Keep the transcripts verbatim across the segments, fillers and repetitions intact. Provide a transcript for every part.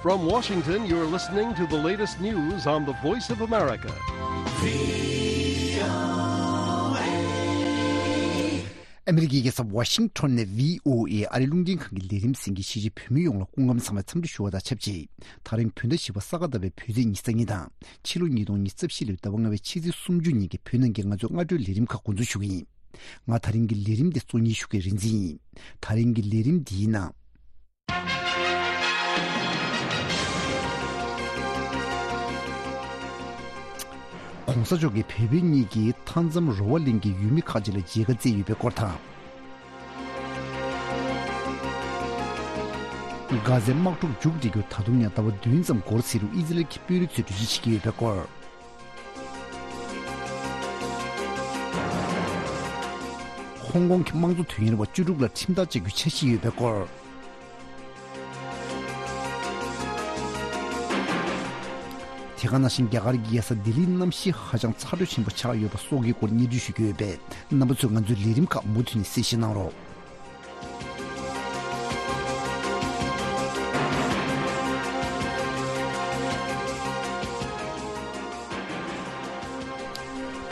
From Washington, you're listening to the latest news on the Voice of America. ཨ་མི་རི་ཀའི་རྒྱལ་ས་ཝ་ཤིང་ཊོན་ནས་བྷི་ཨོ་ཨེ་ཨ་རིའི་རླུང་འཕྲིན་ཁང་གི་ལས་རིམ་གསན་མཁན་གཞིས་བྱེས་བོད་མི་ཡོངས་ལ་སྐུ་ཁམས་བཟང་བའི་འཚམས་འདྲི་ཞུ་བ་དང་ཆབས་ཅིག་ད་རིང་བོད་ཟླ་བཞི་པ་ས་ག་ཟླ་བའི་བོད་ཚེས་ཉི་ཤུ་རྩ་གཉིས་དང་ཕྱི་ལོ་ཉིས་སྟོང་ཉི་ཤུ་རྩ་བཞི་ལོའི་ཟླ་བ་ལྔ་བའི་ཕྱི་ཚེས་སུམ་ཅུ་ཉིན་གྱི་བོད་ནང་གི་ང་ཚོའི་སྔ་དྲོའི་ལས་རིམ་ཁག་འགོ་འཛུགས་ཞུ་གི་ཡིན། ང་ད་རིང་གི་ལས་རིམ་འདི་གཙོ་གཉེར་ཞུ་མཁན་རིག་འཛིན་ཡིན། ད་རིང་གི་ལས་རིམ་འདིའི་ནང་། གོང་ས་མཆོག་གིས་བལ་པོ་གཉིས་ཀྱི་མཐའ་མཚམས་རོ་བ་གླིང་གི་ཡུལ་མི་ཁག་ཅིག་ལ་མཇལ་ཁ་བསྩལ་ཡོད་པའི་སྐོར་དང་། གྷ་ཟའི་དམག་འཁྲུག་མཇུག་སྒྲིལ་རྒྱུར་ད་དུང་ཡང་ཟླ་བ་བདུན་ཙམ་འགོར་སྲིད་རུང་ཨི་ཟི་རལ་གྱི་དཔོན་རིགས་ཚོས་གྲོས་གཞི་བྱེད་ཀྱི་ཡོད་པའི་སྐོར། ཧོང་ཀོང་གི་དམངས་གཙོ་དོན་གཉེར་བ་བཅུ་དྲུག་ལ་ཁྲིམས་ཐག་བཅད་རྒྱུའི་འཆར་གཞི་ཡོད་པའི་སྐོར། དེ་ག་ནང་བཞིན་རྒྱ་གར་གྱི་རྒྱལ་ས་ལྡི་ལིའི་གནམ་གཤིས་ཧ་ཅང་ཚ་དྲོད་ཆེན་པོ་ཆགས་ཡོད་པ་སོགས་ཀྱི་སྐོར་སྙན་སྒྲོན་ཞུ་རྒྱུ་ཡོད་པས། རྣམ་པ་ཚོས་ང་ཚོའི་ལས་རིམ་ཁག་མུ་མཐུད་ནས་གསན་བཞེས་གནང་རོགས།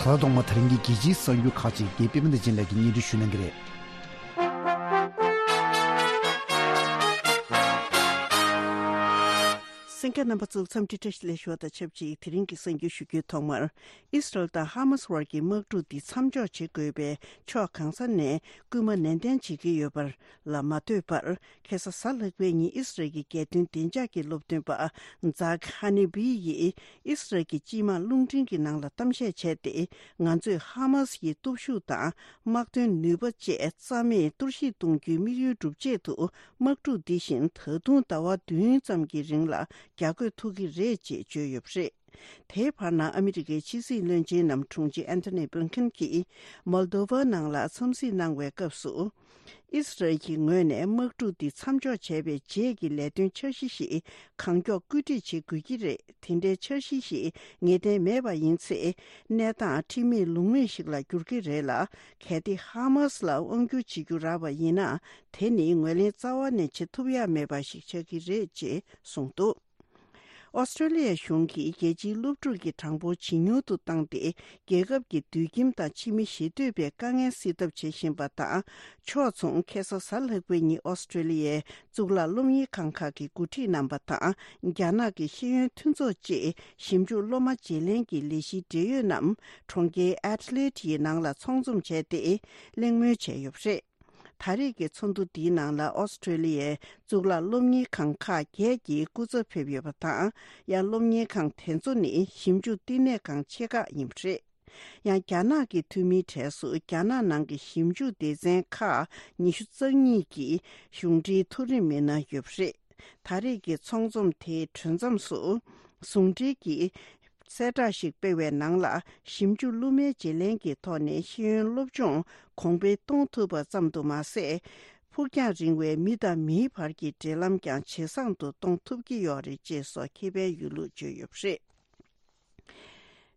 ད་ལྟ་ཐོག་མར་ད་རིང་གི་རྒྱལ་སྤྱིའི་གསར་འགྱུར་ཁག་ཅིག་རྒན་པད་མ་བདེ་ཆེན་ལགས་ཀྱིས་སྙན་སྒྲོན་ཞུ་གནང་གི་རེད། གསན་མཁན་རྣམ་པ་ཚོར་འཚམས་འདྲི་བཀྲ་ཤིས་བདེ་ལེགས་ཞུ་བ་དང་ཆབས་ཅིག་དེ་རིང་གི་གསར་འགྱུར་ཞུ་རྒྱུའི་ཐོག་མར། ཨིས་རལ་དང་ཧ་མཱ་སི་བར་གྱི་དམག་འཁྲུག་འདི་མཚམས་འཇོག་བྱེད་དགོས་པའི་ཕྱོགས་གང་ས་ནས་སྐུལ་མ་ནན་ཏན་བྱེད་ཀྱི་ཡོད་པར་ལ་མ་ལྟོས་པར། ཁ་སང་གཟའ་ལྷག་པའི་ཉིན་ཨིས་རལ་གྱི་རྒྱལ་དོན་བདེ་འཇགས་ཀྱི་སློབ་སྟོན་པ་ཛག་ཧ་ནི་བི་ཡིས་ཨིས་རལ་གྱི་སྤྱི་དམངས་རླུང་འཕྲིན་གྱི་ནང་ལ་གཏམ་བཤད་བྱས་ཏེ། ང་ཚོས་ཧ་མཱ་སི་ཡི་སྟོབས་ཤུགས་དང་དམག་དོན་ནུས་པ་བཅས་རྩ་མེད་གཏོར་བཤིག་གཏོང་རྒྱུའི་དམིགས་ཡུལ་སྒྲུབ་ཆེད་དུ། དམག་འཁྲུག་འདི་བཞིན་ད་དུང་ཟླ་བ་བདུན་ཙམ་གྱི་རིང་ལ་རྒྱག་དགོས་ཐུག་གི་རེད་ཅེས་བརྗོད་ཡོད་པ་རེད། དེའི་བར་ན་ཨ་མི་རི་ཀའི་ཕྱི་སྲིད་བློན་ཆེན་ནམ་དྲུང་ཆེ་ཨན་ཐོ་ནི་བྷིན་ཁིན་གྱིས་མོལ་དོ་ཝ་ནང་ལ་འཚམས་གཟིགས་གནང་བའི་སྐབས་སུ། ཨིས་རལ་གྱི་ངོས་ནས་དམག་འཁྲུག་འདི་མཚམས་འཇོག་བྱས་པའི་རྗེས་ཀྱི་ལས་དོན་འཆར་གཞི་ཞིག་གང་མགྱོགས་བཀོད་སྒྲིག་བྱེད་དགོས་ཀྱི་རེད། དེ་འདྲའི་འཆར་གཞི་ཞིག་ངེས་གཏན་མེད་པ་ཡིན་ཚེ། གནས་སྟངས་ཁྲིམས་མེད་ལུགས་མེད་ཞིག་ལ་འགྱུར་གྱི་རེད་ལ། གལ་ཏེ་ཧ་མཱ་སི་ལ་དབང་སྒྱུར་བྱེད་རྒྱུ་རག་པ་ཡིན་ན། དེ་ནི་ངོས་ལེན་རྩ་བ་ནས་བྱེད་ཐུབ་ཡག་མེད་པ་ཞིག་ཆགས་ཀྱི་རེད་ཅེས་གསུངས་འདུག་ཨོ་སི་ཀྲོ་ལི་ཡ་གཞུང་གིས་རྒྱལ་སྤྱིའི་སློབ་ཕྲུག་གི་གྲངས་འབོར་ཇེ་ཉུང་དུ་བཏང་སྟེ། རྒྱལ་ཁབ་ཀྱི་སྡོད་ཁྱིམ་དང་ཕྱི་མི་ཞེ་འདོད་པའི་དཀའ་ངལ་སེལ་ཐབས་བྱེད་བཞིན་པ་དང་། ཕྱོགས་མཚུངས་ཁ་སང་གཟའ་ལྷག་པའི་ཉིན་ཨོ་སི་ཀྲོ་ལི་ཡའི་གཙུག་ལག་སློབ་གཉེར་ཁང་ཁག་གི་འགོ་ཁྲིད་རྣམ་པ་དང་། རྒྱ་ནག་གི་ཤེས་ཡོན་མཐུན་ཚོགས་བཅས་ཞིབ་འཇུག་སློབ་མ་བརྗེ་ལེན་གྱི་ལས་གཞིའི་འབྲེལ་ཡོད་རྣམས་གྲོང་ཁྱེར་ཨེ་ཌི་ལེ་ཌི་ཡི་ནང་ལ་ཚོགས་འཛོམས་བྱས་ཏེ། གླེང་མོལ་བྱས་ཡོད་པ་རེད། ད་རེས་ཀྱི་ཚོགས་འདུ་འདིའི་ནང་ལ་ཨོ་སི་ཀྲོ་ལི་ཡའི་གཙུག་ལག་སློབ་གཉེར་ཁང་ཁག་བརྒྱད་ཀྱི་སྐུ་ཚབ་ཕེབས་ཡོད་པ་དང་། ཡང་སློབ་གཉེར་ཁང་དེ་ཚོ་ནི་ཞིབ་འཇུག་བསྟི་གནས་ཁང་ཆེ་ཁག་ཡིན་པ་རེད། ཡང་རྒྱ་ནག་གི་འཐུས་མིའི་གྲས་སུ་རྒྱ་ནག་ནང་གི་ཞིབ་འཇུག་སྡེ་ཚན་ཁག་ཉི་ཤུ་རྩ་གཉིས་ཀྱི་གཞུང་འབྲེལ་མཐོ་རིམ་མི་སྣ་ཡོད་པ་རེད། ད་རེས་ཀྱི་ཚོགས་འཛོམས་དེའི་གྲོལ་མཚམས་སུ། ཟུང་འབྲེལ་གྱི་གསལ་བསྒྲགས་ཤིག་སྤེལ་བའི་ནང་ལ། ཞིབ་འཇུག་སློབ་མའི་བརྗེ་ལེན་གྱི་ཐོག་ནས་ཤེས་ཡོན་སློབ་སྦྱོང་གོང་འཕེལ་གཏོང་ཐུབ་པ་ཙམ་དུ་མ་ཟད། ཕུགས་རྒྱང་རིང་བའི་མི་དང་མིའི་བར་གྱི་འབྲེལ་ལམ་ཀྱང་ཇེ་བཟང་དུ་གཏོང་ཐུབ་ཀྱི་ཡོད་རེད་ཅེས་སོགས་ཁེ་ཕན་ཡོད་ལུགས་བརྗོད་ཡོད་པ་རེད།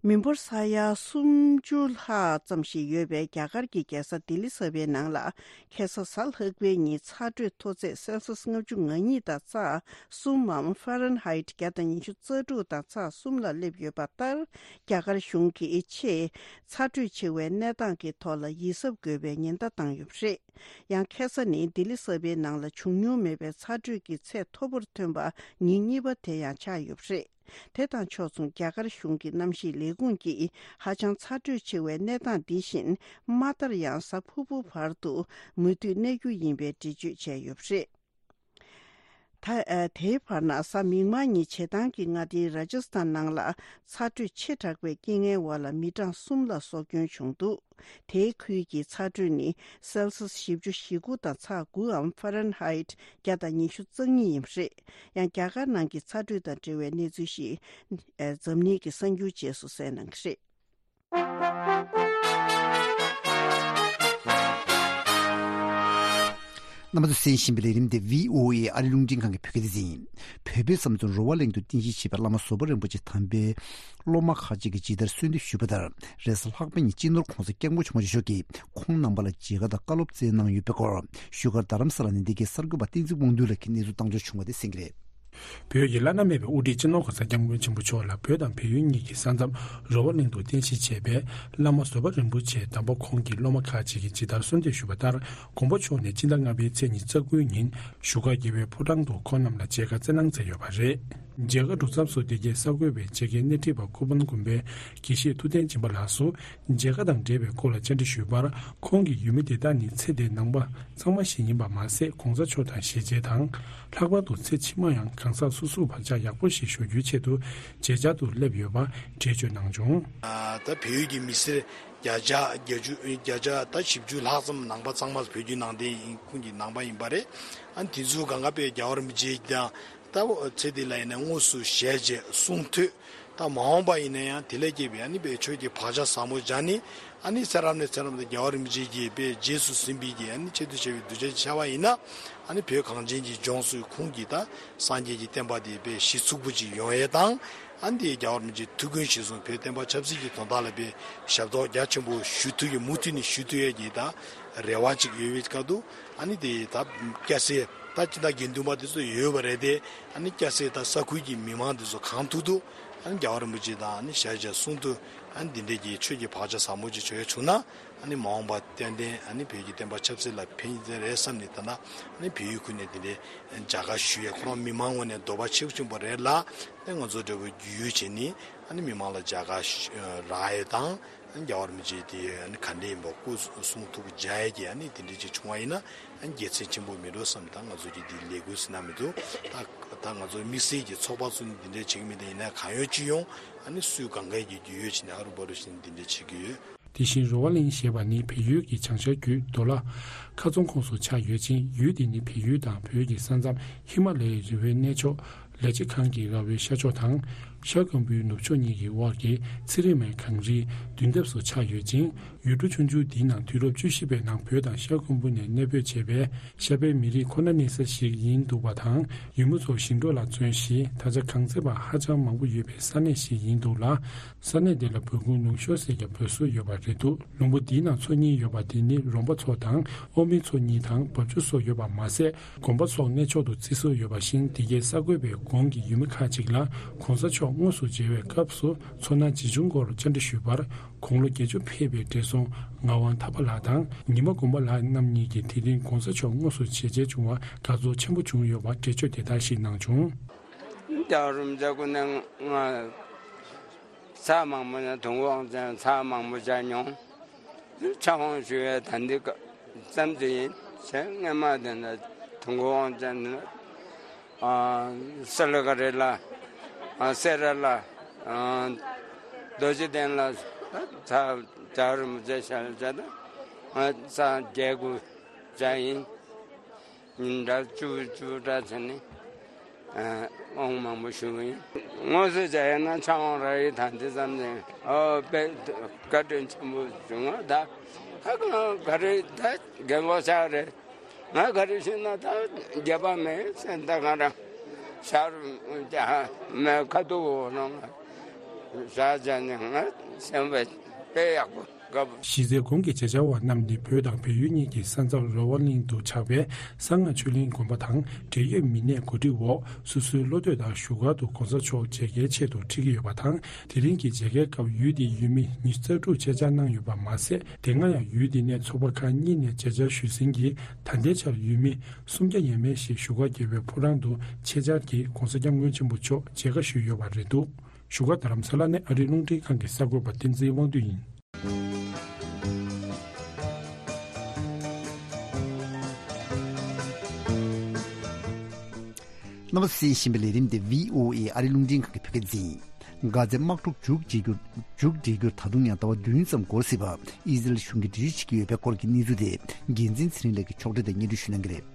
མི་འབོར་ས་ཡ་སུམ་ཅུ་ལྷག་ཙམ་ཞིག་ཡོད་པའི་རྒྱ་གར་གྱི་རྒྱལ་ས་ལྡི་ལི་གསར་པའི་ནང་ལ། ཁ་སང་གཟའ་ལྷག་པའི་ཉིན་ཚ་དྲོད་མཐོ་ཚད་སེལ་སི་ལྔ་བཅུ་ང་གཉིས་དང་ཚེག་གསུམ་མམ་ཧྥ་རན་ཧའིད་བརྒྱ་དང་ཉི་ཤུ་རྩ་དྲུག་དང་ཚེག་གསུམ་ལ་སླེབས་ཡོད་པ་ལྟར། རྒྱ་གར་གཞུང་གིས་ཆེས་ཚ་དྲོད་ཆེ་བའི་གནས་སྟངས་ཀྱི་ཐོག་ལ་ཡིད་གཟབ་དགོས་པའི་ཉེན་བརྡ་བཏང་ཡོད་པ་རེད། ཡང་ཁ་སང་ནི་ལྡི་ལི་གསར་པའི་ནང་ལ་བྱུང་མྱོང་མེད་པའི་ཚ་དྲོད་ཀྱི་ཚད་མཐོ་པོར་ཐོན་པ་ཉིན་གཉིས་པ་དེ་ཡང་ཆགས་ཡོད་པ་རེད། དེ་དང་ཕྱོགས་མཚུངས་རྒྱ་གར་གཞུང་གི་གནམ་གཤིས་ལས་ཁུངས་ཀྱིས་ཧ་ཅང་ཚ་དྲོད་ཆེ་བའི་གནས་སྟངས་འདི་བཞིན་མ་མཐར་ཡང་གཟའ་ཕུར་བུ་བར་དུ་མུ་མཐུད་གནས་རྒྱུ་ཡིན་པའི་འགྲེལ་བརྗོད་བྱས་ཡོད་པ་རེད། ད། ཨ། དེའི་བར་ན་གཟའ་མིག་དམར་ཉིན་བྱེ་ཐང་གི་མངའ་སྡེ་ར་ཇ་སི་ཐན་ནང་ལ་ཚ་དྲོད་ཆེ་དྲགས་པའི་རྐྱེན་ངན་འོག་ལ་མི་གྲངས་གསུམ་ལ་སྲོག་སྐྱོན་བྱུང་འདུག་དེའི་ཁུལ་གྱི་ཚ་དྲོད་ནི་སེལ་སི་བཞི་བཅུ་ཞེ་དགུ་དང་ཚེག་དགུའམ་ཧྥ་རན་ཧའིད་བརྒྱ་དང་ཉི་ཤུ་རྩ་གཉིས་ཡིན་པ་རེད། ཡང་རྒྱ་གར་ནང་གི་ཚ་དྲོད་དང་འབྲེལ་བའི་གནས་ཚུལ་ཞིག་ཨ། འཛམ་གླིང་གི་གསར་འགྱུར་རྗེས་སུ་གསན་གནང་གི་རེད། རྣམ་པ་ཚོས་གསན་བཞིན་པའི་ལས་རིམ་དེ་བྷི་ཨོ་ཨེ་ཨ་རིའི་རླུང་འཕྲིན་ཁང་གི་བོད་སྐད་སྡེ་ཚན་ཡིན། བོད་པའི་བསམ་ཚུལ་རོ་བ་གླིང་དུ་རྟེན་གཞི་བྱས་པའི་བླ་མ་བཟོད་པ་རིན་པོ་ཆེ་དམ་པའི་སློབ་མ་ཁག་ཅིག་གིས་ཇི་ལྟར་གསོལ་འདེབས་ཞུས་པ་ལྟར། རེས་གཟའ་ལྷག་པའི་ཉིན་སྤྱི་ནོར་༧གོང་ས་༧སྐྱབས་མགོན་ཆེན་པོ་མཆོག་གིས་ཁོང་རྣམ་པ་ལ་མཇལ་ཁ་དང་བཀའ་སློབ་སྩལ་གནང་ཡོད་པའི་སྐོར། བཞུགས་སྒར་རྡ་རམ་ས་ལ་ནས་འདི་གའི་གསར་འགོད་པ་བསྟན་འཛིན་དབང་འདུས་ལགས་ཀྱིས་གནས་ཚུལ་བཏང་འབྱོར་བྱུང་བ་དེ་གསན་གྱི་རེད། བོད་ཀྱི་བླ་ན་མེད་པའི་དབུ་ཁྲིད་སྤྱི་ནོར་གོང་ས་སྐྱབས་མགོན་ཆེན་པོ་མཆོག་ལ་བོད་དང་བལ་ཡུལ་གཉིས་ཀྱི་ས་མཚམས་རོ་བ་གླིང་དུ་རྟེན་གཞི་བྱས་པའི་བླ་མ་བཟོད་པ་རིན་པོ་ཆེ་དམ་པ་ཁོང་གི་སློབ་མ་ཁག་ཅིག་གིས་ཇི་ལྟར་གསོལ་འདེབས་ཞུས་པ་ལྟར། དགོངས་པ་མཆོག་ནས་སྤྱི་ཟླ་ལྔ་པའི་ཚེས་ཉི་ཤུ་རྩ་དགུའི་ཉིན་བཞུགས་སྒར་རྒྱལ་བའི་ཕོ་བྲང་དུ་ཁོང་རྣམས་ལ་མཇལ་ཁ་བསྩལ་གནང་མཛད་ཡོད་པ་རེད། མཇལ་ཁ་གྲུབ་མཚམས་སུ་དེ་གའི་གསར་འགོད་པས་མཇལ་ཁའི་སྣེ་ཁྲིད་པ་ཀུ་པན་དགོན་པའི་དགེ་བཤེས་ཐུབ་བསྟན་སྦྱིན་པ་ལགས་སུ། མཇལ་ཁ་དང་འབྲེལ་བའི་སྐོར་ལ་བཅར་འདྲི་ཞུས་པར། ཁོང་གིས་ཡུལ་མི་དེ་དག་ནི་ཚེ་འདིའི་ནང་པ་གཙང་མ་ཞིག་ཡིན་པ་མ་ཟད། གོང་ས་མཆོག་དང་ཞལ་མཇལ་དང་། ལྷག་པར་དུ་ཚེ་ཕྱི་མ་ཡང་གང་ཟག་སོ་སོའི་བག་ཆགས་ཡག་པོ་ཞིག་ཞུ་རྒྱུའི་ཆེད་དུ་མཇལ་བཅར་དུ་སླེབས་ཡོད་པ་འགྲེལ་བརྗོད་གནང་བྱུང་། ད་བལ་ཡུལ་གྱི་མི་སེར་བརྒྱ་ཆ་བརྒྱད་ཅུ་བརྒྱ་ཆ་ད་བཞི་བཅུ་ལྷག་ཙམ་ནང་པ་གཙང་མ་བོད་བརྒྱུད་ནང་བསྟན་ཡིན་ཁུངས་ཀྱི་ནང་པ་ཡིན་པ་རེད། ཨ་ནི་དེ་ཚོའི་སྒང་ག་དཔེ་རྒྱལ་བ་རིན་པོ་ཆེ་དང་། ད་ཚེ་འདི་ལ་ཡིན་ན་དངོས་སུ་ཞལ་མཇལ་གསུང་ཐོས། ད་མ་འོངས་པ་ཡིན་ན་ཡང་དེ་ལས་སྐྱེས་པའི་ཨ་ནི་དཔེ་ཆོས་ཀྱི་བག་ཆགས་ཟབ་མོ་སྦྱངས་ནས། ཨ་ནི་ཚེ་རབས་ནས་ཚེ་རབས་དུ་རྒྱལ་བ་རིན་པོ་ཆེ་གིས་དཔེ་རྗེས་སུ་ཟིན་པའི་གི་ཨ་ནི་ཆེད་དུ་བྱས་པའི་གདུལ་བྱ་ཅིག་ཆགས་པ་ཡིན་ན། ཨ་ནི་བོད་གངས་ཅན་གྱི་ལྗོངས་སུ་ཁོང་གིས་ད་སངས་རྒྱས་ཀྱི་བསྟན་པ་དེ་དཔེ་གཞི་ཚུགས་པོ་ཅིག་ཡོང་ཡས་དང་། ཨ་ནི་དེ་རྒྱལ་བ་རིན་པོ་ཆེའི་ཐུགས་འགན་གཞིར་བཟུང་བོད་བསྟན་པ་ཆབ་སྲིད་ཀྱི་དོན་དག་ལ་དཔེ་ཞབས་ཏོག་རྒྱ་ཆེན་པོ་ཞུ་ཐུབ་ཡས། མུ་མཐུད་ནས་ཞུ་ཐུབ་ཡས་ཀྱི་ད་རེ་བ་ཅིག་ཡོད་པའི་སྐབས་དུ། ཨ་ནི་དེ་ད་སྐྱ་སེར་ད་སྤྱི་ཟླ་དགེ་འདུན་པ་དེ་ཚོ་ཡོད་པ་རེད་དེ། ཨ་ནི་སྐྱ་སེར་ད་ས་ཁུལ་གྱི་མི་མང་དེ་ཚོ་གང་ཐུབ་ཐུབ་ཨ་ནི་རྒྱལ་བ་རིན་པོ་ཆེ་དང་ཨ་ནི་ཞལ་མཇལ་གསུང་ཐུབ། ཨ་ནི་འདི་འདྲའི་གི་ཆོས་ཀྱི་བག་ཆགས་ཟབ་མོ་ཅིག་བྱུང་ཡ་བྱུང་ན། ཨ་ནི་མ་འོངས་པ་ཏན་ཏན་ཨ་ནི་བོད་ཀྱི་བསྟན་པ་ཆབ་སྲིད་ལ་ཕན་ཡོན་རེད་བསམ་ནས། ད་ལྟ་ཨ་ནི་བལ་ཡུལ་ཁུལ་ནས་འདི་འདྲའི་མཇལ་ཁ་ཞུ་ཡ། ཁོ་རང་མི་མང་ངོས་ནས་འདོད་པ་ཆེ་ཆེན་པོ་རེད་ལ། ཨ་ང་ཚོ་འདྲ་བོ་རྒྱུས་ཡོད་བྱས་ནས་ཨ་ནི་མི་མང་ལ་མཇལ་ཁ་ཞུ་རག་ཡ་དང་། ཨ་ནི་རྒྱལ་བ་རིན་པོ་ཆེ་དེ་ཨ་ནི་ག་འདྲ་ཡིན་པ་སྐུ་གསུང་ཐུགས་མཇལ་ཡ་གི་ཨ་ནི་དེ་འདྲ་ཅིག་བྱུང་བ་ཡིན་ན། ཨ་ནི་དགེ་མཚན་ཆེན་པོ་མེད་འགྲོ་བསམ། ད་ང་ཚོ་གི་འདི་ལས་འགུལ་ཟེར་ན་མི་འདུག་ད་ད་ང་ཚོ་དམིགས་བསལ་གྱི་ཚོགས་པ་ཚོ་ནི་འདི་འདྲ་བྱེད་ཀྱི་མེད། ད་ཡིན་ན་གང་ཡོང་ཅི་ཡོང་ཨ་ནི་སུས་གང་ག་གི་རྒྱུས་ཡོད་བྱས་ནས་ཨ་རུ་བ་རུ་བཞིན་འདི་འདྲ་བྱེད་ཀྱི་ཡོད། དེ་བཞིན་རོ་བ་གླིང་ཞེས་པ་ནི་བལ་ཡུལ་གྱི་བྱང་ཤར་རྒྱུད་མདོ་ལ་ཁ་རྫོང་ཁོངས་སུ་ཆགས་ཡོད་ཅིང་། ཡུལ་དེ་ནི་བལ་ཡུལ་དང་བོད་ཀྱི་ས་མཚམས་ཧི་མ་ལ་ཡའི་རི་བོའི་གནས་མཆོག་ལས་བྱེད་ཁང་གི་ར་བའི་ཤར་ཕྱོགས་དང་། ཤར་ཁམ་བུའི་ནུབ་ཕྱོགས་གཉིས་ཀྱི་དབར་གྱི་ཚེ་རིང་མའི་གངས་རིའི་མདུན་ཐབས་སུ་ཆགས་ཡོད་ཅིང་། ཡུལ་གྲུ་ཆུང་ཆུང་འདིའི་ནང་དུས་རབས་བཅུ་བཞི་པའི་ནང་བོད་དང་ཤར་ཁམ་བུ་ནས་གནས་སྤོས་བྱས་པའི་ཤར་པའི་མི་རིགས་ཁོ་ན་གནས་ས་ཞིག་ཡིན་འདུག་པ་དང་། ཡུལ་མི་ཚོ་ཞིང་འབྲོག་ལ་བརྩོན་ཞིང་། ད་ཆ་གངས་ཚད་པ་ཧ་ཅང་མང་པོ་ཡོད་པའི་ས་གནས་ཤིག་ཡིན་འདུག་ལ། ས་གནས་དེ་ལ་བོད་ཁུལ་ལུང་གཤོང་ཟེར་ཀྱང་འབོད་སྲོལ་ཡོད་པ་རེད་འདུག་ལུང་པ་འདིའི་ནང་མཚོ་གཉིས་ཡོད་པ་དེ་ནི་རོང་པ་མཚོ་དང་ཨོ་མི་མཚོ་གཉིས་དང་འབབ་ཆུ་སོགས་ཡོད་པ་མ་ཟད། དགོན་པ་སོགས་གནས་མཆོག་ཏུ་བརྩི་སྲོལ་ཡོད་པ་བཞིན། དེ་གའི་གསར་འགོད་པས་གོང་གི་ཡུལ་མི་ཁག་ཅིག་ལ་གོང་ས་མཆོག་དངོས་སུ་མཇལ་བའི་སྐབས་སུ་མཚོ་སྣ་ཇི་བྱུང་སྐོར་བཅར་འདྲི་ཞུས་པར། དགུང་ལོ་བརྒྱད་ཅུ་ཕེབས་པའི་བགྲེས་སོང་ངག་དབང་ཐར་པ་ལགས་དང་ཉི་མ་དགོན་པ་ལགས་རྣམ་གཉིས་ཀྱིས་དེ་རིང་གོང་ས་མཆོག་དངོས་སུ་མཇལ་མཇལ་བྱུང་བར་དགའ་ཚོར་ཆེན་པོ་བྱུང་ཡོད་པ་འགྲེལ་བརྗོད་དེ་ལྟར་ཞིག་གནང་བྱུང་། རྒྱལ་བ་རིན་པོ་ཆེ་སྐུ་མདུན་ང་ཚར་མང་པོ་ནས་དུས་འཁོར་དབང་ཆེན་ཚར་མང་པོ་མཇལ་མྱོང་། ཕྱག་དབང་ཞུ་བའི་ད་འདི་ཙམ་དུ་ཡིན། ཞེས་སྔས་མ་དེ་ནས་དུས་འཁོར་དབང་ཆེན་ནི་ཨ་སེ་ལ་ཀ་རི་ལ། ཨ་སེ་ར་ལ། ཨ་རྡོ་རྗེ་གདན་ལ། ཚར་རྒྱལ་བ་རིན་པོ་ཆེ་ཞལ་མཇལ་དང་། ཨ་ཚར་བརྒྱད་དགུ་མཇལ་ཡིན། ཉིན་གྲངས་བཅུ་བཅུ་འདྲ་བྱས་ནས་ཨ་དབང་མང་པོ་ཞུ་གི་ཡིན། དངོས་སུ་མཇལ་ཡོད་ན་ཕྱག་དབང་རག་ཡིན། ད་འདི་ཙམ་ནས་ཨོ་དཔེ་བཀའ་དྲིན་ཆེན་པོ་བྱུང་བ། ད་ཧ་གང་ག་རེ་ད་རྒན་ལོ་ཆགས་རེད། ང་ག་རེ་ཤེས་ན་ད་རྒྱབ་པ་མེད་ཟེར། ད་ག་རང་ཤར་རྒྱ་མའི་ཁ་ཐུག་འོག་ནང་བཞག་བྱས་ནས་ང་སེམས་པ་དཔེ་ཡག་པོ་དགའ་པོ། གཞི་རྩའི་གོང་གི་མཇལ་བཅར་བ་རྣམས་ནི་བོད་དང་བལ་ཡུལ་གཉིས་ཀྱི་ས་མཚམས་རོ་བ་གླིང་དུ་ཆགས་པའི་གསང་སྔགས་ཆོས་གླིང་དགོན་པ་དང་འབྲེལ་ཡོད་མི་སྣས་གོ་སྒྲིག་འོག་སོ་སོའི་བློ་འདོད་ལྟར་བཞུགས་སྒར་དུ་གོང་ས་མཆོག་མཇལ་ཁའི་ཆེད་དུ་ཁྲིད་ཀྱི་ཡོད་པ་དང་། དེ་རིང་གི་མཇལ་ཁའི་སྐབས་ཡུལ་དེའི་ཡུལ་མི་ཉི་ཤུ་རྩ་དྲུག་ཆེད་བཅར་གནང་ཡོད་པ་མ་ཟད། དེ་སྔ་ཡང་ཡུལ་དེ་ནས་ཚོགས་པ་ཁག་གཉིས་ནས་མཇལ་བཅར་ཞུས་ཟིན་གྱི། ད་ལྟའི་ཆར་ཡུལ་མི་སུམ་བརྒྱ་ཡས་མས་ཤིག་བཞུགས་སྒར་རྒྱལ་བའི་ཕོ་བྲང་དུ་ཆེད་བཅར་གྱིས་གོང་ས་སྐྱབས་མགོན་ཆེན་པོ་མཆོག་མཇལ་ཁ་ཞུས་ཡོད་པ་རེད་འདུག་བཞུགས་སྒར་རྡ་རམ་ས་ལ་ནས་ཨ་རིའི་རླུང་འཕྲིན་ཁང་གི་གསར་འགོད་པ་བསྟན་འཛིན་དབང་འདུས་ཡིན། རྣམ་པ་གསན་བཞིན་པའི་ལས་རིམ་དེ་བྷི་ཨོ་ཨེ་ཨ་རིའི་རླུང་འཕྲིན་ཁང་གི་བོད་སྐད་སྡེ་ཚན་ཡིན། གྷ་ཛའི་དམག་འཁྲུག་མཇུག་སྒྲིལ་རྒྱུར་མཇུག་སྒྲིལ་རྒྱུར་ད་དུང་ཡང་ཟླ་བ་བདུན་ཙམ་འགོར་སྲིད་པ་ཨི་ཟི་རེལ་གཞུང་གིས་འགྲེལ་བརྗོད་བྱེད་ཀྱི་ཡོད་པའི་སྐོར་གྱི་གནས་ཚུལ་དེ་འགན་འཛིན་ཚེ་རིང་ལགས་ཀྱིས་ཕྱོགས་སྒྲིག་དང་སྙན་སྒྲོན་ཞུ་གནང་གི་རེད།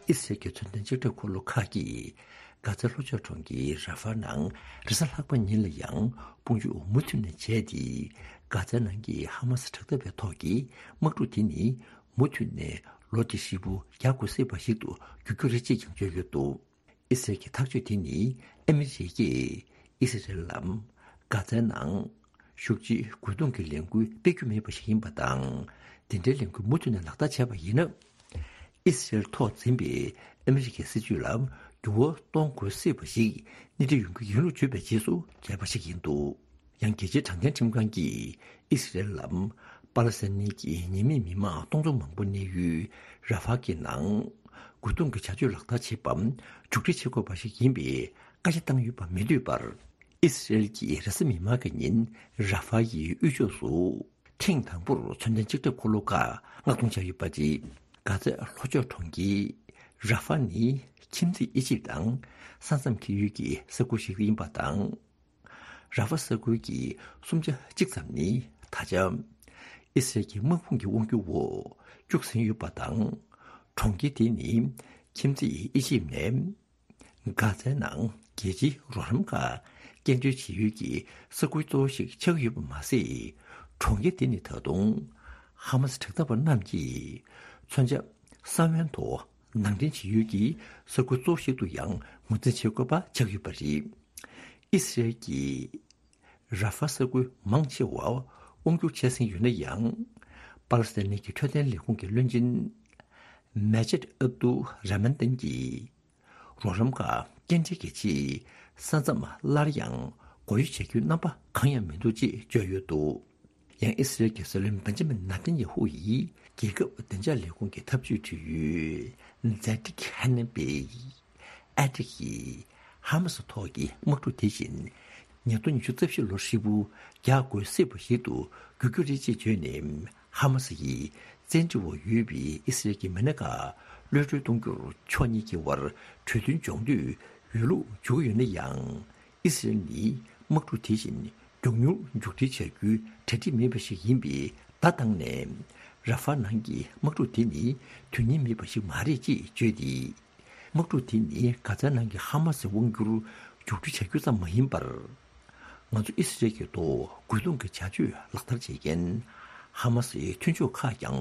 ཨི་སི་རལ་གྱི་མཚོན་ལྡན་ལྕགས་སྒྲོག་འཁོར་ལོ་ཁག་གིས་གྷ་ཛའི་ལྷོ་ཕྱོགས་གྲོང་ཁྱེར་ར་ཧྥ་ནང་རེས་གཟའ་ལྷག་པ་ཉིན་ལ་ཡང་དཔུང་འཇུག་མུ་མཐུད་ནས་བྱས་ཏེ། གྷ་ཛའི་ནང་གི་ཧ་མ་སི་དྲག་འཐབ་པའི་ཐོག་གི་དམག་འཁྲུག་དེ་ནི་མུ་མཐུད་ནས་ལོ་འདི་ཧྲིལ་པོ་རྒྱག་དགོས་སྲིད་པ་ཞིག་ཏུ་འགྱུར་རྒྱུ་རེད་ཅེས་ཀྱང་བརྗོད་ཡོད་འདུག་ཨི་སི་རལ་གྱི་ཐག་གཅོད་དེ་ནི་ཨ་མི་རི་ཀས་ཨི་སི་རལ་ལ་གྷ་ཛའི་ནང་ཤུགས་ཆེའི་རྒོལ་རྡུང་གི་ལས་འགུལ་སྤེལ་རྒྱུ་མེད་པ་ཞིག་ཡིན་པ་དང་། དེ་འདྲའི་ལས་འགུལ་མུ་མཐུད་ནས་ལག་བསྟར་བྱས་པ་ཡིན་ན། ཨི་སི་རལ་ཐོག་འཛིན་པའི་ཨ་མི་རི་ཀའི་སྲིད་ཇུས་ལ་ འགྱུར་བ་གཏོང་དགོས་སྲིད་པ་ཞིག་སྣེ་ཁྲིད་ཡོང་རྒྱུ་ཡིན་ལུགས་བརྗོད་པའི་རྗེས་སུ་བྱས་པ་ཞིག་ཡིན་འདུག་ཡང་རྒྱལ་སྤྱིའི་དྲང་བདེན་ཁྲིམས་ཁང་གིས་ཨི་སི་རེལ་ལ་པ་ལ་སི་ཐན་གྱི་ཉེས་མེད་མི་མང་སྟོང་ཚོ་མང་པོ་གནས་ཡུལ་ར་ཧྥ་གི་ནང་རྒོལ་རྡུང་གི་བྱ་སྤྱོད་ལག་བསྟར་བྱེད་པ་མཇུག་སྒྲིལ་བྱེད་དགོས་པ་ཞིག་ཡིན་པའི་བཀའ་རྒྱ་བཏང་ཡོད་པ་མི་འདོད་པར། ཨི་སི་རེལ་གྱི་རེས་གཟའ་མིག་དམར་གྱི་ཉིན་ར་ཧྥ་ཡི་དབུས་ཕྱོགས་སུ་ཐེངས་དང་པོར་མཚོན་ལྡན་ལྕགས་ཁྲབ་འཁོར་ལོ་ཁག་མངགས་གཏོང་བྱས་ཡོད་པ་རེད། གྷ་ཛའི་ལྷོ་ཕྱོགས་གྲོང་ཁྱེར་ར་ཧྥ་ནི་ཁྱིམ་མཚེས་ཨི་ཇིབ་དང་ས་མཚམས་འཁེལ་ཡུལ་གྱི་ས་ཁུལ་ཞིག་ཡིན་པ་དང་། ར་ཧྥ་ས་ཁུལ་གྱི་གསུམ་ཆ་གཅིག་ཙམ་ནི་ད་ཆ་ཨི་སི་རེལ་གྱི་དམག་དཔུང་གི་དབང་སྒྱུར་འོག་བཅུག་ཟིན་ཡོད་པ་དང་། གྲོང་ཁྱེར་དེ་ནི་ཁྱིམ་མཚེས་ཨི་ཇིབ་ནས་གྷ་ཛའི་ནང་རྒྱལ་སྤྱིའི་རོགས་རམ་ཁག་སྐྱེལ་འདྲེན་བྱེད་ཡུལ་གྱི་ས་ཁུལ་གཙོ་བོ་ཞིག་ཆགས་ཀྱི་ཡོད་པ་མ་ཟད། གྲོང་ཁྱེར་དེ་ནི་ད་དུང་ཧ་མ་སི་དྲག་འཐབ་པ་རྣམས་ཀྱིས་མཚོན་ཆ་ས་བོན་ཐོག་ནང་འདྲེན་བྱེད་ཡུལ་གྱི་ས་ཁུལ་གཙོ་བོ་ཞིག་ཏུ་ཡང་ངོས་འཛིན་བྱེད་དགོས་པ་ཆགས་ཡོད་པ་རེད། ཨི་སི་རེལ་གྱིས་ར་ཧྥ་ས་ཁུལ་མང་ཆེ་བ་དབང་སྒྱུར་བྱས་ཟིན་ཡོད་ན་ཡང་། པ་ལ་སི་ཐན་གྱི་འཕྲོད་བསྟེན་ལས་ཁུངས་ཀྱི་བློན་ཆེན་མེ་ཇེད་ཨབ་ཏུ་ར་མན་ཏན་གྱིས། རོགས་རམ་ཁག་སྐྱེལ་འདྲེན་གྱི་ཆེད་ས་མཚམས་སླར་ཡང་སྒོ་དབྱེ་བྱ་རྒྱུའི་རྣམ་པ་གང་ཡང་མི་འདུག་ཅེས་བརྗོད་ཡོད་འདུག་ཡང་ཨི་སི་རེལ་གྱི་སྲིད་བློན་བན་ཇ་མིན་ནཱ་ཐན་ཡ་ཧུ་ཡིས་རྒྱལ་ཁབ་བདེ་འཇགས་ལས་ཁུངས་ཀྱི་ཐབས་ཇུས་དྲི་ཡུལ་ཛེ་ཏིག་ཧན་ནན་པེ་ཨེ་ཏིག་གིས་ཧ་མ་སི་ཐོག་གི་དམག་འཁྲུག་དེ་བཞིན་ཉིས་སྟོང་ཉི་ཤུ་རྩ་བཞི་ལོར་ཧྲིལ་པོ་རྒྱག་དགོས་སྲིད་པ་ཞིག་ཏུ་འགྱུར་རྒྱུ་རེད་ཅེས་བརྗོད་ནས། ཧ་མ་སི་ཡིས་བཙན་ཁྲིད་འོག་ཡོད་པའི་ཨི་སི་རེལ་གྱི་མི་སྣ་ཁག་གློད་གྲོལ་གཏོང་རྒྱུར་ཕྱོགས་གཉིས་ཀྱི་དབར་གྲོས་མཐུན་འཇོག་འདོད་ཡོད་ལུགས་བརྗོད་ཀྱི་ཡོད་ན་ཡང་། ཨི་སི་རེལ་ནི་དམག་འཁྲུག་དེ་བཞིན་མགྱོགས་མྱུར་མཇུག་སྒྲིལ་བྱ་རྒྱུའི་གྲ་སྒྲིག་མེད་པ་ཞིག་ཡིན་པའི་བརྡ་བཏང་ནས། ར་ཧྥ་ནང་གི་དམག་འཁྲུག་དེ་ནི་དོན་སྙིང་མེད་པ་ཞིག་མ་རེད་ཅེས་བརྗོད་དེ། དམག་འཁྲུག་དེ་ནི་གྷ་ཛའི་ནང་གི་ཧ་མ་སི་དབང་སྒྱུར་མཇུག་སྒྲིལ་བྱ་རྒྱུ་ཙམ་མ་ཡིན་པར། ང་ཚོ་ཨི་སི་རེལ་གྱི་ཐོག་རྒོལ་རྡུང་གི་བྱ་སྤྱོད་ལག་བསྟར་བྱེད་མཁན་ཧ་མ་སིའི་མཐུན་ཕྱོགས་ཁག་ཀྱང་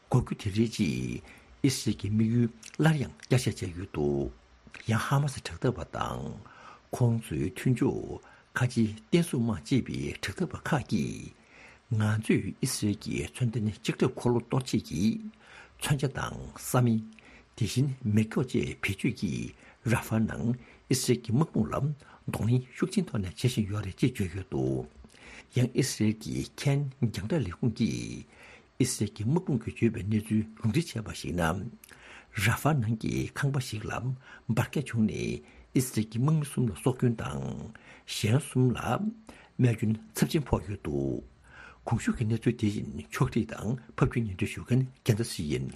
དགོས་རྒྱུ་དེ་རེད་ཅེས་ཨི་སི་རེལ་གྱི་དམིགས་ཡུལ་སླར་ཡང་བསྐྱར་བཤད་བྱས་ཡོད་འདུག་ཡང་ཧ་མ་སི་དྲག་འཐབ་པ་དང་ཁོང་ཚོའི་མཐུན་ཕྱོགས་ཁ་ཆེའི་བསྟན་སྲུང་དམག་ཅེས་པའི་དྲག་འཐབ་པ་ཁག་གིས། ང་ཚོས་ཨི་སི་རེལ་གྱི་མཚོན་ལྡན་ལྕགས་ཁྲབ་འཁོར་ལོ་གཏོར་བྱེད་ཀྱི་མཚོན་ཆ་དང་ས་མིང་། དེ་བཞིན་མེ་སྒྱོགས་བཅས་བེད་སྤྱོད་ཀྱིས་ར་ཧྥ་ནང་ཨི་སི་རེལ་གྱི་དམག་དཔུང་ལ་གདོང་ལེན་ཤུགས་ཆེན་ཐོག་ནས་བྱེད་བཞིན་ཡོད་རེད་ཅེས་བརྗོད་ཡོད་འདུག་ཡང་ཨི་སི་རེལ་གྱི་ཁེན་རྒྱང་བསྒྲགས་ལས་ཁུངས་ཀྱིས་ཨི་སི་རེལ་གྱི་དམག་དཔུང་གིས་བརྗོད་པའི་གནས་ཚུལ་ལུང་འདྲེན་བྱས་པར་གཞིགས་ན། ར་ཧྥ་ནང་གི་ཁང་པ་ཞིག་ལ་འབར་གས་བྱུང་ནས་ཨི་སི་རེལ་གྱི་དམག་མི་གསུམ་ལ་སྲོག་སྐྱོན་དང་གཞན་གསུམ་ལ་རྨས་སྐྱོན་ཚབས་ཆེན་ཕོག་ཡོད་འདུག་གོང་ཞུས་ཀྱི་གནས་ཚུལ་དེ་བཞིན་ཕྱོགས་སྒྲིག་དང་ཕབ་སྒྱུར་སྙན་སྒྲོན་ཞུ་མཁན་རྒྱལ་མཚན་ཞིག་ཡིན།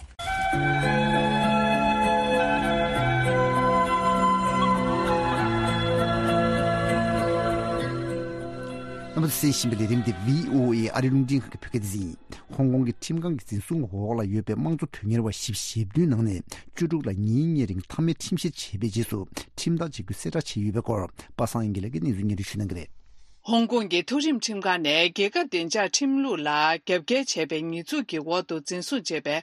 རྣམ་པ་ཚོས་གསན་བཞིན་པའི་ལས་རིམ་འདི་བྷི་ཨོ་ཨེ་ཨ་རིའི་རླུང་འཕྲིན་ཁང་གི་བོད་སྐད་སྡེ་ཚན་ཡིན། ཧོང་ཀོང་གི་ཁྲིམས་ཁང་གི་འཛིན་བཟུང་འོག་ལ་ཡོད་པའི་དམངས་གཙོ་དོན་གཉེར་བ་ཞེ་བདུན་ནང་ནས་བཅུ་དྲུག་ལ་ཉིན་གཉིས་རིང་མཐའ་མའི་ཁྲིམས་བཤེར་བྱས་པའི་རྗེས་སུ་ཁྲིམས་ཐག་བཅད་རྒྱུ་གསལ་བསྒྲགས་བྱས་ཡོད་པའི་སྐོར་པ་སངས་དབྱངས་དགེ་ལེགས་ཀྱིས་གནས་ཚུལ་སྙན་སྒྲོན་ཞུ་གནང་གི་རེད། ཧོང་ཀོང་གི་མཐོ་རིམ་ཁྲིམས་ཁང་ནས་རྒྱལ་ཁབ་བདེ་འཇགས་ཁྲིམས་ལུགས་ལ་རྒྱབ་འགལ་བྱས་པའི་ཉེས་འཛུགས་ཀྱི་འོག་ཏུ་འཛིན་བཟུང་བྱས་པའི་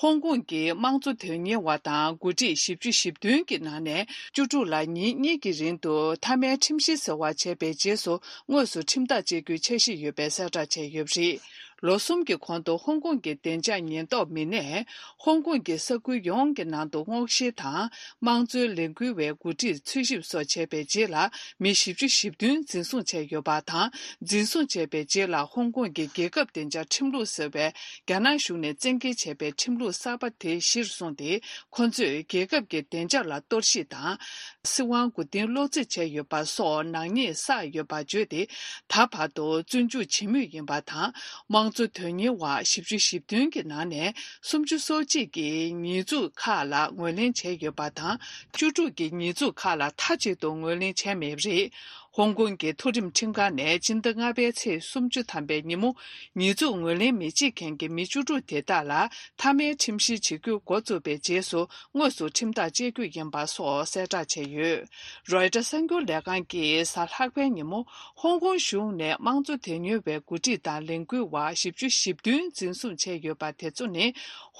ཧོང་ཀོང་གི་དམངས་གཙོ་དོན་གཉེར་བ་དང་འགོ་ཁྲིད་བཞི་བཅུ་ཞེ་བདུན་གྱི་ནང་ནས་བཅུ་དྲུག་ལ་ཉིན་གཉིས་ཀྱི་རིང་དུ་མཐའ་མའི་ཁྲིམས་བཤེར་ཟེར་བ་བྱས་པའི་རྗེས་སུ་དངོས་སུ་ཁྲིམས་ཐག་བཅད་རྒྱུའི་འཆར་གཞི་ཡོད་པའི་གསལ་བསྒྲགས་བྱས་ཡོད་པ་རེད། ལོ་གསུམ་གྱི་གོང་དུ་ཧོང་ཀོང་གི་བདེ་འཇགས་ཉེན་རྟོག་མི་སྣས་ཧོང་ཀོང་གི་ས་ཁུལ་ཡོངས་ཀྱི་ནང་དུ་སྔོག་བཤེར་དང་དམངས་གཙོའི་ལས་འགུལ་བའི་འགོ་ཁྲིད་འཚོལ་ཞིབ་སོགས་བྱས་པའི་རྗེས་ལ་མི་བཞི་བཅུ་ཞེ་བདུན་འཛིན་བཟུང་བྱས་ཡོད་པ་དང་། འཛིན་བཟུང་བྱས་པའི་རྗེས་ལ་ཧོང་ཀོང་གི་རྒྱལ་ཁབ་བདེ་འཇགས་ཁྲིམས་ལུགས་ཟེར་བའི་རྒྱ་ནག་གཞུང་ནས་བཙན་འགེལ་བྱས་པའི་ཁྲིམས་ལུགས་གསར་པ་དེ་གཞིར་བཟུང་སྟེ། ཁོ་ཚོས་རྒྱལ་ཁབ་ཀྱི་བདེ་འཇགས་ལ་གཏོར་བཤིག་དང་། སྲིད་དབང་མགོ་རྟིང་སློག་རྩིས་བྱས་ཡོད་པ་སོགས་ནག་ཉེས་བསགས་ཡོད་པ་བརྗོད་དེ། ད་བར་དུ་བཙོན་འཇུག་བྱེད་མུས་ཡིན་པ་དང་། དམངས་གཙོ་དོན་གཉེར་བ་བཞི་བཅུ་ཞེ་བདུན་གྱི་ནང་ནས་སུམ་ཅུ་སོ་གཅིག་གིས་ཉེས་འཛུགས་ཁག་ལ་ངོས་ལེན་བྱས་ཡོད་པ་དང་། བཅུ་དྲུག་གིས་ཉེས་འཛུགས་ཁག་ལ་མཐའ་གཅིག་ཏུ་ངོས་ལེན་བྱས་མེད་པ་རེད། ཧོང་ཀོང་གི་མཐོ་རིམ་ཁྲིམས་ཁང་ནས་སྤྱི་ཟླ་ལྔ་པའི་ཚེས་སུམ་ཅུ་ཐམ་པའི་ཉིན་མོ། ཉེས་འཛུགས་ངོས་ལེན་མི་བྱེད་མཁན་གྱི་མི་བཅུ་དྲུག་དེ་དག་ལ་མཐའ་མའི་ཁྲིམས་བཤེར་བྱེད་རྒྱུ་འགོ་བཙུགས་པའི་རྗེས་སུ། དངོས་སུ་ཁྲིམས་ཐག་བཅད་རྒྱུ་ཡིན་པ་སོགས་གསལ་བསྒྲགས་བྱས་ཡོད། རོའི་ཊར་གསར་འགྱུར་ལས་ཁང་གིས་གཟའ་ལྷག་པའི་ཉིན་མོ། ཧོང་ཀོང་གཞུང་ནས་དམངས་གཙོ་དོན་གཉེར་བའི་འགོ་ཁྲིད་དང་ལས་འགུལ་བ་བཞི་བཅུ་ཞེ་བདུན་འཛིན་བཟུང་བྱས་ཡོད་པ་དེ་ཚོ་ནི།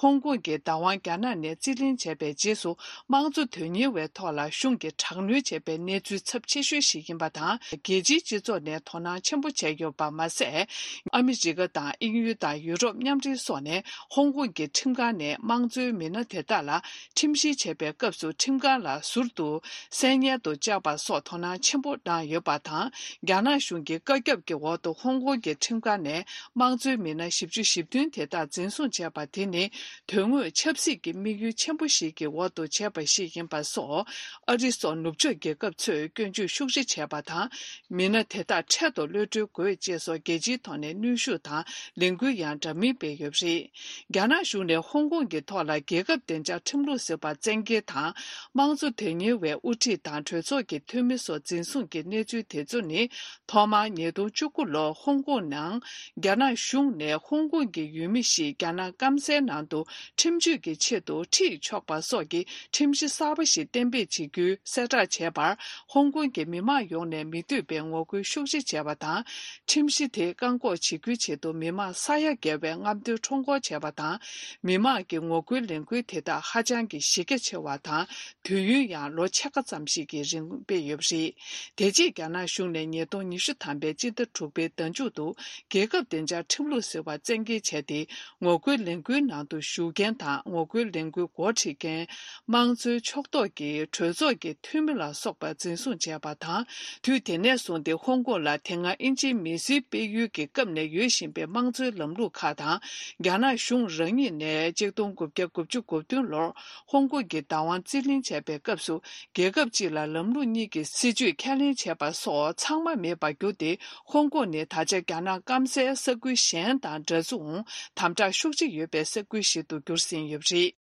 ཧོང་ཀོང་གི་བདག་དབང་རྒྱ་ནག་ནས་རྩིས་ལེན་བྱས་པའི་རྗེས་སུ། དམངས་གཙོ་དོན་གཉེར་བའི་ཐོག་ལ་གཞུང་གིས་དྲག་གནོན་བྱས་པའི་གནས་ཚུལ་ཚབས་ཆེ་ཤོས་ཤིག་ཡིན་པ་དང་། དང་། རྒྱལ་སྤྱིའི་སྤྱི་ཚོགས་ནས་དོ་སྣང་ཆེན་པོ་བྱས་ཡོད་པ་མ་ཟད། ཨ་མི་རི་ཀ་དང་དབྱིན་ཡུལ་དང་ཡུ་རོབ་མཉམ་འབྲེལ་སོགས་ནས་ཧོང་ཀོང་གི་ཁྲིམས་ཁང་ནས་དམངས་གཙོའི་མི་སྣ་དེ་དག་ལ་ཁྲིམས་ཞིབ་བྱེད་པའི་སྐབས་སུ་ཁྲིམས་ཁང་ལ་ཟུར་དུ་གསན་སྙན་དུ་བཅར་བ་སོགས་དོ་སྣང་ཆེན་པོ་གནང་ཡོད་པ་དང་། རྒྱ་ནག་གཞུང་གི་བཀའ་ཁྱབ་ཀྱི་འོག་ཏུ་ཧོང་ཀོང་གི་ཁྲིམས་ཁང་ནས་དམངས་གཙོའི་མི་སྣ་བཞི་བཅུ་ཞེ་བདུན་དེ་དག་འཛིན་བཟུང་བྱས་པ་དེ་ནི། དོན་དངོས་ཆབ་སྲིད་ཀྱི་དམིགས་ཡུལ་ཆེན་པོ་ཞིག་གི་འོག་ཏུ་བྱས་པ་ཞིག་ཡིན་པ་སོགས། ཨ་རི་སོགས་ནུབ་ཕྱོགས་རྒྱལ་ཁབ་ཚོས་སྐྱོན་བརྗོད་ཤུགས་ཆེ་བྱས་པ་དང་། མི་སྣ་དེ་དག་འཕྲལ་དུ་གློད་གྲོལ་དགོས་ཅེས་སོགས་རྒྱལ་སྤྱིའི་ཐོག་ནས་གནོན་ཤུགས་དང་ལས་འགུལ་ཡང་འདྲ་མིན་སྤེལ་ཡོད་པ་རེད། རྒྱ་ནག་གཞུང་ནས་ཧོང་ཀོང་གི་ཐོག་ལ་རྒྱལ་ཁབ་བདེ་འཇགས་ཁྲིམས་ལུགས་ཟེར་བ་བཙན་འགེལ་དང་། དམངས་གཙོ་དོན་གཉེར་བའི་དབུ་ཁྲིད་དང་གྲོས་ཚོགས་ཀྱི་འཐུས་མི་སོགས་འཛིན་བཟུང་གི་གནས་ཚུལ་དེ་ཚོ་ནི། ཐོག་མར་ཉིས་སྟོང་བཅུ་དགུ་ལོར་ཧོང་ཀོང་ནང་རྒྱ་ནག་གཞུང་ནས་ཧོང་ཀོང་གི་ཡུལ་མི་ཞིག་རྒྱ་ནག་སྐམ་སའི་ནང་དུ་ཁྲིམས་གཅོད་ཀྱི་ཆེད་དུ་ཁྲིད་ཆོག་པ་སོགས་ཀྱི་ཁྲིམས་གཞི་གསར་པ་ཞིག་གཏན་འབེབས་བྱེད་རྒྱུའི་གསལ་བསྒྲགས་བྱས་པར། ཧོང་ཀོང་གི་མི་མང་ཡོངས་ནས་མི་འདོད་པའི་ངོ་རྒོལ་ཤུགས་ཆེ་བྱས་པ་དང་། ཁྲིམས་གཞི་དེ་བཀག་འགོག་བྱེད་རྒྱུའི་ཆེད་དུ་མི་མང་ས་ཡ་བརྒལ་བའི་རྔམ་སྟོན་ཁྲོམ་སྐོར་བྱས་པ་དང་། མི་མང་གི་ངོ་རྒོལ་ལས་འགུལ་དེ་དག་ཧ་ཅང་གི་གཞི་རྒྱ་ཆེ་བ་དང་། དུས་ཡུན་ཡང་ལོ་ཕྱེད་ཀ་ཙམ་ཞིག་གི་རིང་སྤེལ་ཡོད་པ་རེད། དེ་རྗེས་རྒྱ་ནག་གཞུང་ནས་ཉིས་སྟོང་ཉི་ཤུ་ཐམ་པའི་སྤྱི་ཟླ་དྲུག་པའི་ཟླ་མཇུག་ཏུ་རྒྱལ་ཁབ་བདེ་འཇགས་ཁྲིམས་ལུགས་ཟེར་བ་བཙན་འགེལ་བྱས་ཏེ། ངོ་རྒོལ་ལས་འགུལ་ནང་དུ་ཞུགས་མཁན་དང་ངོ་རྒོལ་ལས་འགུལ་འགོ་ཁྲིད་མཁན། དམངས་གཙོའི་ཕྱོགས་གཏོགས་ཀྱི་གྲོས་ཚོགས་ཀྱི་འཐུས་མི་ལ་སོགས་པ་འཛིན་བཟུང་བྱས་པ་དང་། དུས་དེ་ནས་བཟུང་སྟེ་ཧོང་ཀོང་ལ་དེ་སྔ་དབྱིན་ཇིའི་མི་སེར་སྤེལ་ཡུལ་གྱི་སྐབས་ནས་ཡོད་བཞིན་པའི་དམངས་གཙོའི་ལམ་ལུགས་ཁག་དང་། རྒྱ་ནག་གཞུང་རང་ཉིད་ནས་ཆིག་སྟོང་དགུ་བརྒྱ་དགུ་བཅུ་གོ་བདུན་ལོར་ཧོང་ཀོང་གི་བདག་དབང་རྩིས་ལེན་བྱས་པའི་སྐབས་སུ། རྒྱལ་ཁབ་གཅིག་ལ་ལམ་ལུགས་གཉིས་ཀྱི་སྲིད་བྱུས་ཁས་ལེན་བྱས་པ་སོགས་ཚང་མ་མེད་པར་གྱུར་ཏེ། ཧོང་ཀོང་ནི་ད་ཆ་རྒྱ་ནག་སྐམ་སའི་ས་ཁུལ་གཞན་དང་འདྲ་མཚུངས་དམ་དྲག་ཤུགས་ཆེ་ཡོད་པའི་ས་ཁུལ་ཞིག་ཏུ་གྱུར་ཟིན་ཡོད་པ་རེད།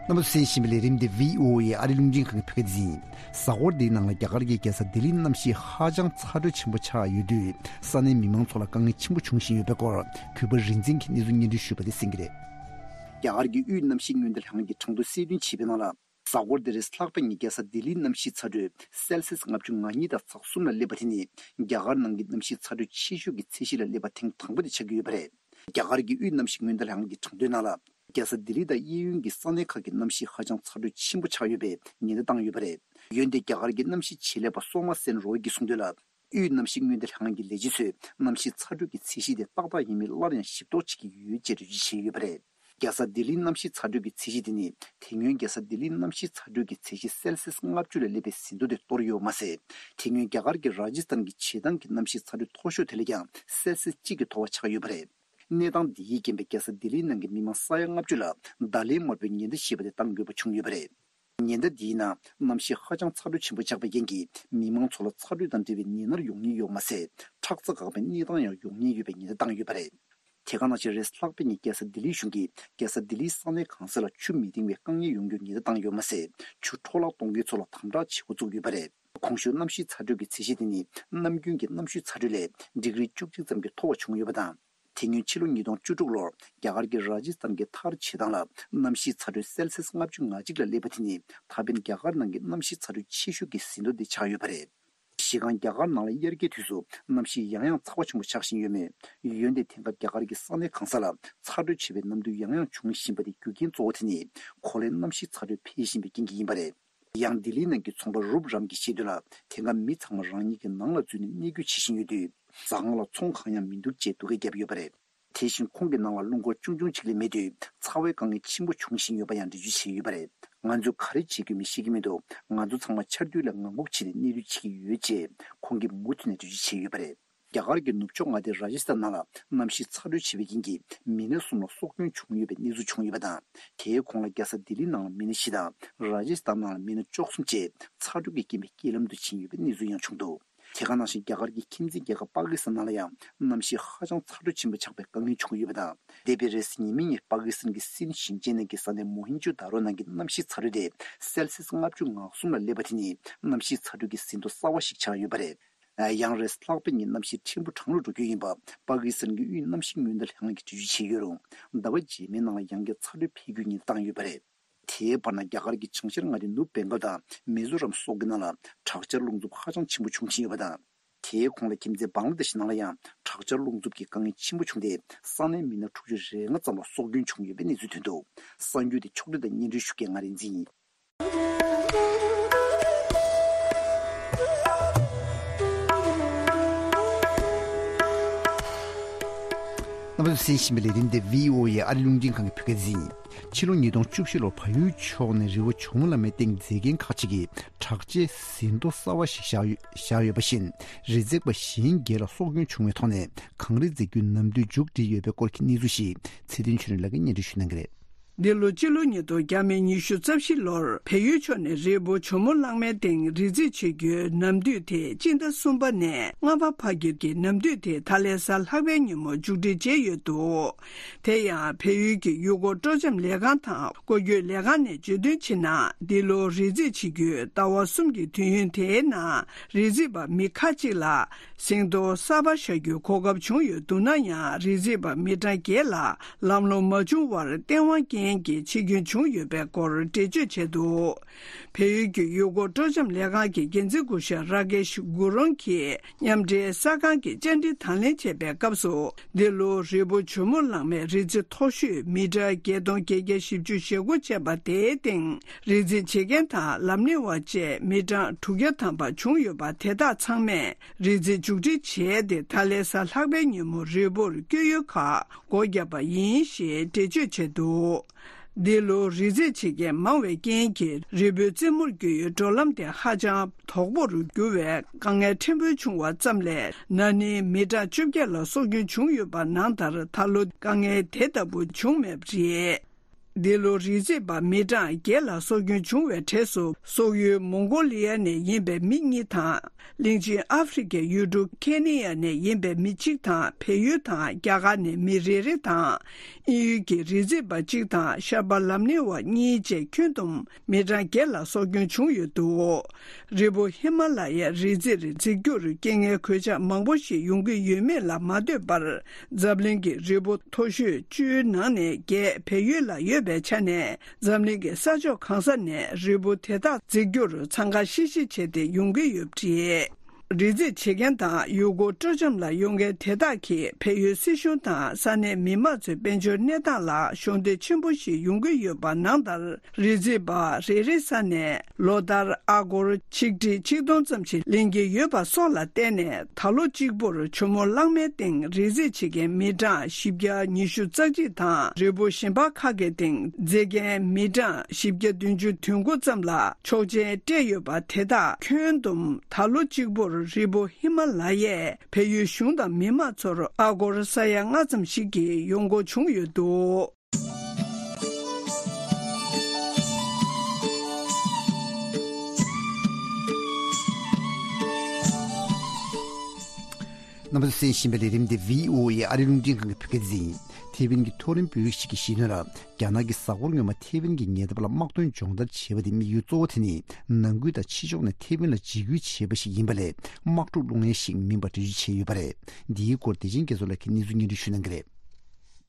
རྣམ་པ་ཚོས་གསན་བཞིན་པའི་ལས་རིམ་འདི་བྷི་ཨོ་ཨེ་ཨ་རི་རླུང་འཕྲིན་ཁང་གི་བོད་སྐད་སྡེ་ཚན་ཡིན། གཟའ་འཁོར་འདིའི་ནང་ལ་རྒྱ་གར་གྱི་རྒྱལ་ས་ལྡི་ལིའི་གནམ་གཤིས་ཧ་ཅང་ཚ་དྲོད་ཆེན་པོ་ཆགས་ཡོད་དུས། ས་གནས་མི་མང་ཚོ་ལ་དཀའ་ངལ་ཆེན་པོ་འབྱུང་བཞིན་ཡོད་པའི་སྐོར། གུས་པ་རིག་འཛིན་གྱིས་གནས་ཚུལ་སྙན་སྒྲོན་ཞུས་པ་དེ་གསན་གྱི་རེད། རྒྱ་གར་གྱི་དབུས་གནམ་གཤིས་སྔོན་བརྡ་ལྷན་ཁང་གིས་གྲངས་ཐོ་གསལ་སྟོན་བྱས་པའི་ནང་ལ། གཟའ་འཁོར་འདིར་ལྷག་པའི་ཉིན་རྒྱལ་ས་ལྡི་ལིའི་གནམ་གཤིས་ཚ་དྲོད་སེལ་སིས་ལྔ་བཅུ་ང་གཉིས་དང་ཚེག་གསུམ་ལ་སླེབས་པ་དེ་ནི། རྒྱ་གར་ནང་གི་གནམ་གཤིས་ཚ་དྲོད་ཆེ་ཤོས་ཀྱི་ཚད་གཞི་ལ་སླེབས་པ་ཐེངས་དང་པོ་དེ་ཆགས་ཀྱི་ཡོད་པ་རེད། རྒྱ་གར་གྱི་དབུས་གནམ་གཤིས་སྔོན་བརྡ་ལྷན་ཁང་གི་གྲངས་ཐོའི་ནང་ལ། རྒྱལ་ས་ལྡི་ལི་དང་གཡས་གཡོན་གྱི་ས་གནས་ཁག་གི་གནམ་གཤིས་ཧ་ཅང་ཚ་དྲོད་ཆེན་པོ་ཆགས་ཡོད་པའི་ཉེན་བརྡ་བཏང་ཡོད་པ་རེད། འོན་ཏེ་རྒྱ་གར་གྱི་གནམ་གཤིས་ཆེད་ལས་པ་སོ་མ་སེན་རོ་ཡི་གིས་གསུངས་དོན་ལ། དབུས་གནམ་གཤིས་སྔོན་བརྡ་ལྷན་ཁང་གི་ལས་བྱེད་ཚོས་གནམ་གཤིས་ཚ་དྲོད་ཀྱི་ཚད་གཞི་དེ་ཏག་ཏག་ཡིན་མིན་སླར་ཡང་ཞིབ་རྟོག་བྱེད་ཀྱི་ཡོད་ཅེས་འགྲེལ་བརྗོད་བྱས་ཡོད་པ་རེད། རྒྱལ་ས་ལྡི་ལིའི་གནམ་གཤིས་ཚ་དྲོད་ཀྱི་ཚད་གཞི་དེ་ནི། དེ་སྔོན་རྒྱལ་ས་ལྡི་ལིའི་གནམ་གཤིས་ཚ་དྲོད་ཀྱི་ཚད་གཞི་སེལ་སིས་ལྔ་བཅུ་ལ་སླེབས་པའི་ཟིན་ཐོ་དེ་གཏོར་ཡོད་མ་ཟད། དེ་སྔོན་རྒྱ་གར་གྱི་ར་ཇི་སྟན་གྱི་བྱེ་ཐང་གི་གནམ་གཤིས་ཚ་དྲོད་མཐོ་ཤོས་དེ་ལས་ཀྱང་སེལ་སིས་གཅིག་གི་མཐོ་བ་ཆགས་ཡོད་པ་རེད། གནས་སྟངས་འདི་ཡིས་རྐྱེན་པས་རྒྱལ་ས་ལྡི་ལིའི་ནང་གི་མི་མང་ས་ཡ་ལྔ་བཅུ་ལ་བརྡ་ལན་དམར་པོའི་ཉེན་བརྡ་ཞེས་པ་དེ་བཏང་དགོས་པ་བྱུང་ཡོད་པ་རེད། ཉེན་བརྡ་འདིའི་ནང་གནམ་གཤིས་ཧ་ཅང་ཚ་དྲོད་ཆེན་པོ་ཆགས་པའི་རྐྱེན་གྱིས་མི་མང་ཚོ་ལ་ཚ་དྲོད་དང་འབྲེལ་བའི་ནད་མནར་ཡོང་ཉེན་ཡོད་མ་ཟད། ཁྲག་རྩ་འགག་པའི་གནས་སྟངས་ཡང་ཡོང་ཉེན་ཡོད་པའི་ཉེན་བརྡ་བཏང་ཡོད་པ་རེད། དེ་ག་ནང་བཞིན་རེས་ལྷག་པའི་ཉིན་རྒྱལ་ས་ལྡི་ལིའི་གཞུང་གིས་རྒྱལ་ས་ལྡི་ལིའི་ས་གནས་གང་ས་ལ་ཆུ་མི་ལྡིང་བའི་དཀའ་ངལ་ཡོང་རྒྱུར་ཉེན་བརྡ་བཏང་ཡོད་མ་ཟད། ཆུ་འཕྲོ་བརླག་གཏོང་མཁན་ཚོ་ལ་དམ་དྲག་བྱེད་འགོ་བཙུགས་ཡོད་པ་རེད། གོང་ཞུས་གནམ་གཤིས་ཚ་དྲོད་ཀྱི་ཚད་གཞི་དེ་ནི་ནམ་རྒྱུན་གྱི་གནམ་གཤིས་ཚ་དྲོད་ལས་ཌིག་རི་བཅུ་གཅིག་ཙམ་གྱིས་མཐོ་བ་བྱུང་ཡོད་པ་དང་། དེ་སྔོན་ཕྱི་ལོ་ཉིས་སྟོང་བཅུ་དྲུག་ལོར་རྒྱ་གར་གྱི་ར་ཇི་སྟན་གྱི་ཐར་བྱེ་ཐང་ལ་གནམ་གཤིས་ཚ་དྲོད་སེལ་སིས་ལྔ་བཅུ་ང་གཅིག་ལ་སླེབས་པ་དེ་ནི་ད་ཕན་རྒྱ་གར་ནང་གི་གནམ་གཤིས་ཚ་དྲོད་ཆེ་ཤོས་ཀྱི་ཟིན་ཐོ་དེ་ཆགས་ཡོད་པ་རེད། གཞི་རྐང་རྒྱ་གར་ནང་ལ་དབྱར་ཁའི་དུས་སུ་གནམ་གཤིས་ཡང་ཡང་ཚ་བ་ཆེན་པོ་ཆགས་བཞིན་ཡོད་མོད། འོན་ཏེ་དེང་སྐབས་རྒྱ་གར་གྱི་ས་གནས་གང་ས་ལ་ཚ་དྲོད་ཆེ་བའི་གནམ་དུས་ཡང་ཡང་འབྱུང་བཞིན་པ་དེ་རྒྱུ་རྐྱེན་གཙོ་བོ་དེ་ནི་གོ་ལའི་གནམ་གཤིས་ཚ་དྲོད་འཕེལ་བཞིན་པའི་རྐྱེན་གྱིས་ཡིན་པ་རེད། ཡང་ལྡི་ལིའི་ནང་གི་ཚོང་པ་རུབ་རམ་གྱིས་བཤད་དོན་ལ། དེང་སྐབས་མི་ཚང་མ་རང་ཉིད་ཀྱི་ནང་ལ་འཛུལ་ནས་གནས་སྡོད་བྱེད་བཞིན་ཡོད་དུས། ཟ་ཁང་ལ་ཚོང་གང་ཡང་མི་འདུག་ཅེས་སྡུག་སྐད་བརྒྱབ་ཡོད་པ་རེད། དེ་བཞིན་ཁོང་གི་ནང་ལ་རླུང་འཁོར་ཆུང་ཆུང་གཅིག་ལས་མེད་དུས། ཚ་བའི་དཀའ་ངལ་ཆེན་པོ་འབྱུང་བཞིན་ཡོད་པ་ཡང་འགྲེལ་བརྗོད་བྱས་ཡོད་པ་རེད། ང་ཚོས་ག་རེ་བྱེད་དགོས་མིན་ཤེས་ཀྱི་མི་འདུག་ང་ཚོ་ཚང་མ་ཆར་དུས་ལ་ངང་སྒུག་བྱས་ནས་གནས་སྡོད་བྱེད་ཀྱི་ཡོད་ཅེས་ཁོང་གིས་མུ་མཐུད་ནས་འགྲེལ་བརྗོད་བྱས་ཡོད་པ་རེད། རྒྱ་གར་གྱི་ནུབ་ཕྱོགས་མངའ་སྡེ་ར་ཇི་སྟན་ནང་ལ་གནམ་གཤིས་ཚ་དྲོད་ཆེ་བའི་རྐྱེན་གྱིས་མི་སྣ་གསུམ་ལ་སྲོག་སྐྱོན་བྱུང་ཡོད་པའི་གནས་ཚུལ་བྱུང་ཡོད་པ་དང་། དེའི་ཁོངས་ལ་རྒྱལ་ས་ལྡི་ལི་ནང་ལ་མི་སྣ་བཞི་དང་ར་ཇི་སྟན་ནང་ལ་མི་སྣ་བཅུ་གསུམ་བཅས་ཚ་དྲོད་ཀྱི་རྐྱེན་པས་རྐྱེན་ལམ་དུ་ཕྱིན་ཡོད་པའི་གནས་ཚུལ་ཡང་བྱུང་འདུག་དེ་ག་ནང་བཞིན་རྒྱ་གར་གྱི་ཁྱིམ་མཚེས་རྒྱལ་ཁབ་པ་ཀི་སི་ཐན་ནང་ལ་ཡང་གནམ་གཤིས་ཧ་ཅང་ཚ་དྲོད་ཆེན་པོ་ཆགས་པའི་དཀའ་ངལ་བྱུང་ཡོད་པ་དང་། འདས་པའི་རེས་གཟའ་ཉི་མའི་ཉིན་པ་ཀི་སི་ཐན་གྱི་སིན་ཞིང་ཆེན་ནང་གི་ས་གནས་མོ་ཧིན་ཇོ་དཱ་རོ་ནང་གི་གནམ་གཤིས་ཚ་དྲོད་དེ་སེལ་སིས་ལྔ་བཅུ་ང་གསུམ་ལ་སླེབས་པ་དེ་ནི་གནམ་གཤིས་ཚ་དྲོད་ཀྱི་ཟིན་ཐོ་གསར་བ་ཞིག་ཆགས་ཡོད་པ་རེད། ཡང་རེས་ལྷག་པའི་ཉིན་གནམ་གཤིས་ཕྲན་བུ་གྲང་རུ་འགྲོ་རྒྱུ་ཡིན་པ་པ་ཀི་སི་ཐན་གྱི་དབུས་གནམ་གཤིས་སྔོན་བརྡ་ལྷན་ཁང་གིས་འགྲེལ་བརྗོད་བྱས་ཡོད་རུང་། ཟླ་བ་རྗེས་མའི་ནང་ལ་ཡང་བསྐྱར་ཚ་དྲོད་འཕེལ་རྒྱུའི་ཉེན་བརྡ་བཏང་ཡོད་པ་རེད། དེའི་བར་ན་རྒྱ་གར་གྱི་བྱང་ཤར་མངའ་སྡེ་ནུབ་བེང་གལ་དང་མི་ཛོ་རམ་སོགས་ཀྱི་ནང་ལ་དྲག་ཆར་རླུང་འཚུབ་ཧ་ཅང་ཆེན་པོ་འབྱུང་བཞིན་ཡོད་པ་དང་། དེའི་གོང་ལ་ཁྱིམ་མཚེས་བང་ལ་དེ་ཤི་ནང་ལ་ཡང་དྲག་ཆར་རླུང་འཚུབ་ཀྱི་དཀའ་ངལ་ཆེན་པོ་བྱུང་སྟེ། ས་གནས་མི་སྣ་དྲུག་ཅུ་རེ་ལྔ་ཙམ་ལ་སྲོག་སྐྱོན་བྱུང་ཡོད་པའི་གནས་ཚུལ་ཐོན་འདུག་གསར་འགྱུར་དེ་ཕྱོགས་སྒྲིག་དང་སྙན་སྒྲོན་ཞུ་མཁན་ང་རིག་འཛིན་ཡིན། རྣམ་པ་ཚོས་གསན་བཞིན་པའི་ལས་རིམ་དེ་བྷི་ཨོ་ཨེ་ཨ་རི་རླུང་འཕྲིན་ཁང་གི་བོད་སྐད་སྡེ་ཚན་ཡིན། ཕྱི་ལོ་ཉིས་སྟོང་བཅུ་བཞི་ལོར་བལ་ཡུལ་ཕྱོགས་ནས་རི་བོ་ཇོ་མོ་གླང་མའི་སྟེང་མཛེས་རྒྱན་ཁག་ཅིག་གི་གྲགས་ཅན་ཟིན་ཐོ་གསར་བ་ཞིག་བཞག་ཡོད་བཞག་ཡོད་པ་བཞིན། རི་འཛེག་པ་གཞན་བརྒྱད་ལ་སྲོག་སྐྱོན་བྱུང་བའི་ཐོག་ནས་གངས་རི་འཛེག་རྒྱུ་ནམ་དུས་མཇུག་སྒྲིལ་ཡོད་པའི་སྐོར་གྱི་གནས་ཚུལ་ཞིག་ཚེ་བརྟན་ཆོས་སྒྲོན་ལགས་ཀྱིས་སྙན་སྒྲོན་ཞུ་གནང་གི་རེད། འདི་ལོ་སྤྱི་ལོ་ཉིས་སྟོང་ཉི་ཤུ་རྩ་བཞི་ལོར་བལ་ཡུལ་ཕྱོགས་ནས་རི་བོ་ཇོ་མོ་གླང་མའི་སྟེང་རི་འཛེག་བྱེད་རྒྱུའི་ནམ་དུས་དེ་སྤྱི་ཟླ་གསུམ་པ་ནས་ལྔ་པ་བར་གྱི་ནམ་དུས་དེ་ད་ལན་གཟའ་ལྷག་པའི་ཉིན་མོ་མཇུག་སྒྲིལ་བྱས་ཡོད་འདུག་དེ་ཡང་བལ་ཡུལ་གྱི་ཡུལ་སྐོར་སྤྲོ་འཆམ་ལས་ཁང་དང་སྐོར་སྐྱོད་ལས་ཁང་ནས་བརྗོད་དོན་བྱས་ན། འདི་ལོ་རི་འཛེག་བྱེད་རྒྱུའི་ཟླ་བ་གསུམ་གྱི་དུས་ཡུན་དེའི་ནང་རི་འཛེག་པ་མི་ཁག་ཅིག་ལ་ཟིན་ཐོ་གསར་པ་བཞག་རྒྱུའི་གོ་སྐབས་བྱུང་ཡོད་འདུག་ན་ཡང་། རི་འཛེག་པ་མི་གྲངས་བརྒྱད་ལ་ལམ་ལྷོང་མ་བྱུང་བར་བསྟན་དབང་ཅན་གྱི་འཆི་སྐྱོན་བྱུང་ཡོད་པའི་སྐོར་འགྲེལ་བརྗོད་བྱས་འདུག་བལ་ཡུལ་གྱི་ཡུལ་སྐོར་སྤྲོ་འཆམ་ལས་ཁང་གི་འགན་འཛིན་སྐུ་ཞབས་ར་ཀེཤ་གུ་རོང་གིས་མཉམ་འབྲེལ་གསར་ཁང་གི་བཅར་འདྲི་དང་ལེན་བྱས་པའི་སྐབས་སུ། འདི་ལོ་རི་བོ་ཇོ་མོ་གླང་མའི་རི་རྩེ་མཐོ་ཤོས་མི་ཊར་བརྒྱད་སྟོང་བརྒྱད་བརྒྱ་བཞི་བཅུ་ཞེ་དགུ་བྱས་པ་དེའི་སྟེང་རི་འཛེག་བྱེད་མཁན་དང་ལམ་སྣེ་བ་བཅས་མི་གྲངས་དྲུག་བརྒྱ་ཐམ་པ་བྱུང་ཡོད་པ། དེ་དག་ཚང་མས་རི་འཛེག་མཇུག་སྒྲིལ་བྱས་ཏེ། ད་ལན་གཟའ་ལྷག་པའི་ཉིན་མོ་རི་བོར་བསྐྱོད་ཡུལ་ཁག་སྒོ་བརྒྱབ་པ་ཡིན་ཞེས་འགྲེལ་བརྗོད་བྱས་འདུག་འདི་ལོ་རི་འཛེག་བྱེད་མཁན་མང་བའི་རྐྱེན་གྱིས་རི་བོའི་རྩེ་མོར་བསྐྱོད་ཡུལ་འགྲོ་ལམ་དེ་ཧ་ཅང་དོག་པོར་གྱུར་བས་དཀའ་ངལ་ཕྲན་བུ་བྱུང་བ་ཙམ་ལས། ན་ནིང་མི་གྲངས་བཅོ་བརྒྱད་ལ་སྲོག་སྐྱོན་བྱུང་ཡོད་པ་ནང་ལྟར། ད་ལོ་དཀའ་ངལ་དེ་ལྟ་བུ་བྱུང་མེད་པ་རེད། འདི་ལོ་རི་འཛེག་པ་མི་གྲངས་བརྒྱད་ལ་སྲོག་སྐྱོན་བྱུང་བའི་གྲས་སུ། སོག་ཡུལ་མོང་གོ་ལི་ཡ་ནས་ཡིན་པའི་མི་གཉིས་དང་། གླིང་ཆེན་ཨ་ཧྥེ་རི་ཁའི་ཡུལ་གྲུ་ཁེ་ནི་ཡ་ནས་ཡིན་པའི་མི་གཅིག་དང་། བལ་ཡུལ་དང་རྒྱ་གར་ནས་མི་རེ་རེ་དང་། དབྱིན་ཡུལ་གྱི་རི་འཛེག་པ་གཅིག་དང་ཤར་པ་ལམ་སྣེ་བ་གཉིས་བཅས་ཁྱོན་བསྡོམས་མི་གྲངས་བརྒྱད་ལ་སྲོག་སྐྱོན་བྱུང་ཡོད་འདུག་རི་བོ་ཧི་མ་ལ་ཡའི་རི་རྩེར་འཛེག་རྒྱུར་རྐྱེན་ངན་གོད་ཆག་མང་པོ་ཞིག་ཡོང་གི་ཡོད་མེད་ལ་མ་ལྟོས་པར། འཛམ་གླིང་གི་རི་བོ་མཐོ་ཤོས་བཅུའི་ནང་ནས་བརྒྱད་བལ་ཡུལ་ལ་ཡོད་པའི་ཆ་ནས། འཛམ་གླིང་གི་ས་ཕྱོགས་གང་ས་ནས་རི་བོ་དེ་དག་འཛེག་རྒྱུར་འཚང་ཁ་ཤིག་ཤིག་བྱས་ཏེ་ཡོང་གི་ཡོད་པ་རེད། རི་འཛེག་བྱེད་མཁན་དང་ཡུལ་སྐོར་སྤྲོ་འཆམ་ལ་ཡོང་མཁན་དེ་དག་གིས་བལ་ཡུལ་སྲིད་གཞུང་དང་ས་གནས་མི་མང་ཚོའི་དཔལ་འབྱོར་གནས་སྟངས་ལ་གཞོགས་འདེགས་ཆེན་པོ་ཞིག་ཡོང་གི་ཡོད་པ་ནང་ལྟར། རི་འཛེག་པ་རེ་རེ་ས་ནས་ལོ་ལྟར་ཨ་སྒོར་ཆིག་ཁྲི་ཆིག་སྟོང་ཙམ་ཞིག་ལེན་གྱི་ཡོད་པ་སོགས་ལ་བརྟེན་ནས། ད་ལོ་གཅིག་པུར་ཇོ་མོ་གླང་མའི་སྟེང་རི་འཛེག་བྱེད་མཁན་མི་གྲངས་བཞི་བརྒྱ་ཉི་ཤུ་རྩ་གཅིག་དང་། རི་བོ་གཞན་པ་ཁག་གི་སྟེང་འཛེག་མཁན་མི་གྲངས་བཞི་བརྒྱ་བདུན་ཅུ་དོན་དགུ་ཙམ་ལ་ཆོག་མཆན་སྤྲད་ཡོད་པ། དེ་དག་ཁྱོན་བསྡོམས་ད་ལོ་གཅིག་པུར་རི་བོ་ཧི་མ་ལ་ཡས་བལ་ཡུལ་གཞུང་དང་མི་མང་ཚོར་ཨ་སྒོར་ས་ཡ་ལྔ་ཙམ་ཞིག་གི་ཡོང་སྒོ་བྱུང་ཡོད་འདུག་རྣམ་པ་ཚོས་གསན་བཞིན་པའི་ལས་རིམ་འདི་བྷི་ཨོ་ཨེ་ཨ་རི་རླུང་འཕྲིན་ཁང་གི་བོད་སྐད་སྡེ་ཚན་ཡིན། ཐེ་ཝན་གྱི་མཐོ་རིམ་བོད་རིགས་ཤིག་གིས་བཤད་དོན་ལ། རྒྱ་ནག་གིས་གཟའ་འཁོར་སྔོན་མ་ཐེ་ཝན་གྱི་ཉེ་འདབས་ལ་དམག་དོན་སྦྱོང་བརྡར་བྱས་པ་དེ་དམིགས་ཡུལ་གཙོ་བོ་དེ་ནི་ནང་ཁུལ་དང་ཕྱི་ཕྱོགས་ནས་ཐེ་ཝན་ལ་འཇིགས་སྐུལ་བྱེད་པ་ཞིག་ཡིན་པ་ལས། དམག་འཁྲུག་སློང་ཡས་ཤིག་མིན་པ་འགྲེལ་བརྗོད་བྱས་ཡོད་པ་རེད། འདིའི་སྐོར་བདེ་ཆེན་རྒྱ་མཚོ་ལགས་ཀྱིས་གནས་ཚུལ་སྙན་སྒྲོན་ཞུ་གནང་གི་རེད།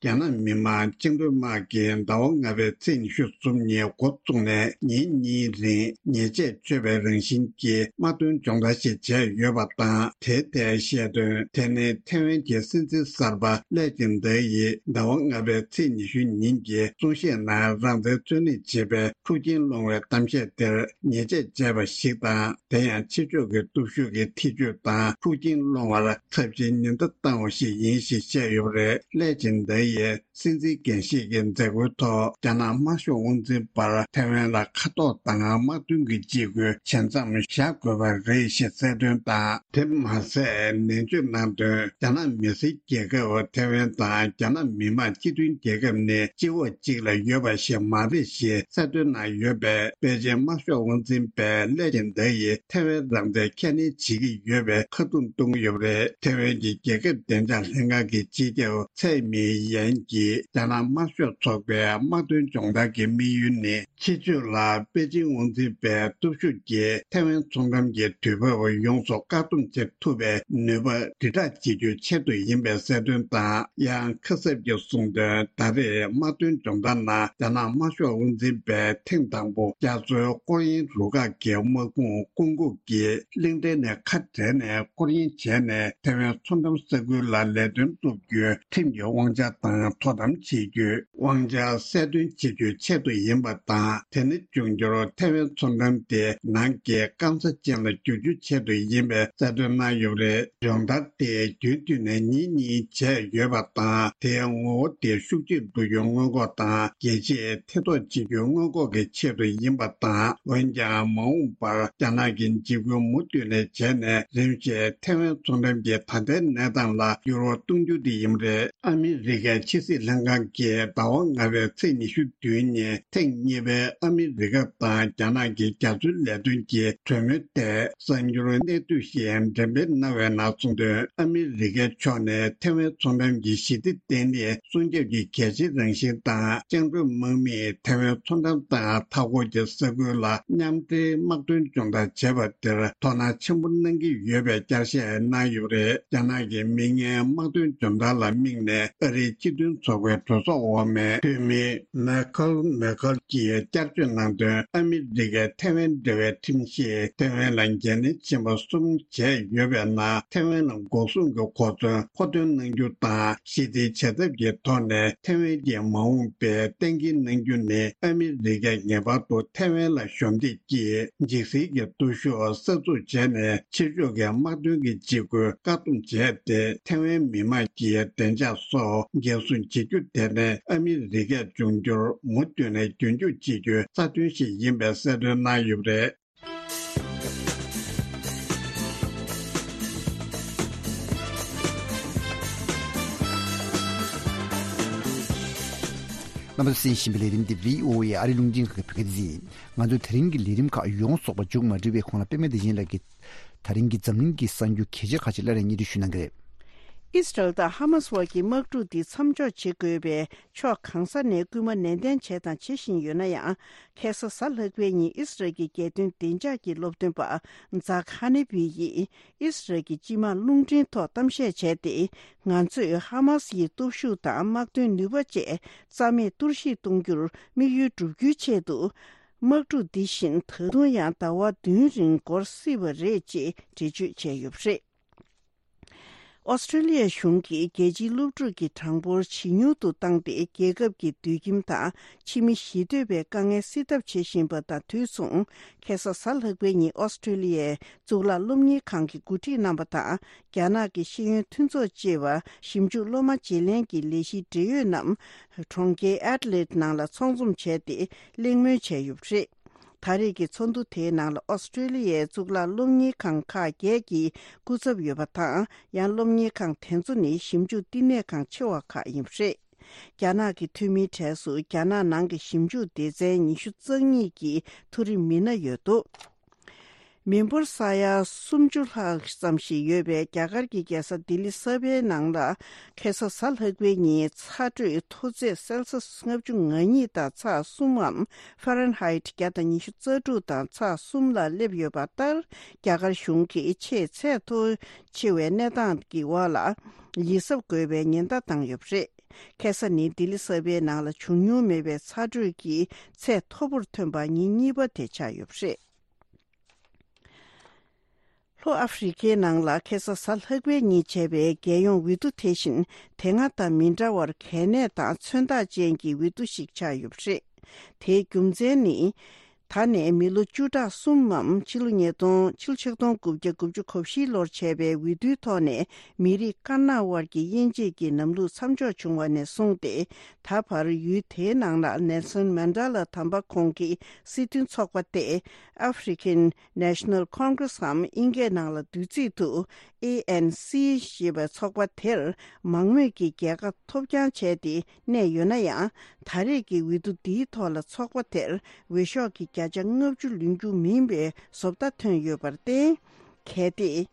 རྒྱ་ནག་མི་དམངས་བཅིངས་འགྲོལ་དམག་གིས་ཟླ་བ་ལྔ་པའི་ཚེས་ཉི་ཤུ་གསུམ་ཉིན་འགོ་བཙུགས་ནས་ཉིན་གཉིས་རིང་ཉེས་ཆད་གཅོད་པའི་རང་བཞིན་གྱི་དམག་དོན་སྦྱོང་བརྡར་ཞིག་བྱས་ཡོད་པ་དང་། དེའི་ཐད་བཤད་དོན། དེ་ནི་ཐེ་ཝན་གྱི་སྲིད་འཛིན་གསར་པ་ལེ་ཅིན་ཏེ་ཡིས་ཟླ་བ་ལྔ་པའི་ཚེས་ཉི་ཤུ་ཉིན་གྱི་གསུང་བཤད་ནང་རང་བཙན་རྩོད་ལེན་བྱེད་པའི་ཤུགས་རྐྱེན་སློང་བའི་གཏམ་བཤད་དེར་ཉེས་ཆད་བཅད་པ་ཞིག་དང་། དེ་ཡང་ཕྱི་ཕྱོགས་ཀྱི་སྟོབས་ཤུགས་ཀྱི་ཐེ་བྱུས་དང་ཤུགས་རྐྱེན་སློང་བར་ཚབས་ཆེའི་ཉེན་བརྡ་བཏང་བ་ཞིག་ཡིན་ཞེས་བཤད་ཡོད་པ་རེད། ལེ་ཅིན་ཏེ་ཡིས་སྲིད་འཛིན་འགན་བཞེས་ཀྱི་མཛད་སྒོའི་ཐོག་རྒྱ་ནག་དམར་ཤོག་དབང་འཛིན་པར་ཐེ་ཝན་ལ་ཁ་ཐོར་དང་དམག་དོན་གྱི་འཇིགས་སྐུལ་ཇི་ཙམ་བཞག་དགོས་པ་རེད་ཞེས་གསལ་སྟོན་དང་། དེ་མ་ཟད་ནན་བརྗོད་གནང་དོན། རྒྱ་ནག་མི་སེར་རྒྱལ་ཁབ་ཐེ་ཝན་དང་རྒྱ་ནག་མི་དམངས་སྤྱི་མཐུན་རྒྱལ་ཁབ་ནི་སྤྱི་འོག་གཅིག་ལ་ཡོད་པ་ཞིག་མ་རེད་ཞེས་གསལ་སྟོན་གནང་ཡོད་པས། པེ་ཅིན་དམར་ཤོག་དབང་འཛིན་པས་ལེ་ཅིན་ཏེ་ཡིས་ཐེ་ཝན་རང་བཙན་ཁས་ལེན་བྱེད་ཀྱི་ཡོད་པའི་ཁ་རྡུང་གཏོང་གི་ཡོད་པ་རེད། ཐེ་ཝན་གྱི་རྒྱལ་ཁབ་བདེ་འཇགས་ལྷན་ཁང་གི་སྤྱི་ཁྱབ་ཚའེ་མིང་ཡ། ལན་གྱིས་རྒྱ་ནག་དམར་ཤོག་ཚོགས་པའི་དམག་དོན་སྦྱོང་བརྡར་གྱི་དམིགས་ཡུལ་ནི། ཕྱི་ཕྱོགས་ལ་པེ་ཅིང་དབང་འཛིན་པའི་སྟོབས་ཤུགས་ཀྱིས་ཐའེ་ཝན་མཚོ་འགྲམ་གྱི་དུས་བབ་ཡོངས་སུ་བཀག་སྡོམ་བྱེད་ཐུབ་པའི་ནུས་པ་དྲིལ་བསྒྲགས་བྱེད་རྒྱུའི་ཆེད་དུ་ཡིན་པའི་གསལ་སྟོན་དང་། ཡང་ཁ་གསབ་ཀྱིས་གསུངས་དོན། ད་རེས་དམག་དོན་སྦྱོང་བརྡར་ནང་རྒྱ་ནག་དམར་ཤོག་དབང་འཛིན་པས་ཐེངས་དང་པོ་རྒྱ་མཚོའི་སྐོར་གཡེང་རུ་ཁག་གི་དམག་དཔུང་སྐུ་འགོག་གིས་གླིང་ཕྲན་ནས་ཁ་བྲལ་ནས་སྐོར་གཡེང་བྱས་ནས་ཐའེ་ཝན་མཚོ་འགྲམ་ས་ཁུལ་ལ་ལས་དོན་སྒྲུབ་རྒྱུའི་ཁྲིམས་ཀྱི་དབང་ཆ་དང་དོ་དམ་བྱེད་རྒྱུའི་དབང་ཆ་གསལ་སྟོན་བྱེད་རྒྱུའི་ཆེད་དུ་ཡིན་པ་དང་། དེ་ནི་འབྱུང་འགྱུར་ཐའེ་ཝན་མཚོ་འགྲམ་དེ་ནང་གི་སྐམ་ས་ཅན་ལ་བསྒྱུར་རྒྱུའི་ཆེད་དུ་ཡིན་པའི་གསལ་སྟོན་གནང་ཡོད་པ་རེད། སྦྱོང་བརྡར་དེ་རྒྱུན་མཐུད་ནས་ཉིན་གཉིས་བྱས་ཡོད་པ་དང་། དེའི་ངོ་བོ་དེ་ཤུགས་ཆེར་འགྲོ་རྒྱུའི་སྔོན་འགོག་དང་། རྒྱལ་སྤྱིའི་ཐེ་གཏོགས་བྱེད་རྒྱུའི་སྔོན་འགོག་གི་ཆེད་དུ་ཡིན་པ་དང་། འོན་ཀྱང་མ་འོངས་པར་རྒྱ་ནག་གིས་འཇིགས་སྐུལ་མུ་མཐུད་ནས་བྱས་ནས། རིམ་བཞིན་ཐའེ་ཝན་མཚོ་འགྲམ་གྱི་ད་ལྟའི་གནས་སྟངས་ལ་འགྱུར་བ་གཏོང་རྒྱུ་དེ་ཡིན་པ་རེད། ཨ་མི་རི་ཀའི་ཕྱི་སྲིད་ལྷན་ཁང་གིས་ཟླ་བ་ལྔ་པའི་ཚེས་ཉི་ཤུ་བདུན་ཉིན་ཐེངས་གཉིས་པའི་ཨ་མི་རི་ཀ་དང་རྒྱ་ནག་གི་རྒྱ་མཚོའི་ལས་དོན་གྱི་གྲོས་མོལ་ཐད་གསར་འགྱུར་གནད་བསྡུས་ཤིག་འགྲེམས་སྤེལ་གནང་བའི་ནང་གསུངས་དོན། ཨ་མི་རི་ཀའི་ཕྱོགས་ནས་ཐའེ་ཝན་མཚོ་འགྲམ་གྱི་ཞི་བདེ་ལྡན་ལྡན། སྲུང་སྐྱོབ་ཀྱི་གལ་ཆེའི་རང་བཞིན་དང་། བཅིངས་འགྲོལ་དམག་མིས་ཐའེ་ཝན་མཚོ་འགྲམ་དང་མཐའ་འཁོར་གྱི་ས་ཁུལ་ལ་མཉམ་འབྲེལ་དམག་དོན་སྦྱོང་བརྡར་བྱས་པ་དེར་དོ་སྣང་ཆེན་པོ་གནང་གི་ཡོད་པའི་བསྐྱར་བཤད་གནང་ཡོད་པ་རེད། རྒྱ་ནག་གི་མིག་སྔའི་དམག་དོན་སྦྱོང་བརྡར་ལ་དམིགས་ནས། ཨ་རིའི་སྤྱི་མཐུན་ཚོགས་པའི་གྲོས་ཚོགས་འོག་མའི་འཐུས་མི་མེ་ཁལ་མེ་ཁལ་གྱིས་བསྐྱར་བརྗོད་གནང་དོན། ཨ་མི་རི་ཀས་ཐའེ་ཝན་འབྲེལ་བའི་ཁྲིམས་གཞིས་ཐའེ་ཝན་ལ་འགན་ལེན་ཆེན་པོ་གསུམ་བྱས་ཡོད་པའི་ནང་། ཐའེ་ཝན་ལ་འགོག་སྲུང་གི་གོ་མཚོན་མཁོ་འདོན་གནང་རྒྱུ་དང་། ཞི་བདེའི་བྱ་ཐབས་ཀྱི་ཐོག་ནས་ཐའེ་ཝན་གྱི་མ་འོངས་པའི་གཏན་འཁེལ་གནང་རྒྱུ་ནི། ཨ་མི་རི་ཀས་ངེས་པར་དུ་ཐའེ་ཝན་ལ་གཞོགས་འདེགས་ཀྱིས་འཇིགས་སེལ་གྱི་སྟོབས་ཤུགས་གསར་འཛུགས་བྱས་ནས། ཕྱི་ཕྱོགས་ཀྱི་དམག་དོན་གྱི་འཇིགས་སྐུལ་བཀག་སྡོམ་བྱས་ཏེ། ཐའེ་ཝན་མི་དམངས་ཀྱི་བདེ་འཇགས་སོགས་འགན་སྲུང་བྱེད་རྒྱུ་དེ་ནི། ཨ་མི་རི་ཀས་འབྱུང་འགྱུར་མུ་མཐུད་ནས་རྒྱུན་སྐྱོང་བྱེད་རྒྱུའི་རྩ་དོན་ཞིག་ཡིན་པའི་གསལ་སྟོན་གནང་ཡོད་པ་རེད། རྣམ་པ་ཚོས་གསན་བཞིན་པའི་ལས་རིམ་འདི་བྷི་ཨོ་ཨེ་ཨ་རིའི་རླུང་འཕྲིན་ཁང་གི་བོད་སྐད་སྡེ་ཚན་ཡིན། ང་ཚོས་དེ་རིང་གི་ལས་རིམ་ཁག་ཡོངས་རྫོགས་པ་མཇུག་མ་སྒྲིལ་བའི་གོང་ལ། པད་མ་བདེ་ཆེན་ལགས་ཀྱིས་དེ་རིང་གི་འཛམ་གླིང་གི་གསར་འགྱུར་གལ་ཆེ་ཁག་ཅིག་སླར་ཡང་སྙན་སྒྲོན་ཞུ་གནང་གི་རེད། ཨིས་རལ་དང་ཧ་མཱས་དབར་གྱི་དམག་འཁྲུག་འདི་མཚམས་འཇོག་བྱེད་དགོས་པའི་ཕྱོགས་གང་ས་ནས་སྐུལ་མ་ནན་ཏན་བྱས་དང་བྱེད་བཞིན་ཡོད་ན་ཡང་། ཁ་སང་གཟའ་ལྷག་པའི་ཉིན་ཨིས་རལ་གྱི་རྒྱལ་དོན་བདེ་འཇགས་ཀྱི་སློབ་སྟོན་པ་ཛག་ཧ་ནེ་བི་ཡིས། ཨིས་རལ་གྱི་སྤྱི་དམངས་རླུང་འཕྲིན་ཐོག་གཏམ་བཤད་བྱས་ཏེ། ང་ཚོས་ཧ་མཱས་ཡི་སྟོབས་ཤུགས་དང་དམག་དོན་ནུས་པ་བཅས་རྩ་མེད་གཏོར་བཤིག་གཏོང་རྒྱུར་དམིགས་ཡུལ་བསྒྲུབ་རྒྱུའི་ཆེད་དུ། དམག་འཁྲུག་འདི་བཞིན་ད་དུང་ཡང་ཟླ་བ་བདུན་རིང་འགོར་སྲིད་པ་རེད་ཅེས་འགྲེལ་བརྗོད་བྱས་ཡོད་པ་རེད། ཨོ་སི་ཀྲི་ལི་ཡ་གཞུང་གིས་རྒྱལ་སྤྱིའི་སློབ་ཕྲུག་གི་གྲངས་འབོར་ཇེ་ཉུང་དུ་བཏང་སྟེ། རྒྱལ་ཁབ་ཀྱི་སྡོད་ཁྱིམ་དང་ཕྱི་མི་ཞི་གཏོད་པའི་དཀའ་ངལ་སེལ་ཐབས་བྱེད་བཞིན་པ་དང་དུས་མཚུངས། ཁ་སང་གཟའ་ལྷག་པའི་ཉིན་ཨོ་སི་ཀྲི་ལི་ཡའི་གཙུག་ལག་སློབ་གཉེར་ཁང་གིས་གོ་སྒྲིག་གནང་བ་དང་། རྒྱ་ནག་གི་ཤེས་ཡོན་མཐུན་ཚོགས་ཅེས་པ་ཞིབ་འཇུག་སློབ་མ་བརྗེ་ལེན་གྱི་ལས་གཞིའི་འབྲེལ་ཡོད་རྣམས་གྲོང་ཁྱེར་ཨེ་ཌི་ལེ་ཌི་ནང་ལ་ཚོགས་འཛོམས་བྱས་ཏེ་གླེང་མོལ་བྱས་ཡོད་པ་རེད། ད་རེས་ཀྱི་ཚོགས་འདུ་དེའི་ནང་ལ་ཨོ་སི་ཀྲི་ལི་ཡའི་གཙུག་ལག་སློབ་གཉེར་ཁང་ཁག་བརྒྱད་ཀྱི་སྐུ་ཚབ་ཡོད་པ་དང་། ཡང་སློབ་གཉེར་ཁང་དེ་ཚོ་ནི་ཞིབ་འཇུག་བསྟི་གནས་ཁང་ཆེ་བ་ཁག་ཡིན་པ་རེད། རྒྱ་ནག་གི་འཐུས་མིའི་གྲས་སུ་རྒྱ་ནག་ནང་གི་ཞིབ་འཇུག་སྡེ་ཚན་ཉི་ཤུ་རྩ་གཉིས་ཀྱི་མཐོ་རིམ་མི་སྣ་ཡོད་འདུག་མི་འབོར་ས་ཡ་སུམ་ཅུ་ལྷག་ཙམ་ཞིག་ཡོད་པའི་རྒྱ་གར་གྱི་རྒྱལ་ས་ལྡི་ལི་གསར་པའི་ནང་ལ། ཁ་སང་གཟའ་ལྷག་པའི་ཉིན་ཚ་དྲོད་མཐོ་ཚད་སེལ་སི་ལྔ་བཅུ་ང་གཉིས་དང་ཚེག་གསུམ་འམ་ཧྥ་རན་ཧའེ་ཊི་བརྒྱ་དང་ཉི་ཤུ་རྩ་དྲུག་དང་ཚེག་གསུམ་ལ་སླེབས་ཡོད་པ་ལྟར། རྒྱ་གར་གཞུང་གིས་ཆེས་ཚད་མཐོ་ཆེ་བའི་གནས་སྟངས་ཀྱི་འོག་ལ་ཡིད་གཟབ་དགོས་པའི་ཉེན་བརྡ་བཏང་ཡོད་པ་རེད། ཁ་སང་ནི་ལྡི་ལི་གསར་པའི་ནང་ལ་བྱུང་མྱོང་མེད་པའི་ཚ་དྲོད་ཀྱི་ཚད་མཐོ་པོར་ཐོན་པ་ཉིན་གཉིས་པ་དེ་ཆགས་ཡོད་པ་རེད། ལྷོ་ཨ་ཧྥེ་རི་ཁའི་ནང་ལ་ཁ་སང་གཟའ་ལྷག་པའི་ཉིན་བྱས་པའི་རྒྱལ་ཡོངས་འོས་བསྡུ་དེ་བཞིན་དེ་སྔ་དང་མི་འདྲ་བར་གལ་གནད་དང་མཚོན་རྟགས་ཅན་གྱི་འོས་བསྡུ་ཞིག་ཆགས་ཡོད་པ་རེད། དེའི་རྒྱུ་མཚན་ནི། ད་ནས་མི་ལོ་བཅུ་ཕྲག་གསུམ་མམ་ཕྱི་ལོ་ཉིས་སྟོང་ཕྱི་ལོ་ཆིག་སྟོང་དགུ་བརྒྱ་དགུ་བཅུ་གོ་བཞི་ལོར་བྱས་པའི་འོས་བསྡུའི་ཐོག་ནས་མི་རིགས་དཀར་ནག་དབར་གྱི་དབྱེ་འབྱེད་ཀྱི་ལམ་ལུགས་མཚམས་འཇོག་བྱུང་བ་ནས་བཟུང་སྟེ། ད་བར་ཡུལ་དེའི་ནང་ལ་ནེལ་སོན་མན་ཌེ་ལ་དམ་པ་ཁོང་གི་སྲིད་དོན་ཚོགས་པ་སྟེ། African National Congress འམ་དབྱིན་སྐད་ནང་ལ་བསྡུས་ཚིག་ཏུ་ཨེ་ཨེན་སི་ཞེས་པའི་ཚོགས་པ་དེར་མང་མོས་ཀྱི་རྒྱལ་ཁ་ཐོབ་རྐྱང་བྱས་ཏེ་གནས་ཡོད་ན་ཡང་། ད་རེས་ཀྱི་འོས་བསྡུ་འདིའི་ཐོག་ལ་ཚོགས་པ་དེར་འོས་ཤོག་གི་བརྒྱ་ཆ་ལྔ་བཅུ་ལོན་རྒྱུ་མིན་པའི་བཟོ་ལྟ་ཐོན་ཡོད་པར་བརྟེན། གལ་ཏེ།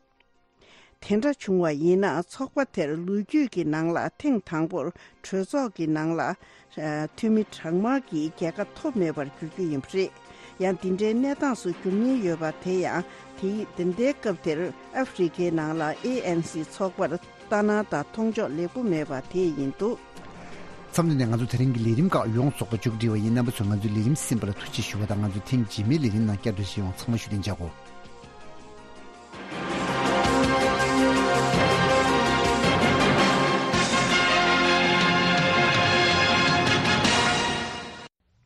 དེ་འདྲ་བྱུང་བ་ཡིན་ན་ཚོགས་པ་དེར་ལོ་རྒྱུས་ཀྱི་ནང་ལ་ཐེངས་དང་པོར་གྲོས་ཚོགས་ཀྱི་ནང་ལ་འཐུས་མི་གྲངས་མང་གིས་རྒྱལ་ཁ་ཐོབ་མེད་པར་འགྱུར་རྒྱུ་ཡིན་པ་རེད། ཡང་འདི་འདྲའི་གནས་སྟངས་སུ་འགྱུར་ཉེན་ཡོད་པ་དེ་ཡང་དེའི་འདི་ལྟའི་སྐབས་དེར་ཨ་ཧྥེ་རི་ཁའི་ནང་ལ་ཨེ་ཨེན་སི་ཚོགས་པར་ལྟ་སྣང་དང་མཐོང་ཕྱོགས་ལེགས་པོ་མེད་པ་དེ་ཡིན་འདུག་མཚམས་འདི་ནས་ང་ཚོ་དེ་རིང་གི་ལས་རིམ་ཁག་ཡོངས་རྫོགས་པ་མཇུག་སྒྲིལ་བ་ཡིན། རྣམ་པ་ཚོས་ང་ཚོའི་ལས་རིམ་གསན་པ་ལ་ཐུགས་རྗེ་ཞུ་བ་དང་། ང་ཚོའི་ཐེངས་རྗེས་མའི་ལས་རིམ་ནང་བསྐྱར་དུ་མཇལ་ཡོང་། ཚང་མ་བཞུགས་གདན་འཇགས་སྒོ།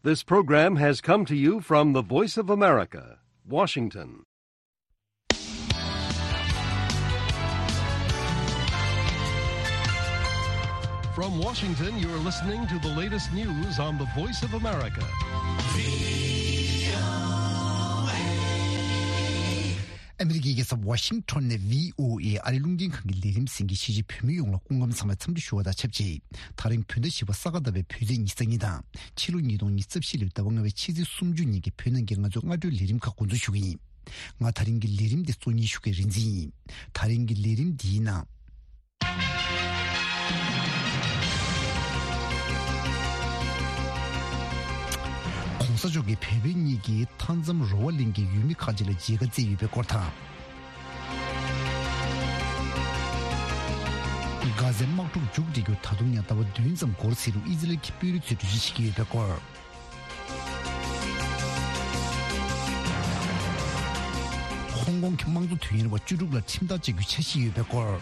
This program has come to you from the Voice of America, Washington. From Washington, you're listening to the latest news on the Voice of America. ཨ་མི་རི་ཀའི་རྒྱལ་ས་ཝ་ཤིང་ཊོན་ནས་བྷི་ཨོ་ཨེ་ཨ་རིའི་རླུང་འཕྲིན་ཁང་གི་ལས་རིམ་གསན་མཁན་གཞིས་བྱེས་བོད་མི་ཡོངས་ལ་སྐུ་ཁམས་བཟང་བའི་འཚམས་འདྲི་ཞུ་བ་དང་ཆབས་ཅིག་དེ་རིང་བོད་ཟླ་བཞི་པ་ས་ག་ཟླ་བའི་བོད་ཚེས་ཉི་ཤུ་རྩ་གཉིས་དང་། ཕྱི་ལོ་ཉིས་སྟོང་ཉི་ཤུ་རྩ་བཞི་ལོའི་ཟླ་བ་ལྔ་པའི་ཕྱི་ཚེས་སུམ་ཅུ་ཉིན་གྱི་བོད་ནང་གི་ང་ཚོའི་སྔ་དྲོའི་ལས་རིམ་ཁག་འགོ་འཛུགས་ཞུ་གི་ཡིན། ང་དེ་རིང་གི་ལས་རིམ་འདི་གཙོ་གཉེར་ཞུ་མཁན་རིག་འཛིན་ཡིན། དེ་རིང་གི་ལས་རིམ་འདིའི་ནང་། གོང་ས་མཆོག་གིས་བལ་བོད་གཉིས་ཀྱི་མཐའ་མཚམས་རོ་བ་གླིང་གི་ཡུལ་མི་ཁག་ཅིག་ལ་མཇལ་ཁ་བསྩལ་ཡོད་པའི་སྐོར་དང་། གྷ་ཟའི་དམག་འཁྲུག་མཇུག་སྒྲིལ་རྒྱུར་ད་དུང་ཡང་ཟླ་བ་བདུན་ཙམ་འགོར་སྲིད་རུང་ཨི་ཟི་རལ་གྱི་དཔོན་རིགས་ཚོས་གྲོས་གཞི་བྱེད་ཀྱི་ཡོད་པའི་སྐོར། ཧོང་ཀོང་གི་དམངས་གཙོ་དོན་གཉེར་བ་བཅུ་དྲུག་ལ་ཁྲིམས་ཐག་བཅད་རྒྱུའི་འཆར་གཞི་ཡོད་པའི་སྐོར།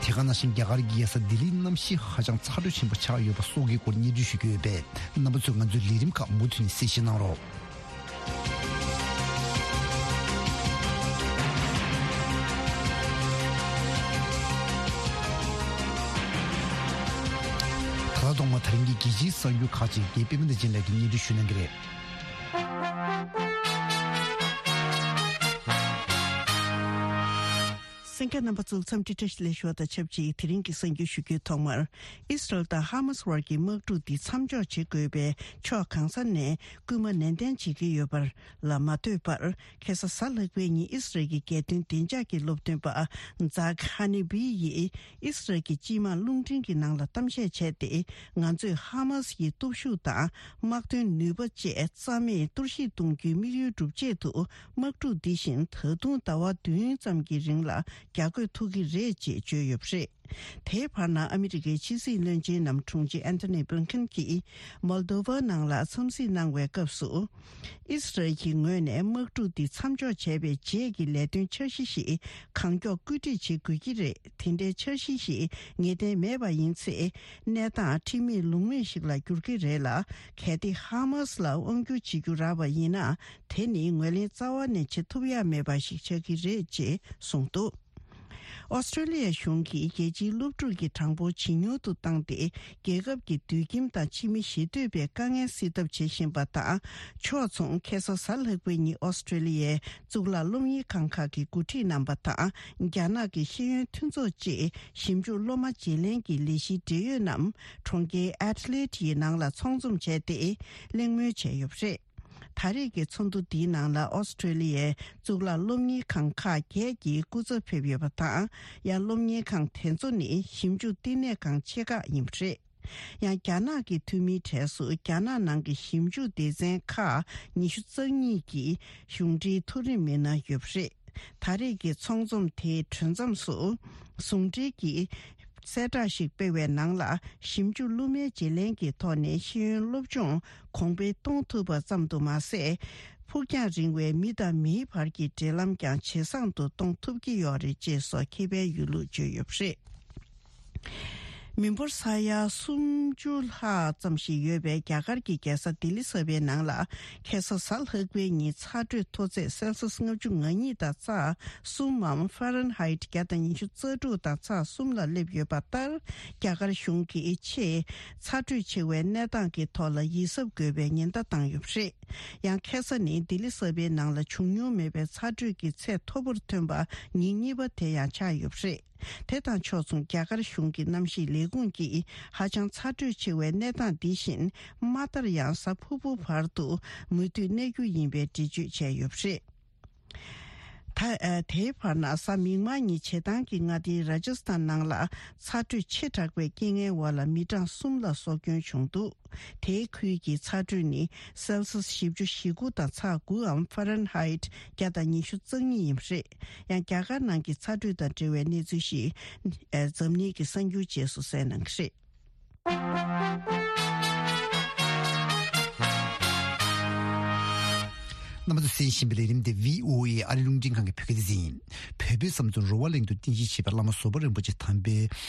དེ་ག་ནང་བཞིན་རྒྱ་གར་གྱི་རྒྱལ་ས་ལྡི་ལིའི་གནམ་གཤིས་ཧ་ཅང་ཚ་དྲོད་ཆེན་པོ་ཆགས་ཡོད་པ་སོགས་ཀྱི་སྐོར་སྙན་སྒྲོན་ཞུ་རྒྱུ་ཡོད་པས། རྣམ་པ་ཚོས་ང་ཚོའི་ལས་རིམ་ཁག་མུ་མཐུད་ནས་གསན་བཞེས་གནང་རོགས། ད་ལྟ་ཐོག་མར་དེ་རིང་གི་རྒྱལ་སྤྱིའི་གསར་འགྱུར་ཁག་ཅིག་རྒན་པད་མ་བདེ་ཆེན་ལགས་ཀྱིས་སྙན་སྒྲོན་ཞུ་གནང་གི་རེད། གསན་མཁན་རྣམ་པ་ཚོ་འཚམས་འདྲི་བཀྲ་ཤིས་བདེ་ལེགས་ཞུ་བ་དང་ཆབས་ཅིག་དེ་རིང་གི་གསར་འགྱུར་ཞུ་རྒྱུའི་ཐོག་མར། ཨིས་རལ་དང་ཧ་མཱས་བར་གྱི་དམག་འཁྲུག་འདི་མཚམས་འཇོག་བྱེད་དགོས་པའི་ཕྱོགས་གང་ས་ནས་སྐུལ་མ་ནན་ཏན་བྱེད་ཀྱི་ཡོད་པར་ལ་མ་ལྟོས་པར། ཁ་སང་གཟའ་ལྷག་པའི་ཉིན་ཨིས་རལ་གྱི་རྒྱལ་དོན་བདེ་འཇགས་ཀྱི་སློབ་སྟོན་པ་ཛག་ཧ་ནི་བི་ཡིས་ཨིས་རལ་གྱི་སྤྱི་དམངས་རླུང་འཕྲིན་གྱི་ནང་ལ་གཏམ་བཤད་བྱས་ཏེ། ང་ཚོས་ཧ་མཱས་ཀྱི་སྟོབས་ཤུགས་དང་དམག་དོན་ནུས་པ་བཅས་རྩ་མེད་གཏོར་བཤིག་གཏོང་རྒྱུའི་དམིགས་ཡུལ་འགྲུབ་ཆེད་དུ། དམག་འཁྲུག་འདི་བཞིན་ད་དུང་ཟླ་བ་བདུན་ཙམ་གྱི་རིང་ལ་རྒྱག་དགོས་ཐུག་གི་རེད་ཅེས་བརྗོད་ཡོད་པ་རེད། དེའི་བར་ན་ཨ་མི་རི་ཀའི་ཕྱི་སྲིད་བློན་ཆེན་ནམ་དྲུང་ཆེ་ཨན་ཐོ་ནི་བྷིལ་ཁིན་གྱིས་མོལ་དོ་ཝ་ནང་ལ་འཚམས་གཟིགས་གནང་བའི་སྐབས་སུ། ཨིས་རལ་གྱི་ངོས་ནས་དམག་འཁྲུག་འདི་མཚམས་འཇོག་བྱས་པའི་རྗེས་ཀྱི་ལས་དོན་འཆར་གཞི་ཞིག་གང་མགྱོགས་བཀོད་སྒྲིག་བྱེད་དགོས་ཀྱི་རེད། དེ་འདྲའི་འཆར་གཞི་ཞིག་ངེས་གཏན་མེད་པ་ཡིན་ཚེ། གནས་སྟངས་ཁྲིམས་མེད་ལུགས་མེད་ཞིག་ལ་འགྱུར་གྱི་རེད་ལ། གལ་ཏེ་ཧ་མཱས་ལ་དབང་བསྒྱུར་བྱེད་རྒྱུ་རག་པ་ཡིན་ན། དེ་ནི་ངོས་ལེན་རྩ་བ་ནས་བྱེད་ཐུབ་ཡ་མེད་པ་ཞིག་ཆགས་ཀྱི་རེད་ཅེས་གསུངས་འདུག་ཨོ་སི་ཀྲོ་ལི་ཡ་གཞུང་གིས་རྒྱལ་སྤྱིའི་སློབ་ཕྲུག་གི་གྲངས་འབོར་ཇེ་ཉུང་དུ་བཏང་སྟེ། རྒྱལ་ཁབ་ཀྱི་སྡོད་ཁྱིམ་དང་ཕྱི་མི་ཞི་སྡོད་པའི་དཀའ་ངལ་སེལ་ཐབས་བྱེད་བཞིན་པ་དང་། ཕྱོགས་མཚུངས་ཁ་སང་གཟའ་ལྷག་པའི་ཉིན་ཨོ་སི་ཀྲོ་ལི་ཡའི་གཙུག་ལག་སློབ་གཉེར་ཁང་ཁག་གི་འགོ་ཁྲིད་རྣམ་པ་དང་། རྒྱ་ནག་གི་ཤེས་ཡོན་མཐུན་ཚོགས་བཅས་ཞིབ་འཇུག་སློབ་མ་བརྗེ་ལེན་གྱི་ལས་གཞིའི་འབྲེལ་ཡོད་རྣམས་གྲོང་ཁྱེར་ཨེ་ཌི་ལེ་ཌི་ཡི་ནང་ལ་ཚོགས་འཛོམས་བྱས་ཏེ། གླེང་མོལ་བྱས་ཡོད་པ་རེད། ད་རེས་ཀྱི་ཚོགས་འདུ་འདིའི་ནང་ལ་ཨོ་སི་ཀྲོ་ལི་ཡའི་གཙུག་ལག་སློབ་གཉེར་ཁང་ཁག་བརྒྱད་ཀྱི་སྐུ་ཚབ་ཕེབས་ཡོད་པ་དང་། ཡང་སློབ་གཉེར་ཁང་དེ་ཚོ་ནི་ཞིབ་འཇུག་བསྟི་གནས་ཁང་ཆེ་ཁག་ཡིན་པ་རེད། ཡང་རྒྱ་ནག་གི་འཐུས་མིའི་གྲས་སུ་རྒྱ་ནག་ནང་གི་ཞིབ་འཇུག་སྡེ་ཚན་ཁག་ཉི་ཤུ་རྩ་གཉིས་ཀྱི་གཞུང་འབྲེལ་མཐོ་རིམ་མི་སྣ་ཡོད་པ་རེད། ད་རེས་ཀྱི་ཚོགས་འཛོམས་དེའི་གྲོལ་མཚམས་སུ། ཟུང་འབྲེལ་གྱི་གསལ་བསྒྲགས་ཤིག་སྤེལ་བའི་ནང་ལ། ཞིབ་འཇུག་སློབ་མའི་བརྗེ་ལེན་གྱི་ཐོག་ནས་ཤེས་ཡོན་སློབ་སྦྱོང་གོང་འཕེལ་གཏོང་ཐུབ་པ་ཙམ་དུ་མ་ཟད། ཕུགས་རྒྱང་རིང་བའི་མི་དང་མིའི་བར་གྱི་འབྲེལ་ལམ་ཀྱང་ཇེ་བཟང་དུ་གཏོང་ཐུབ་ཀྱི་ཡོད་རེད་ཅེས་སོགས་ཁེ་ཕན་ཡོད་ལུགས་བརྗོད་ཡོད་པ་རེད། མི་འབོར་ས་ཡ་སུམ་ཅུ་ལྷག་ཙམ་ཞིག་ཡོད་པའི་རྒྱ་གར་གྱི་རྒྱལ་ས་ལྡི་ལི་གསར་པའི་ནང་ལ། ཁ་སང་གཟའ་ལྷག་པའི་ཉིན་ཚ་དྲོད་མཐོ་ཚད་སེལ་སིས་ལྔ་བཅུ་ང་གཉིས་དང་ཚེག་གསུམ་མམ་ཧྥ་རན་ཧའེ་ཊི་བརྒྱ་དང་ཉི་ཤུ་རྩ་དྲུག་དང་ཚེག་གསུམ་ལ་སླེབས་ཡོད་པ་ལྟར། རྒྱ་གར་གཞུང་གིས་ཆེས་ཚ་དྲོད་ཆེ་བའི་གནས་སྟངས་ཀྱི་ཐོག་ལ་ཡིད་གཟབ་དགོས་པའི་ཉེན་བརྡ་བཏང་ཡོད་པ་རེད། ཡང་ཁ་ས་ནི་ལྡི་ལི་གསར་པའི་ནང་ལ་བྱུང་མྱོང་མེད་པའི་ཚ་དྲོད་ཀྱི་ཚད་མཐོ་པོར་ཐོན་པ་ཉིན་གཉིས་པ་དེ་ཡང་ཆགས་ཡོད་པ་རེད། དེ་དང་ཕྱོགས་མཚུངས་རྒྱ་གར་གཞུང་གི་གནམ་གཤིས་ལས་ཁུངས་ཀྱིས་ཧ་ཅང་ཚ་དྲོད་ཆེ་བའི་གནས་སྟངས་འདི་བཞིན་མ་མཐར་ཡང་གཟའ་ཕུར་བུ་བར་དུ་མུ་མཐུད་གནས་རྒྱུ་ཡིན་པའི་འགྲེལ་བརྗོད་བྱས་ཡོད་པ་རེད། ད་ཨ་དེའི་བར་ན་གཟའ་མིག་དམར་ཉིན་བྱེ་ཐང་གི་མངའ་སྡེ་ར་ཇ་སི་ཐན་ནང་ལ་ཚ་དྲོད་ཆེ་དྲགས་པའི་རྐྱེན་ངན་འོག་ལ་མི་གྲངས་གསུམ་ལ་སྲོག་སྐྱོན་བྱུང་འདུག་དེའི་ཁུལ་གྱི་ཚ་དྲོད་ནི་སེལ་སི་བཞི་བཅུ་ཞེ་དགུ་དང་ཚ་དགུའམ་ཧྥ་རན་ཧའིད་བརྒྱ་དང་ཉི་ཤུ་རྩ་གཉིས་ཡིན་པ་རེད། ཡང་རྒྱ་གར་ནང་གི་ཚ་དྲོད་དང་འབྲེལ་བའི་གནས་ཚུལ་ཞིག་ཨ་འཛམ་གླིང་གི་གསར་འགྱུར་རྗེས་སུ་གསན་གནང་གི་རེད། རྣམ་པ་ཚོས་གསན་བཞིན་པའི་ལས་རིམ་དེ་བྷི་ཨོ་ཨེ་ཨ་རི་རླུང་འཕྲིན་ཁང་གི་བོད་སྐད་སྡེ་ཚན་ཡིན། བོད་པའི་བསམ་ཚུལ་རོ་བ་གླིང་དུ་རྟེན་གཞི་བྱས་པའི་བླ་མ་བཟོད་པ་རིན་པོ་ཆེ་དམ་པའི་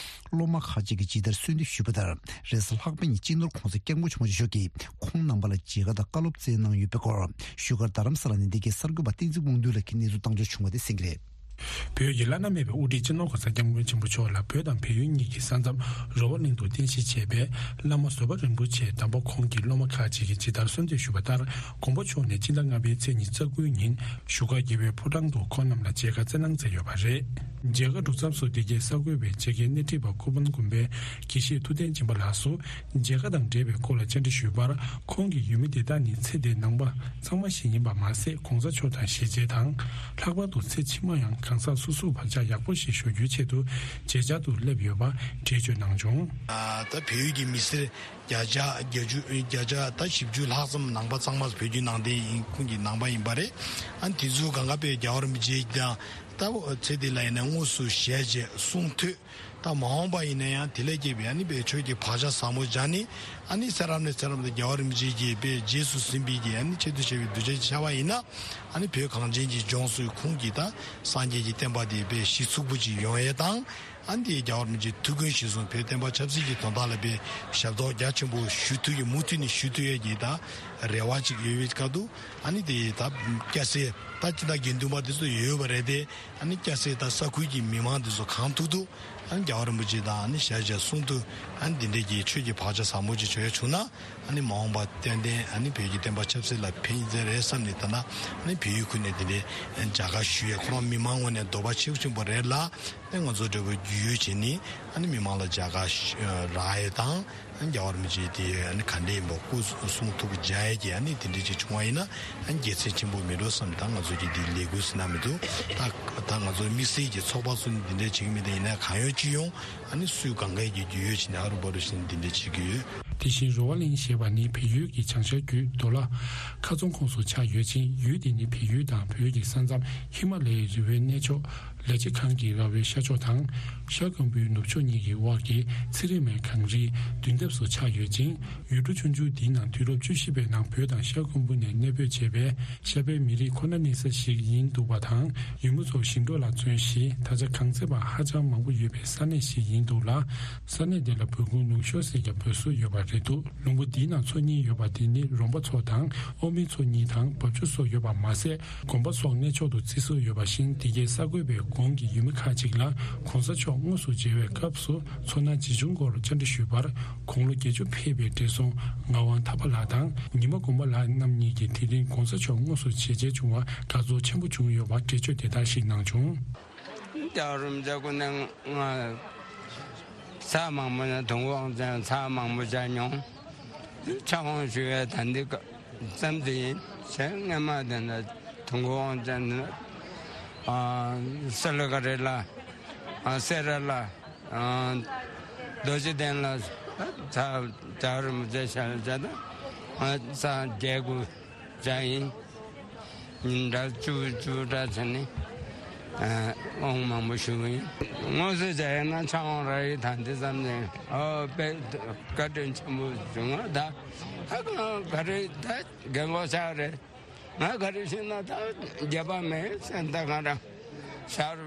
སློབ་མ་ཁག་ཅིག་གིས་ཇི་ལྟར་གསོལ་འདེབས་ཞུས་པ་ལྟར། རེས་གཟའ་ལྷག་པ་ཉིན་སྤྱི་ནོར་༧གོང་ས་༧སྐྱབས་མགོན་ཆེན་པོ་མཆོག་གིས་ཁོང་རྣམ་པ་ལ་མཇལ་ཁ་དང་བཀའ་སློབ་སྩལ་གནང་ཡོད་པའི་སྐོར། བཞུགས་སྒར་རྡ་རམ་ས་ལ་ནས་འདི་གའི་གསར་འགོད་པ་བསྟན་འཛིན་དབང་འདུས་ལགས་ཀྱིས་གནས་ཚུལ་བཏང་འབྱོར་བྱུང་བ་དེ་གསན་གྱི་རེད། བོད་ཀྱི་བླ་ན་མེད་པའི་དབུ་ཁྲིད་སྤྱི་ནོར་༧གོང་ས་༧སྐྱབས་མགོན་ཆེན་པོ་མཆོག་ལ་བོད་དང་བལ་ཡུལ་གཉིས་ཀྱི་ས་མཚམས་རོ་བ་གླིང་དུ་རྟེན་གཞི་བྱས་པའི་བླ་མ་བཟོད་པ་རིན་པོ་ཆེ་དམ་པ་ཁོང་གི་སློབ་མ་ཁག་ཅིག་གིས་ཇི་ལྟར་གསོལ་འདེབས་ཞུས་པ་ལྟར། དགོངས་པ་མཆོག་ནས་སྤྱི་ཟླ་ལྔ་པའི་ཚེས་ཉི་ཤུ་རྩ་དགུའི་ཉིན་བཞུགས་སྒར་རྒྱལ་བའི་ཕོ་བྲང་དུ་ཁོང་རྣམས་ལ་མཇལ་ཁ་སྩལ་གནང་མཛད་ཡོད་པ་རེད། མཇལ་ཁ་གྲུབ་མཚམས་སུ་འདི་གའི་གསར་འགོད་པས་མཇལ་ཁའི་སྣེ་ཁྲིད་པ་ཀུན་དགའ་དགོན་པའི་དགེ་བཤེས་ཐུབ་བསྟན་སྦྱིན་པ་ལགས་སུ་མཇལ་ཁ་དང་འབྲེལ་བའི་སྐོར་ལ་བཅར་འདྲི་ཞུས་པར། ཁོང་གིས་ཡུལ་མི་དེ་དག་ནི་ཚེ་འདིའི་ནང་པ་ཚང་མ་ཞིག་ཡིན་པ་མ་ཟད། ༧གོང་ས་མཆོག་དང་ཞལ་མཇལ་དང་། ལྷག་པར་དུ་ཚེ་ཕྱི་མ་ཡང་གང་ཟག་སོ་སོའི་བག་ཆགས་ཡག་པོ་ཞིག་ཞུ་རྒྱུའི་ཆེད་དུ་མཇལ་བཅར་དུ་སླེབས་ཡོད་པ་འགྲེལ་བརྗོད་གནང་བྱུང་། ད་བལ་ཡུལ་གྱི་མི་སེར་བརྒྱ་ཆ་བརྒྱད་ཅུ་བརྒྱ་ཆ་ད་བཞི་བཅུ་ལྷག་ཙམ་ནང་པ་ཚང་མ་བོད་བརྒྱུད་ནང་བསྟན་ཡིན། ཁོང་གི་ནང་པ་ཡིན་པ་རེད། ཨ་ནི་དེ་ཚོ་གང་ག་པའི་རྒྱལ་བ་རིན་པོ་ཆེ་དང་ད་ཚེ་འདི་ལ་ཡིན་ན་དངོས་སུ་ཞལ་མཇལ་གསུང་ཐོས། ད་མ་འོངས་པ་ཡིན་ན་ཡང་དེ་ལས་སྐྱེས་པའི་ཨ་ནི་པའི་ཆོས་ཀྱི་བག་ཆགས་ཟབ་མོ་སྦྱངས་ནས། ཨ་ནི་ཚེ་རབས་ནས་ཚེ་རབས་དུ་རྒྱལ་བ་རིན་པོ་ཆེ་གིས་པའི་རྗེས་སུ་ཟིན་པའི་གི་ཨ་ནི་ཆེད་དུ་བྱས་པའི་གདུལ་བྱ་ཅིག་ཆགས་པ་ཡིན་ན། ཨ་ནི་བོད་གངས་ཅན་གྱི་ལྗོངས་སུ་ཁོང་གིས་ད་སངས་རྒྱས་ཀྱི་བསྟན་པ་དེ་པའི་གཞི་ཚུགས་པོ་ཅིག་ཡོང་ཡས་དང་། ཨ་ནི་དེ་རྒྱལ་བ་རིན་པོ་ཆེའི་ཐུགས་འགན་གཞིར་བཟུང་བོད་བསྟན་པ་ཆབ་སྲིད་ཀྱི་དོན་དག་ལ་པའི་ཞབས་ཏོག་རྒྱ་ཆེན་པོ་ཞུ་ཐུབ་ཀྱི་མུ་མཐུད་ནས་ཞུ་ཐུབ་ཡས་ཀྱི་ད་རེ་བ་ཅིག་ཡོད་པའི་སྐབས་དུ། ཨ་ནི་དེ་ད་སྐྱ་སེར་ད་ཅི་ད་དགེ་འདུན་པ་དེ་ཚོ་ཡོད་པ་རེད་དེ། ཨ་ནི་སྐྱ་སེར་དང་ས་ཁུལ་གྱི་མི་མང་དེ་ཚོ་གང་ཐུབ་ཐུབ་ཨ་ནི་རྒྱལ་བ་རིན་པོ་ཆེ་དང་ཨ་ནི་ཞལ་མཇལ་གསུང་ཐུབ། ཨ་ནི་འདི་འདྲའི་གི་ཆོས་ཀྱི་བག་ཆགས་ཟབ་མོ་ཅིག་བྱོས་བྱུང་ན། ཨ་ནི་མ་འོངས་པ་ཏན་ཏན་ཨ་ནི་བོད་ཀྱི་བསྟན་པ་ཆབ་སྲིད་ལ་ཕན་ཡིན་ཚད་རེད་བསམ་ནས། ད་ན་ཨ་ནི་བལ་ཡུལ་ཁུལ་ནས་འདི་འདྲའི་མཇལ་ཁ་ཞུ་ཡས་ཁོ་རང་མི་མང་ངོས་ནས་འདོད་པ་ཆེ་ཆེན་པོ་རེད་ལ། ཨ་ནི་ང་ཚོ་འདྲ་བོ་རྒྱུས་ཡོད་བྱས་ནས་ཨ་ནི་མི་མང་ལ་མཇལ་ཁ་ཞུ་རག་ཡས་དང་། ཨ་ནི་རྒྱལ་བ་རིན་པོ་ཆེ་དེ་ཨ་ནི་ག་འདྲས་ཡིན་པ་སྐུ་གསུང་ཐུགས་མཇལ་ཡས་ཀྱི་ཨ་ནི་དེ་འདྲས་ཅིག་བྱུང་བ་ཡིན་ན། ཨ་ནི་དགེ་མཚན་ཆེན་པོ་མེད་འགྲོ་བསམ། ད་ང་ཚོ་གི་འདི་ལས་འགུལ་ཟེར་ན་མི་འདུག་ད་ད་ང་ཚོ་དམིགས་བསལ་གྱི་ཚོགས་པ་ཚོ་ནི་འདི་འདྲས་བྱེད་ཀྱི་མེད། ད་ཡིན་ན་གང་ཡོང་ཅི་ཡོང་ཨ་ནི་སུས་གང་གས་ཀྱི་རྒྱུས་ཡོད་བྱས་ནས་ཨ་རུ་བ་རུ་བྱས་ནས་འདི་འདྲས་བྱེད་ཀྱི་ཡོད། དེ་བཞིན་རོ་བ་གླིང་ཞེས་པ་ནི་བལ་ཡུལ་གྱི་བྱང་ཤར་རྒྱུད་མདོ་ལ། ཁ་རྫོང་ཁོངས་སུ་ཆགས་ཡོད་ཅིང་། ཡུལ་འདི་ནི་བལ་ཡུལ་དང་བོད་ཀྱི་ས་མཚམས་ཧི་མ་ལ་ཡའི་རི་བོའི་གནས་མཆོག་ལ་ཕྱི་ཁང་གི་ར་བའི་ཤར་ཕྱོགས་དང་། ཤར་ཁམ་བུའི་ནུབ་ཕྱོགས་གཉིས་ཀྱི་དབར་གྱི་ཚེ་རིང་མའི་གངས་རིའི་མདུན་ཐབས་སུ་ཆགས་ཡོད་ཅིང་། ཡུལ་གྲུ་ཆུང་ཆུང་འདིའི་ནང་དུས་རབས་བཅུ་བཞི་པའི་ནང་བོད་དང་ཤར་ཁམ་བུ་ནས་གནས་སྤོས་བྱས་པའི་ཤར་པའི་མི་རིགས་ཁོ་ན་གནས་ས་ཞིག་ཡིན་འདུག་པ་དང་། ཡུལ་མི་ཚོ་ཞིང་འབྲོག་ལ་བརྩོན་ཞིང་། ད་ཆ་གངས་ཚད་པ་ཧ་ཅང་མང་པོ་ཡོད་པའི་ས་གནས་ཤིག་ཡིན་འདུག་ལ། ས་གནས་འདི་ལ་བོད་ཁུངས་ནུབ་ཕྱོགས་ཟེར་ཀྱང་འབོད་སྲོལ་ཡོད་པ་རེད་འདུག་ལུང་པ་འདིའི་ནང་འཚོ་སྙིང་ཡོད་པ་དེ་ནི་རོང་པ་ཚོ་དང་ཨོ་མི་ཚོ་གཉིས་དང་འབབ་ཆུ་སོགས་ཡོད་པ་མ་ཟད། དགོན་པ་སོགས་གནས་མཆོག་ཏུ་བརྩི་སྲོལ་ཡོད་པ་བཞིན། འདི་གའི་གསར་འགོད་པས་གོང་གི་ཡུལ་མི་ཁག་ཅིག་ལ་༧གོང་ས་མཆོག་དངོས་སུ་མཇལ་བའི་སྐབས་སུ་ཚོར་སྣང་ཇི་བྱུང་སྐོར་བཅར་འདྲི་ཞུས་པར། དགུང་ལོ་བརྒྱད་ཅུ་ཕེབས་པའི་བགྲེས་སོང་ངག་དབང་ཐར་པ་ལགས་དང་ཉི་མ་དགོངས་པ་ལགས་རྣམ་གཉིས་ཀྱིས་དེ་རིང་༧གོང་ས་མཆོག་དངོས་སུ་མཇལ་མཇལ་བྱུང་བར་དགའ་ཚོར་ཆེན་པོ་བྱུང་ཡོད་པར་འགྲེལ་བརྗོད་དེ་ལྟར་ཞིག་གནང་བྱུང་། རྒྱལ་བ་རིན་པོ་ཆེ་སྐུ་ནས་ང་ཚར་མང་པོ་ནས་དུང་དབང་ཅན་ཚར་མང་པོ་བྱས་མྱོང་། ཕྱག་དབང་ཞུ་བའི་ད་འདི་ཙམ་དེ་ཡིན། གཞན་སྔན་མ་དེ་འདྲ་དུང་དབང་ཅན་ནི་ཨ་སེ་ལ་ཀ་རེ་ལ་ཨ་སེ་ར་ལ་ཨ་རྡོ་རྗེ་གདན་ལ་ཚར་རྒྱལ་བ་རིན་པོ་ཆེ་ཞལ་མཇལ་དང་ཨ་ཚར་རྒྱལ་སྐུ་མཇལ་ཡིན། ཉིན་གྲངས་བཅུ་བཅུ་འདྲ་བྱས་ནས་ཨ་དབང་མང་པོ་ཞུ་གི་ཡིན། དངོས་སུ་མཇལ་ཡོད་ན་ཕྱག་དབང་རག་ཡིན། ད་འདི་ཙམ་ནས་ཨོ་དཔེ་བཀའ་དྲིན་ཆེན་པོ་བྱུང་བ། ད་ཧ་གང་ག་རེ་ད་རྒན་གོག་ཤག་རེད། ང་ག་རེ་ཤེས་ན་ད་རྒྱབ་པ་མེད་སེམས་ད་གང་ར་ཤར་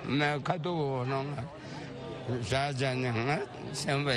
མེད་ཁ་ཐུག་འོ་ནང་ལ་ཤར་བྱས་ནས་ང་སེམས་པ་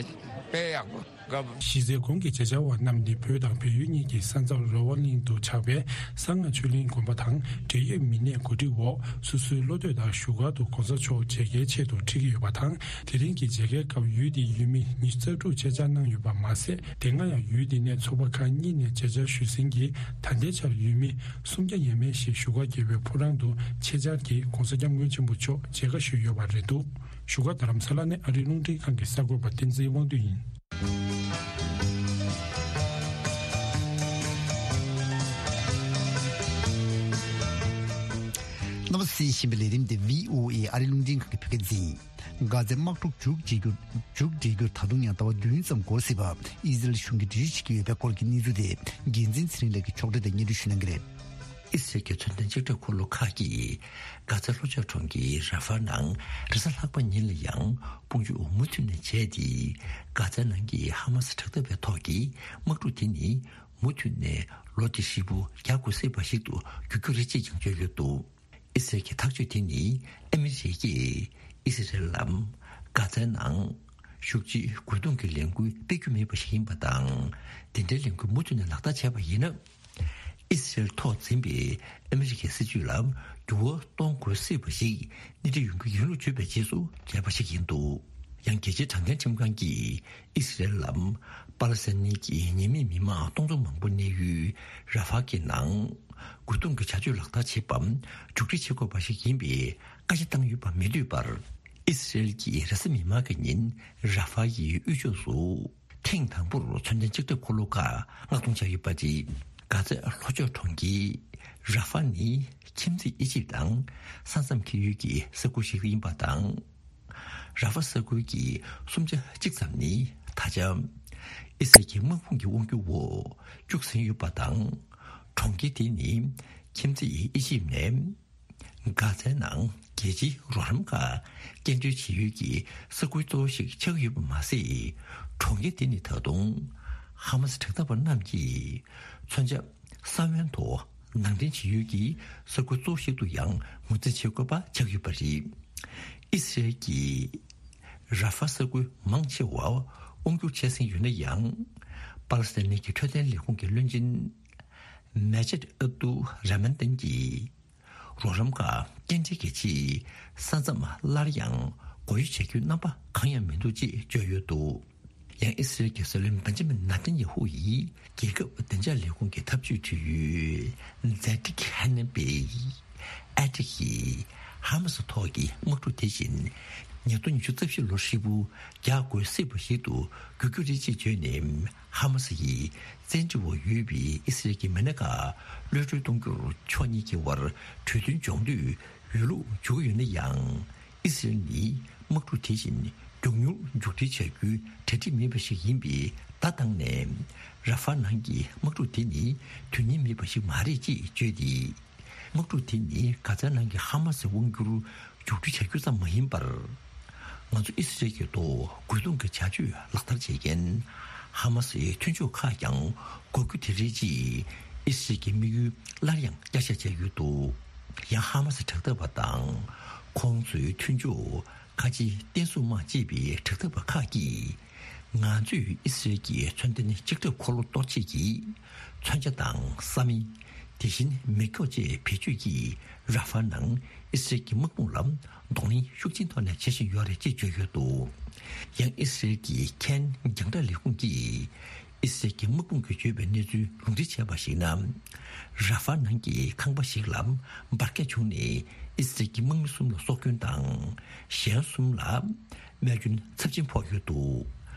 དཔེ་ཡག་པོ། གཞི་རྩའི་གོང་གི་མཇལ་བཅར་བ་རྣམས་ནི་བོད་དང་བལ་ཡུལ་གཉིས་ཀྱི་ས་མཚམས་རོ་བ་གླིང་དུ་ཆགས་པའི་གསང་སྔགས་ཆོས་གླིང་དགོན་པ་དང་འབྲེལ་ཡོད་མི་སྣའི་གོ་སྒྲིག་འོག་སོ་སོའི་བློ་འདོད་ལྟར་བཞུགས་སྒར་དུ་༸གོང་ས་མཆོག་མཇལ་ཁའི་ཆེད་དུ་ཁྲིད་ཀྱི་ཡོད་པ་དང་། དེ་རིང་གི་མཇལ་ཁའི་སྐབས་ཡུལ་དེའི་ཡུལ་མི་ཉི་ཤུ་རྩ་དྲུག་ཆེད་བཅར་གནང་ཡོད་པ་མ་ཟད། དེ་སྔ་ཡང་ཡུལ་དེ་ནས་ཚོགས་པ་ཁག་གཉིས་ནས་མཇལ་བཅར་ཞུས་ཟིན་གྱིས། ད་ལྟའི་ཆར་ཡུལ་མི་སུམ་བརྒྱ་ཡས་མས་ཤིག་བཞུགས་སྒར་རྒྱལ་བའི་ཕོ་བྲང་དུ་ཆེད་བཅར་གྱིས་༸གོང་ས་༸སྐྱབས་མགོན་ཆེན་པོ་མཆོག་མཇལ་ཁ་ཞུས་ཡོད་པ་རེད་འདུག་བཞུགས་སྒར་རྡ་རམ་ས་ལ་ནས་ཨ་རིའི་རླུང་འཕྲིན་ཁང་གི་གསར་འགོད་པ་བསྟན་འཛིན་དབང་འདུས་ཡིན། རྣམ་པ་གསན་བཞིན་པའི་ལས་རིམ་དེ་བྷི་ཨོ་ཨེ་ཨ་རིའི་རླུང་འཕྲིན་ཁང་གི་བོད་སྐད་སྡེ་ཡིན། གྷ་ཛའི་དམག་འཁྲུག་མཇུག་སྒྲིལ་རྒྱུར་མཇུག་སྒྲིལ་རྒྱུར་ད་དུང་ཡང་ཟླ་བ་བདུན་ཙམ་འགོར་སྲིད་པ་ཨི་ཟི་རེལ་གཞུང་གིས་འགྲེལ་བརྗོད་བྱེད་ཀྱི་ཡོད་པའི་སྐོར་གྱི་གནས་ཚུལ་དེ་འགན་འཛིན་ཚེ་རིང་ལགས་ཀྱིས་ཕྱོགས་སྒྲིག་དང་སྙན་སྒྲོན་ཞུ་གནང་གི་རེད། ཨི་སི་རལ་གྱི་མཚོན་ལྡན་ལྕགས་ཁྲབ་འཁོར་ལོ་ཁག་གིས་གྷ་ཛའི་ལྷོ་ཕྱོགས་གྲོང་ཁྱེར་ར་ཧྥ་ནང་རེས་གཟའ་ལྷག་པ་ཉིན་ལ་ཡང་དཔུང་འཇུག་མུ་མཐུད་ནས་བྱས་ཏེ། གྷ་ཛའི་ནང་གི་ཧ་མ་སི་དྲག་འཐབ་པའི་ཐོག་གི་དམག་འཁྲུག་དེ་ནི་མུ་མཐུད་ནས་ལོ་འདི་ཧྲིལ་པོ་རྒྱག་དགོས་སྲིད་པ་ཞིག་ཏུ་འགྱུར་རྒྱུ་རེད་ཅེས་ཀྱང་བརྗོད་ཡོད་འདུག་ཨི་སི་རལ་གྱི་ཐག་གཅོད་དེ་ནི་ཨ་མི་རི་ཀས་ཨི་སི་རལ་ལ་གྷ་ཛའི་ནང་ཤུགས་ཆེའི་རྒོལ་རྡུང་གི་ལས་འགུལ་སྤེལ་རྒྱུ་མེད་པ་ཞིག་ཡིན་པ་དང་། དེ་འདྲའི་ལས་འགུལ་མུ་མཐུད་ནས་ལག་བསྟར་བྱས་པ་ཡིན་ན། ཨི་སི་རལ་ཐོག་འཛིན་པའི་ཨ་མི་རི་ཀའི་སྲིད་ཇུས་ལ་འགྱུར་བ་གཏོང་དགོས་སྲིད་པ་ཞིག་སྣེ་ཁྲིད་ཡོང་གི་ཡིན་ལུགས་བརྗོད་པའི་རྗེས་སུ་བྱས་པ་ཞིག་ཡིན་འདུག་ཡང་རྒྱལ་སྤྱིའི་དྲང་བདེན་ཁྲིམས་ཁང་གིས་ཨི་སི་རལ་ལ་པ་ལེ་སི་ཐན་གྱི་ཉེས་མེད་མི་མང་སྟོང་ཚོ་མང་པོ་གནས་ཡུལ་ར་ཧྥ་གྱི་ནང་རྒོལ་རྡུང་གི་བྱ་སྤྱོད་ལག་བསྟར་བྱེད་པ་མཇུག་སྒྲིལ་བྱེད་དགོས་པ་ཞིག་ཡིན་པའི་བཀའ་རྒྱ་བཏང་ཡོད་པ་མི་འདོད་པར། ཨི་སི་རལ་གྱིས་རེས་གཟའ་མིག་དམར་གྱི་ཉིན་ར་ཧྥ་ཡི་དབུས་ཕྱོགས་སུ་ཐེངས་དང་པོར་མཚོན་ལྡན་ལྕགས་ཁྲབ་འཁོར་ལོ་ཁག་མངགས་གཏོང་བྱས་ཡོད་པ་རེད། གྷ་ཛའི་ལྷོ་ཕྱོགས་གྲོང་ཁྱེར་ར་ཧྥ་ནི་ཁྱིམ་མཚེས་ཨི་ཇིབ་དང་ས་མཚམས་འཁེལ་ཡུལ་གྱི་ས་ཁུལ་ཞིག་ཡིན་པ་དང་། ར་ཧྥ་ས་ཁུལ་གྱི་སུམ་ཆ་གཅིག་ཙམ་ནི་ད་ཆ་ཨི་སི་རལ་གྱི་དམག་དཔུང་གི་དབང་སྒྱུར་འོག་བཅུག་ཟིན་ཡོད་པ་དང་། གྲོང་ཁྱེར་དེ་ནི་ཁྱིམ་མཚེས་ཨི་ཇིབ་ནས་གྷ་ཛའི་ནང་རྒྱལ་སྤྱིའི་རོགས་རམ་ཁག་སྐྱེལ་འདྲེན་བྱེད་ཡུལ་གྱི་ས་ཁུལ་གཙོ་བོ་ཞིག་ཆགས་ཡོད་པ་མ་ཟད། གྲོང་ཁྱེར་དེ་ནི་ད་དུང་ཧ་མ་སི་དྲག་འཐབ་པ་རྣམས་ཀྱིས་མཚོན་ཆ་ས་བོན་དུ་ནང་འདྲེན་བྱེད་ཡུལ་གྱི་ས་ཁུལ་གཙོ་བོ་ཞིག་ཏུ་ཡང་ངོས་འཛིན་བྱེད་དགོས་པ་ཆགས་ཡོད་པ་རེད། ཨི་སི་རལ་གྱིས་ར་ཧྥ་ས་ཁུལ་མང་ཆེ་བ་དབང་བསྒྱུར་བྱས་ཟིན་ཡོད་ན་ཡང་། པ་ལེ་སི་ཐན་གྱི་འཕྲོད་བསྟེན་ལས་ཁུངས་ཀྱི་བློན་ཆེན་མེ་ཇེད་ཨབ་ཏུ་ར་མན་ཏན་གྱིས། རོགས་རམ་ཁག་སྐྱེལ་འདྲེན་གྱི་ཆེད་ས་མཚམས་སླར་ཡང་སྒོ་དབྱེ་བྱ་རྒྱུའི་རྣམ་པ་གང་ཡང་མི་འདུག་ཅེས་བརྗོད་ཡོད་འདུག་ཡང་ཨི་སི་རལ་གྱི་སྲིད་བློན་བན་ཇི་མིན་ནཱ་ཐན་ཡ་ཧུ་ཡིས་རྒྱལ་ཁབ་བདེ་འཇགས་ལས་ཁུངས་ཀྱི་ཐབས་ཇུས་དྲི་ཡུལ་ཛེ་ཏིག་ཧན་ནན་པེ་ཨེ་ཏིག་གིས་ཧ་མ་སི་ཐོག་གི་དམག་འཁྲུག་དེ་བཞིན་ཉིས་སྟོང་ཉི་ཤུ་རྩ་བཞི་ལོ་ཧྲིལ་པོ་རྒྱག་དགོས་སྲིད་པ་ཞིག་ཏུ་འགྱུར་རྒྱུ་རེད་ཅེས་བརྗོད་ནས། ཧ་མ་སི་ཡིས་བཙན་ཁྲིད་འོག་ཡོད་པའི་ཨི་སི་རལ་གྱི་མི་སྣ་ཁག་གློད་གྲོལ་གཏོང་རྒྱུར་ཕྱོགས་གཉིས་ཀྱི་དབར་གྲོས་མཐུན་སྦྱོང་འདོད་ཡོད་ལུགས་བརྗོད་ཀྱི་ཡོད་ན་ཡང་། ཨི་སི་རལ་ནི་དམག་འཁྲུག་དེ་བཞིན་མགྱོགས་མྱུར་མཇུག་སྒྲིལ་བྱ་རྒྱུའི་གྲ་སྒྲིག་མེད་པ་ཞིག་ཡིན་པས་བརྡ་བཏང་ནས། ར་ཧྥ་ནང་གི་དམག་འཁྲུག་དེ་ནི་དོན་སྙིང་མེད་པ་ཞིག་མ་རེད་ཅེས་བརྗོད་དེ། དམག་འཁྲུག་དེ་ནི་གྷ་ཛའི་ནང་གི་ཧ་མ་སི་དབང་བསྒྱུར་མཇུག་སྒྲིལ་བྱ་རྒྱུ་ཙམ་མ་ཡིན་པར། ང་ཚོ་ཨི་སི་རལ་གྱི་ཐོག་རྒོལ་རྡུང་གི་བྱ་སྤྱོད་ལག་བསྟར་བྱེད་མཁན་ཧ་མ་སིའི་མཐུན་ཕྱོགས་ཁག་ཀྱང་དགོས་རྒྱུ་དེ་རེད་ཅེས་ཨི་སི་རལ་གྱི་དམིགས་ཡུལ་སླར་ཡང་བསྐྱར་བཤད་བྱས་ཡོད་འདུག་ཡང་ཧ་མ་སི་དྲག་འཐབ་པ་དང་ཁོང་ཚོའི་མཐུན་ཕྱོགས་ཁ་ཆེ་ཏན་སུའུ་དམག་ཅེས་པའི་དྲག་འཐབ་པ་ཁག་གིས། ང་ཚོས་ཨི་སི་རལ་གྱི་མཚོན་ལྡན་ལྕགས་ཁྲབ་འཁོར་ལོ་གཏོར་བྱེད་ཀྱི་མཚོན་ཆ་དང་ས་མིང་། དེ་བཞིན་མེ་སྒྱོགས་བཅས་བེད་སྤྱོད་ཀྱིས་ར་ཧྥ་ནང་ཨི་སི་རལ་གྱི་དམག་དཔུང་ལ་གདོང་ལེན་ཤུགས་ཆེན་ཐོག་ནས་བྱེད་བཞིན་ཡོད་རེད་ཅེས་བརྗོད་ཡོད་འདུག་ཡང་ཨི་སི་རལ་གྱི་ཁེན་རྒྱང་བསྒྲགས་ལས་ཁུངས་ཀྱིས་ཨི་སི་རལ་གྱི་དམག་དཔུང་གིས་བརྗོད་པའི་གནས་ཚུལ་ལུང་འདྲེན་བྱས་པར་གཞིགས་ན། ར་ཧྥ་ནང་གི་ཁང་པ་ཞིག་ལ་འབར་གས་བྱུང་ནས་ཨི་སི་རལ་གྱི་དམག་མི་གསུམ་ལ་སྲོག་སྐྱོན་དང་། གཞན་གསུམ་ལ། རྨས་སྐྱོན་ཚབས་ཆེན་ཕོག་ཡོད་འདུག་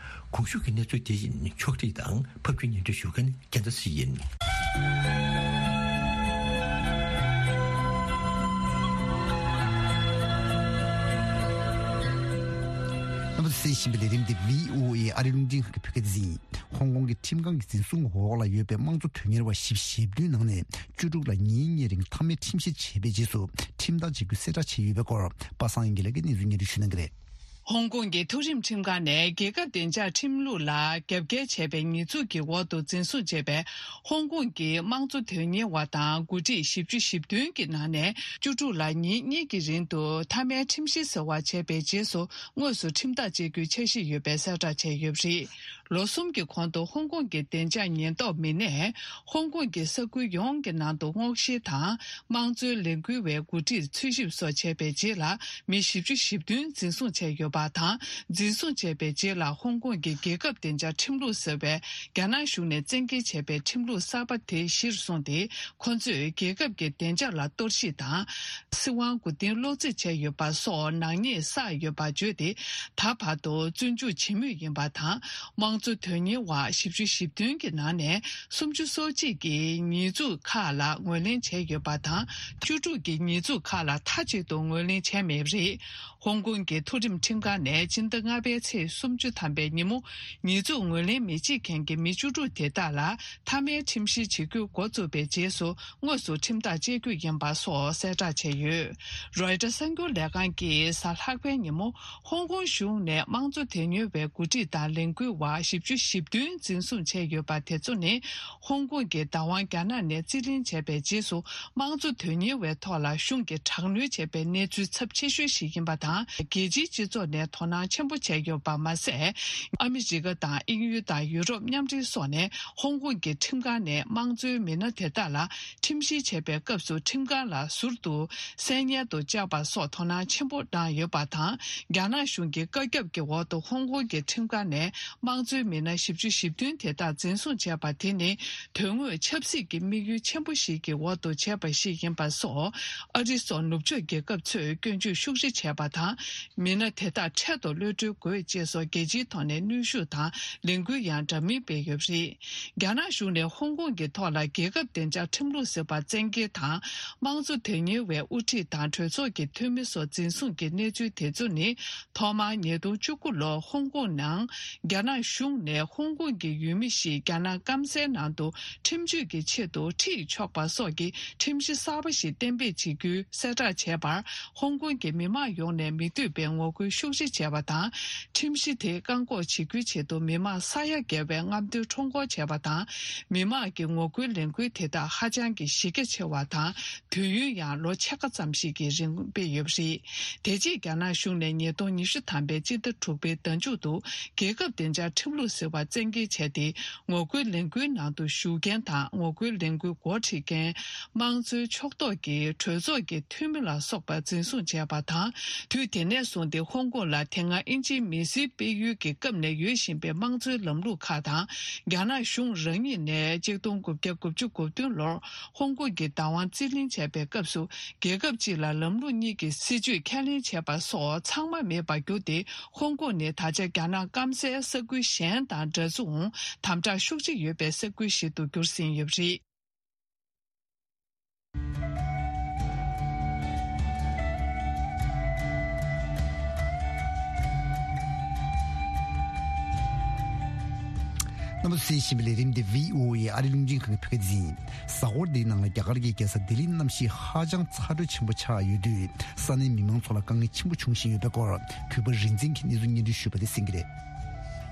གོང་ཞུས་ཀྱི་གནས་ཚུལ་དེ་བཞིན་ཕྱོགས་སྒྲིག་དང་ཕབ་སྒྱུར་སྙན་སྒྲོན་ཞུ་མཁན་རྒྱལ་མཚན་ཞིག་ཡིན། རྣམ་པ་གསན་བཞིན་པའི་ལས་རིམ་འདི་བྷི་ཨོ་ཨེ་ཨ་རིའི་རླུང་འཕྲིན་ཁང་གི་བོད་སྐད་སྡེ་ཡིན། ཧོང་ཀོང་གི་ཁྲིམས་ཁང་གི་འཛིན་བཟུང་འོག་ལ་ཡོད་པའི་དམངས་གཙོ་དོན་གཉེར་བ་ཞེ་བདུན་ནང་ནས་བཅུ་དྲུག་ལ་ཉིན་གཉིས་རིང་མཐའ་མའི་ཁྲིམས་བཤེར་བྱས་པའི་རྗེས་སུ་ཁྲིམས་ཐག་བཅད་རྒྱུའི་གསལ་བསྒྲགས་བྱས་ཡོད་པའི་སྐོར་པ་སངས་དབྱངས་སྐྱིད་ལགས་ཀྱིས་གནས་ཚུལ་སྙན་སྒྲོན་ཞུ་གནང་གི་རེད། ཧོང་ཀོང་གི་མཐོ་རིམ་ཁྲིམས་ཁང་ནས་རྒྱལ་ཁབ་བདེ་འཇགས་ཁྲིམས་ལུགས་ལ་རྒྱབ་འགལ་བྱས་པའི་ཉེས་འཛུགས་ཀྱི་འོག་ཏུ་འཛིན་བཟུང་བྱས་པའི་ཧོང་ཀོང་གི་དམངས་གཙོ་དོན་གཉེར་བ་དང་འགོ་ཁྲིད་བཞི་བཅུ་ཞེ་བདུན་གྱི་ནང་ནས་བཅུ་དྲུག་ལ་ཉིན་གཉིས་ཀྱི་རིང་དུ་མཐའ་མའི་ཁྲིམས་གཞི་ཟེར་བ་བྱས་པའི་རྗེས་སུ་དངོས་སུ་ཁྲིམས་ཐག་བཅད་རྒྱུའི་འཆར་གཞི་ཡོད་པའི་གསལ་བསྒྲགས་བྱས་ཡོད་པ་རེད། ལོ་གསུམ་གྱི་གོང་དུ་ཧོང་ཀོང་གི་བདེ་འཇགས་ཉེན་རྟོག་མི་སྣས་ཧོང་ཀོང་གི་ས་ཁུལ་ཡོངས་ཀྱི་ནང་དུ་སྔོག་བཤེར་དང་། དམངས་གཙོའི་ལས་འགུལ་བའི་འགོ་ཁྲིད་འཚོལ་ཞིབ་སོགས་བྱས་པའི་རྗེས་ལ་མི་བཞི་བཅུ་ཞེ་བདུན་འཛིན་བཟུང་བྱས་ཡོད་པ་དང་། འཛིན་བཟུང་བྱས་པའི་རྗེས་ལ་ཧོང་ཀོང་གི་རྒྱལ་ཁབ་བདེ་འཇགས་ཁྲིམས་ལུགས་ཟེར་བའི་རྒྱ་ནག་གཞུང་ནས་བཙན་འགེལ་བྱས་པའི་ཁྲིམས་ལུགས་གསར་པ་དེ་གཞིར་བཟུང་སྟེ། ཁོ་ཚོས་རྒྱལ་ཁབ་ཀྱི་བདེ་འཇགས་ལ་གཏོར་བཤིག་དང་། སྲིད་དབང་མགོ་རྟིང་སློག་རྩིས་བྱས་ཡོད་པ་སོགས་ནག་ཉེས་བསགས་ཡོད་པ་བརྗོད་དེ། ད་བར་དུ་བཙོན་འཇུག་བྱེད་མུས་ཡིན་པ་དང་། དམངས་གཙོ་དོན་གཉེར་བ་བཞི་བཅུ་ཞེ་བདུན་གྱི་ནང་ནས་སུམ་ཅུ་སོ་གཅིག་གིས་ཉེས་འཛུགས་ཁག་ལ་ངོས་ལེན་བྱས་ཡོད་པ་དང་། བཅུ་དྲུག་གིས་ཉེས་འཛུགས་ཁག་ལ་མཐའ་གཅིག་ཏུ་ངོས་ལེན་བྱས་མེད་པ་རེད། ཧོང་ཀོང་གི་མཐོ་རིམ་ཁྲིམས་ཁང་ནས་སྤྱི་ཟླ་ལྔ་པའི་ཚེས་སུམ་ཅུ་ཐམ་པའི་ཉིན་མོ། ཉེས་འཛུགས་ངོས་ལེན་མི་བྱེད་མཁན་གྱི་མི་བཅུ་དྲུག་དེ་དག་ལ་མཐའ་མའི་ཁྲིམས་བཤེར་བྱེད་རྒྱུ་འགོ་བཙུགས་པའི་རྗེས་སུ། དངོས་སུ་ཁྲིམས་ཐག་བཅད་རྒྱུ་ཡིན་པ་སོགས་གསལ་བསྒྲགས་བྱས་ཡོད། རོའི་ཊར་གསར་འགྱུར་ལས་ཁང་གིས་གཟའ་ལྷག་པའི་ཉིན་མོ། ཧོང་ཀོང་གཞུང་ནས་དམངས་གཙོ་དོན་གཉེར་བའི་འགོ་ཁྲིད་དང་ལས་འགུལ་བ་བཞི་བཅུ་ཞེ་བདུན་འཛིན་བཟུང་བྱས་ཡོད་པ་དེ་ཚོ་ནི། ཧོང་ཀོང་གི་བདག་དབང་རྒྱ་ནག་ནས་རྩིས་ལེན་བྱས་པའི་རྗེས་སུ། དམངས་གཙོ་དོན་གཉེར་བའི་ཐོག་ལ་གཞུང་གིས་དྲག་གནོན་བྱས་པའི་གནས་ཚུལ་ཚབས་ཆེ་ཤོས་ཤིག་ཡིན་པ་དང་། རྒྱལ་སྤྱིའི་སྤྱི་ཚོགས་ནས་དོ་སྣང་ཆེན་པོ་བྱས་ཡོད་པ་མ་ཟད། ཨ་མི་རི་ཀ་དང་དབྱིན་ཡུལ་དང་ཡུ་རོབ་མཉམ་འབྲེལ་སོགས་ནས་ཧོང་ཀོང་གི་ཁྲིམས་ཁང་ནས་དམངས་གཙོའི་མི་སྣ་དེ་དག་ལ་ཁྲིམས་བཤེར་བྱས་པའི་སྐབས་སུ་ཁྲིམས་ཁང་ལ་ཟུར་དུ་གསན་སྙན་དུ་བཅར་བ་སོགས་དོ་སྣང་ཆེན་པོ་གནང་ཡོད་པ་དང་། རྒྱ་ནག་གཞུང་གི་བཀའ་ཁྱབ་ཀྱི་འོག་ཏུ་ཧོང་ཀོང་གི་ཁྲིམས་ཁང་ནས་དམངས་གཙོའི་མི་སྣ་བཞི་བཅུ་ཞེ་བདུན་དེ་དག་འཛིན་བཟུང་བྱས་པ་དེ་ནི། དོན་དངོས་ཆབ་སྲིད་ཀྱི་དམིགས་ཡུལ་ཆེན་པོ་ཞིག་གི་འོག་ཏུ་བྱས་པ་ཞིག་ཡིན་པ་སོགས། ཨ་རི་སོགས་ནུབ་ཕྱོགས་རྒྱལ་ཁབ་ཚོས་སྐྱོན་བརྗོད་ཤུགས་ཆེ་བྱས་པ་དང་། མི་སྣ་དེ་དག་འཕྲལ་དུ་གློད་གྲོལ་དགོས་ཅེས་སོགས་རྒྱལ་སྤྱིའི་ཐོག་ནས་གནོན་ཤུགས་དང་ལས་འགུལ་ཡང་འདྲ་མིན་སྤེལ་ཡོད་པ་རེད། རྒྱ་ནག་གཞུང་ནས་ཧོང་ཀོང་གི་ཐོག་ལ་རྒྱལ་ཁབ་བདེ་འཇགས་ཁྲིམས་ལུགས་ཟེར་བ་བཙན་འགེལ་དང་། དམངས་གཙོ་དོན་གཉེར་བའི་དབུ་ཁྲིད་དང་གྲོས་ཚོགས་ཀྱི་འཐུས་མི་སོགས་འཛིན་བཟུང་གི་གནས་ཚུལ་དེ་ཚོ་ནི། ཐོག་མར་ཉིས་སྟོང་བཅུ་དགུ་ལོར་ཧོང་ཀོང་ནང་རྒྱ་ནག་གཞུང་ནས་ཧོང་ཀོང་གི་ཡུལ་མི་ཞིག་རྒྱ་ནག་སྐམ་སའི་ནང་དུ་ཁྲིམས་གཅོད་ཀྱི་ཆེད་དུ་ཁྲིད་ཆོག་པ་སོགས་ཀྱི་ཁྲིམས་གཞི་གསར་པ་ཞིག་གཏན་འབེབས་བྱེད་རྒྱུའི་གསལ་བསྒྲགས་བྱས་པར། ཧོང་ཀོང་གི་མི་མང་ཡོངས་ནས་མི་འདོད་པའི་ངོ་རྒོལ་ཤུགས་ཆེ་བྱས་པ་དང་། ཁྲིམས་གཞི་དེ་བཀག་འགོག་བྱེད་རྒྱུའི་ཆེད་དུ་མི་མང་ས་ཡ་བརྒལ་བའི་རྔམ་སྟོན་ཁྲོམ་སྐོར་བྱས་པ་དང་། མི་མང་གི་ངོ་རྒོལ་ལས་འགུལ་དེ་དག་ཧ་ཅང་གི་གཞི་རྒྱ་ཆེ་བ་དང་། དུས་ཡུན་ཡང་ལོ་ཕྱེད་ཀ་ཙམ་ཞིག་གི་རིང་སྤེལ་ཡོད་པ་རེད། དེ་རྗེས་རྒྱ་ནག་གཞུང་ནས་ཉིས་སྟོང་ཉི་ཤུ་ཐམ་པའི་སྤྱི་ཟླ་དྲུག་པའི་ཟླ་མཇུག་ཏུ་རྒྱལ་ཁབ་བདེ་འཇགས་ཁྲིམས་ལུགས་ཟེར་བ་བཙན་འགེལ་བྱས་ཏེ། ངོ་རྒོལ་ལས་འགུལ་ནང་དུ་ཞུགས་མཁན་དང་ངོ་རྒོལ་ལས་འགུལ་འགོ་ཁྲིད་མཁན། དམངས་གཙོའི་ཕྱོགས་གཏོགས་ཀྱི་གྲོས་ཚོགས་ཀྱི་འཐུས་མི་ལ་སོགས་པ་འཛིན་བཟུང་བྱས་པ་དང་། དུས་དེ་ནས་བཟུང་སྟེ་ཧོང་ཀོང་ལ་དེ་སྔ་དབྱིན་ཇིའི་མི་སེར་སྤེལ་ཡུལ་གྱི་སྐབས་ནས་ཡོད་བཞིན་པའི་དམངས་གཙོའི་ལམ་ལུགས་ཁག་དང་། རྒྱ་ནག་གཞུང་རང་ཉིད་ནས་གཅིག་སྟོང་དགུ་བརྒྱ་དགུ་བཅུ་གོ་བདུན་ལོར། ཧོང་ཀོང་གི་བདག་དབང་རྩིས་ལེན་བྱས་པའི་སྐབས་སུ། རྒྱལ་ཁབ་གཅིག་ལ་ལམ་ལུགས་གཉིས་ཀྱི་སྲིད་བྱུས་ཁས་ལེན་བྱས་པ་སོགས་ཚང་མ་མེད་པར་གྱུར་ཏེ། ཧོང་ཀོང་ནི་ད་ཆ་རྒྱ་ནག་སྐམ་སའི་ས་ཁུལ་གཞན་དང་འདྲ་མཚུངས་དམ་དྲག་ཤུགས་ཆེ་ཡོད་པའི་ས་ཁུལ་ཞིག་ཏུ་གྱུར་ཟིན་ཡོད་པ་རེད། རྣམ་པ་ཚོས་གསན་བཞིན་པའི་ལས་རིམ་འདི་བྷི་ཨོ་ཨེ་ཨ་རི་རླུང་འཕྲིན་ཁང་གི་བོད་སྐད་སྡེ་ཚན་ཡིན། གཟའ་འཁོར་འདིའི་ནང་ལ་རྒྱ་གར་གྱི་རྒྱལ་ས་ལྡི་ལིའི་གནམ་གཤིས་ཧ་ཅང་ཚ་དྲོད་ཆེན་པོ་ཆགས་ཡོད་དུས། ས་གནས་མི་མང་ཚོ་ལ་དཀའ་ངལ་ཆེན་པོ་འབྱུང་བཞིན་ཡོད་པའི་སྐོར། གུས་པ་རིག་འཛིན་གྱིས་གནས་ཚུལ་སྙན་སྒྲོན་ཞུས་པ་དེ་གསན་གྱི་རེད།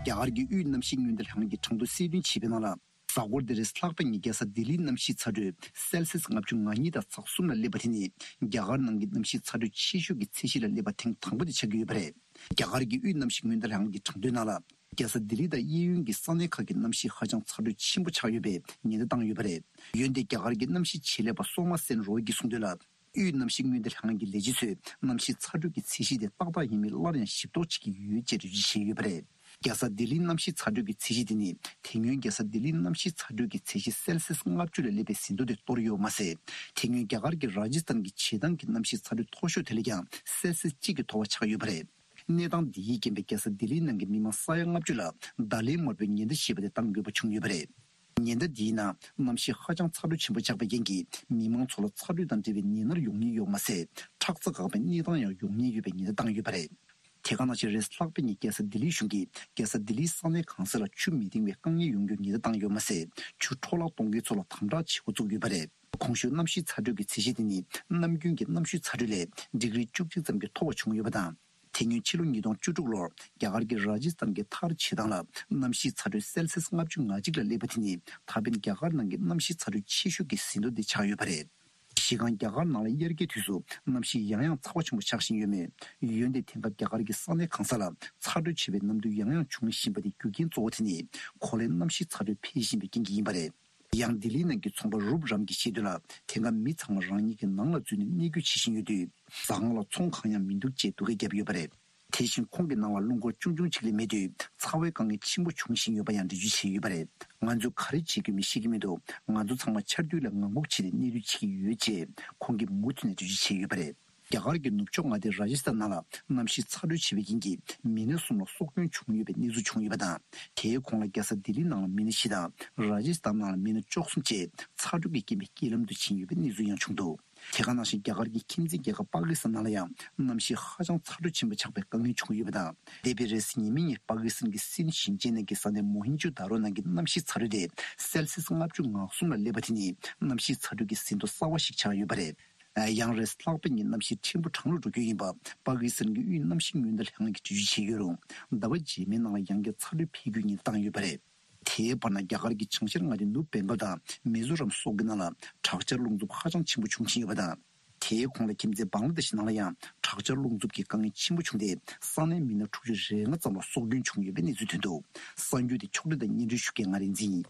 རྒྱ་གར་གྱི་དབུས་གནམ་གཤིས་སྔོན་བརྡ་ལྷན་ཁང་གིས་གྲངས་ཐོ་གསལ་སྟོན་བྱས་པའི་ནང་ལ། གཟའ་འཁོར་འདིར་ལྷག་པའི་ཉིན་རྒྱལ་ས་ལྡི་ལིའི་གནམ་གཤིས་ཚ་དྲོད་སེལ་སི་ཡས་ལྔ་བཅུ་ང་གཉིས་དང་ཚེག་གསུམ་ལ་སླེབས་པ་དེ་ནི་རྒྱ་གར་ནང་གི་གནམ་གཤིས་ཚ་དྲོད་ཆེ་ཤོས་ཀྱི་ཚད་གཞི་ལ་སླེབས་པ་ཐེངས་དང་པོ་དེ་ཆགས་ཀྱི་ཡོད་པ་རེད། རྒྱ་གར་གྱི་དབུས་གནམ་གཤིས་སྔོན་བརྡ་ལྷན་ཁང་གི་གྲངས་ཐོའི་ནང་ལ། རྒྱལ་ས་ལྡི་ལི་དང་གཡས་གཡོན་གྱི་ས་གནས་ཁག་གི་གནམ་གཤིས་ཧ་ཅང་ཚ་དྲོད་ཆེན་པོ་ཆགས་ཡོད་པའི་ཉེན་བརྡ་བཏང་ཡོད་པ་རེད། འོན་ཏེ་རྒྱ་གར་གྱི་གནམ་གཤིས་ཆེད་ལས་པ་སོ་མ་སན་རོ་ཡི་གིས་གསུངས་དོན་ལ། དབུས་གནམ་གཤིས་སྔོན་བརྡ་ལྷན་ཁང་གི་ལས་བྱེད་ཚོས་གནམ་གཤིས་ཚ་དྲོད་ཀྱི་ཚད་གཞི་དེ་ཏག་ཏག་ཡིན་མིན་སླར་ཡང་ཞིབ་རྟོག་བྱེད་ཀྱི་ཡོད་ཅེས་འགྲེལ་བརྗོད་བྱས་ཡོད་པ་རེད། རྒྱལ་ས་ལྡི་ལིའི་གནམ་གཤིས་ཚ་དྲོད་ཀྱི་ཚད་གཞི་དེ་ནི་དེ་སྔོན་རྒྱལ་ས་ལྡི་ལིའི་གནམ་གཤིས་ཚ་དྲོད་ཀྱི་ཚད་གཞི་སེལ་སི་ཡས་ལྔ་བཅུ་ལས་སླེབས་པའི་ཟིན་ཐོ་དེ་གཏོར་ཡོད་པ་མ་ཟད། དེ་སྔོན་རྒྱ་གར་གྱི་ར་ཇི་སྟན་གྱི་བྱེ་ཐང་གི་གནམ་གཤིས་ཚ་དྲོད་མཐོ་ཤོས་དེ་ལས་ཀྱང་སེལ་སི་ཡས་གཅིག་གིས་མཐོ་བ་ཆགས་ཡོད་པ་རེད། གནས་སྟངས་འདི་ཡིས་རྐྱེན་པས་རྒྱལ་ས་ལྡི་ལིའི་ནང་གི་མི་མང་ས་ཡ་ལྔ་བཅུ་ལ་བརྡ་ལན་མ་དགོས་པའི་ཉེན་བརྡ་ཞེས་པ་དེ་བཏང་དགོས་པ་བྱུང་ཡོད་པ་རེད། ཉེན་བརྡ་འདིའི་ནང་གནམ་གཤིས་ཧ་ཅང་ཚ་དྲོད་ཆེན་པོ་ཆགས་པའི་རྐྱེན་གྱིས་མི་མང་ཚོ་ལ་ཚ་དྲོད་དང་འབྲེལ་བའི་ནད་མནར་ཡོང་ཉེན་ཡོད་པ་མ་ཟད། ཁྲག་རྩ་འགག་པའི་གནས་སྟངས་ཡང་ཡོང་ཉེན་ཡོད་པའི་ཉེན་བརྡ་བཏང་ཡོད་པ་རེད། དེ་ག་ནང་བཞིན་རེས་ལྷག་པའི་ཉིན་རྒྱལ་ས་ལྡི་ལིའི་གཞུང་གིས་རྒྱལ་ས་ལྡི་ལིའི་ས་གནས་གང་ས་ལ་ཆུ་མི་ལྡིང་བའི་དཀའ་ངལ་ཡོང་རྒྱུའི་ཉེན་བརྡ་བཏང་ཡོད་པ་མ་ཟད། ཆུ་འཕྲོ་བརླག་གཏོང་མཁན་ཚོ་ལ་དམ་དྲག་བྱེད་འགོ་བཙུགས་ཡོད་པ་རེད། གོང་ཞུས་གནམ་གཤིས་ཚ་དྲོད་ཀྱི་ཚད་གཞི་དེ་ནི་ནམ་རྒྱུན་གྱི་གནམ་གཤིས་ཚ་དྲོད་ལས་ཌིག་རི་བཅུ་གཅིག་ཙམ་གྱིས་མཐོ་བ་བྱུང་ཡོད་པ་དང་། དེ་སྔོན་ཕྱི་ལོ་ཉིས་སྟོང་བཅུ་དྲུག་ལོར་རྒྱ་གར་གྱི་ར་ཇི་སྟན་གྱི་ཐར་བྱེ་ཐང་ལ་གནམ་གཤིས་ཚ་དྲོད་སེལ་སིས་ལྔ་བཅུ་ང་གཅིག་ལ་སླེབས་པ་དེ་ནི་ད་ཕན་རྒྱ་གར་ནང་གི་གནམ་གཤིས་ཚ་དྲོད་ཆེ་ཤོས་ཀྱི་ཟིན་ཐོ་དེ་ཆགས་ཡོད་པ་རེད། གཞི་རྐང་རྒྱ་གར་ནང་ལ་དབྱར་ཁའི་དུས་སུ་གནམ་གཤིས་ཡང་ཡང་ཚ་བ་ཆེན་པོ་ཆགས་བཞིན་ཡོད་མོད། འོན་ཏེ་དེང་སྐབས་རྒྱ་གར་གྱི་ས་གནས་གང་ས་ལ་ཚ་དྲོད་ཆེ་བའི་གནམ་དུས་ཡང་ཡང་འབྱུང་བཞིན་པ་དེ་རྒྱུ་རྐྱེན་གཙོ་བོ་དེ་ནི་གོ་ལའི་གནམ་གཤིས་ཚ་དྲོད་འཕེལ་བཞིན་པའི་རྐྱེན་གྱིས་ཡིན་པ་རེད། ཡང་ལྡི་ལི་ནང་གི་ཚོང་པ་རུབ་རམ་གྱིས་བཤད་དོན་ལ། དེང་སྐབས་མི་ཚང་མ་རང་ཉིད་ཀྱི་ནང་ལ་འཛུལ་ནས་གནས་སྐྱོད་བྱེད་བཞིན་ཡོད་དུས། ཟ་ཁང་ལ་ཚོང་གང་ཡང་མི་འདུག་ཅེས་སྡུག་སྐད་བརྒྱབ་ཡོད་པ་རེད། དེ་བཞིན་ཁོང་གི་ནང་ལ་རླུང་འཁོར་ཆུང་ཆུང་ཅིག་ལས་མེད་དུས། ཚ་བའི་དཀའ་ངལ་ཆེན་པོ་འབྱུང་བཞིན་ཡོད་པ་ཡང་འགྲེལ་བརྗོད་བྱས་ཡོད་པ་རེད། ང་ཚོས་ག་རེ་བྱེད་དགོས་མིན་ཤེས་ཀྱི་མི་འདུག་ང་ཚོ་ཚང་མ་ཆར་དུས་ལ་ངང་སྒུག་བྱས་ནས་གནས་སྡོད་བྱེད་ཀྱི་ཡོད་ཅེས་ཁོང་གིས་མུ་མཐུད་ནས་འགྲེལ་བརྗོད་བྱས་ཡོད་པ་རེད། རྒྱ་གར་གྱི་ནུབ་ཕྱོགས་མངའ་སྡེ་ར་ཇི་སྟན་ནང་ལ་གནམ་གཤིས་ཚ་དྲོད་ཆེ་བའི་རྐྱེན་གྱིས་མི་སྣ་གསུམ་ལ་སྲོག་སྐྱོན་བྱུང་ཡོད་པའི་གནས་ཚུལ་བྱུང་ཡོད་པ་དང་། དེའི་གོང་ལ་རྒྱལ་ས་ལྡི་ལི་ནང་ལ་མི་སྣ་བཞི་དང་ར་ཇི་སྟན་ནང་ལ་མི་སྣ་བཅུ་གསུམ་བཅས་ཚ་དྲོད་ཀྱི་རྐྱེན་པས་རྐྱེན་ལམ་དུ་ཕྱིན་ཡོད་པའི་གནས་ཚུལ་ཡང་བྱུང་འདུག་དེ་ག་ནང་བཞིན་རྒྱ་གར་གྱི་ཁྱིམ་མཚེས་རྒྱལ་ཁབ་པ་ཀི་སི་ཐན་ནང་ལ་ཡང་གནམ་གཤིས་ཧ་ཅང་ཚ་དྲོད་ཆེན་པོ་ཆགས་པའི་དཀའ་ངལ་བྱུང་ཡོད་པ་དང་། འདས་པའི་རེས་གཟའ་ཉི་མའི་ཉིན་པ་ཀི་སི་ཐན་གྱི་སིན་ཞིང་ཆེན་ནང་གི་ས་གནས་མོ་ཧིན་ཇོ་དཱ་རོ་ནང་གི་གནམ་གཤིས་ཚ་དྲོད་དེ་སེལ་སིས་ལྔ་བཅུ་ང་གསུམ་ལ་སླེབས་པ་དེ་ནི་གནམ་གཤིས་ཚ་དྲོད་ཀྱི་ཟིན་ཐོ་གསར་བ་ཞིག་ཆགས་ཡོད་པ་རེད། ཡང་རེས་ལྷག་པའི་ཉིན་གནམ་གཤིས་ཕྲན་བུ་གྲང་རུ་འགྲོ་རྒྱུ་ཡིན་པ་པ་ཀི་སི་ཐན་གྱི་དབུས་གནམ་གཤིས་སྔོན་བརྡ་ལྷན་ཁང་གིས་འགྲེལ་བརྗོད་བྱས་ཡོད་རུང་། ཟླ་བ་རྗེས་མའི་ནང་ལ་ཡང་བསྐྱར་ཚ་དྲོད་འཕེལ་རྒྱུའི་ཉེན་བཏང་ཡོད་པ་རེད། དེའི་བར་ན་རྒྱ་གར་གྱི་བྱང་ཤར་མངའ་སྡེ་ནུབ་བེང་གལ་དང་མི་ཛོ་རམ་སོགས་ཀྱི་ནང་ལ་དྲག་ཆར་རླུང་འཚུབ་ཧ་ཅང་ཆེན་པོ་འབྱུང་བཞིན་ཡོད་པ་དང་། དེའི་གོང་ལ་ཁྱིམ་མཚེས་བང་ལ་དེ་ཤི་ནང་ལ་ཡང་དྲག་ཆར་རླུང་འཚུབ་ཀྱི་དཀའ་ངལ་ཆེན་པོ་བྱུང་སྟེ་ས་གནས་མི་སྣ་དྲུག་ཅུ་རེ་ལྔ་ཙམ་ལ་སྲོག་སྐྱོན་བྱུང་ཡོད་པའི་གནས་ཚུལ་ཐོན་འདུག་གསར་འགྱུར་དེ་ཕྱོགས་སྒྲིག་དང་སྙན་སྒྲོན་ཞུ་མཁན་ང་རིག་འཛིན་ཡིན།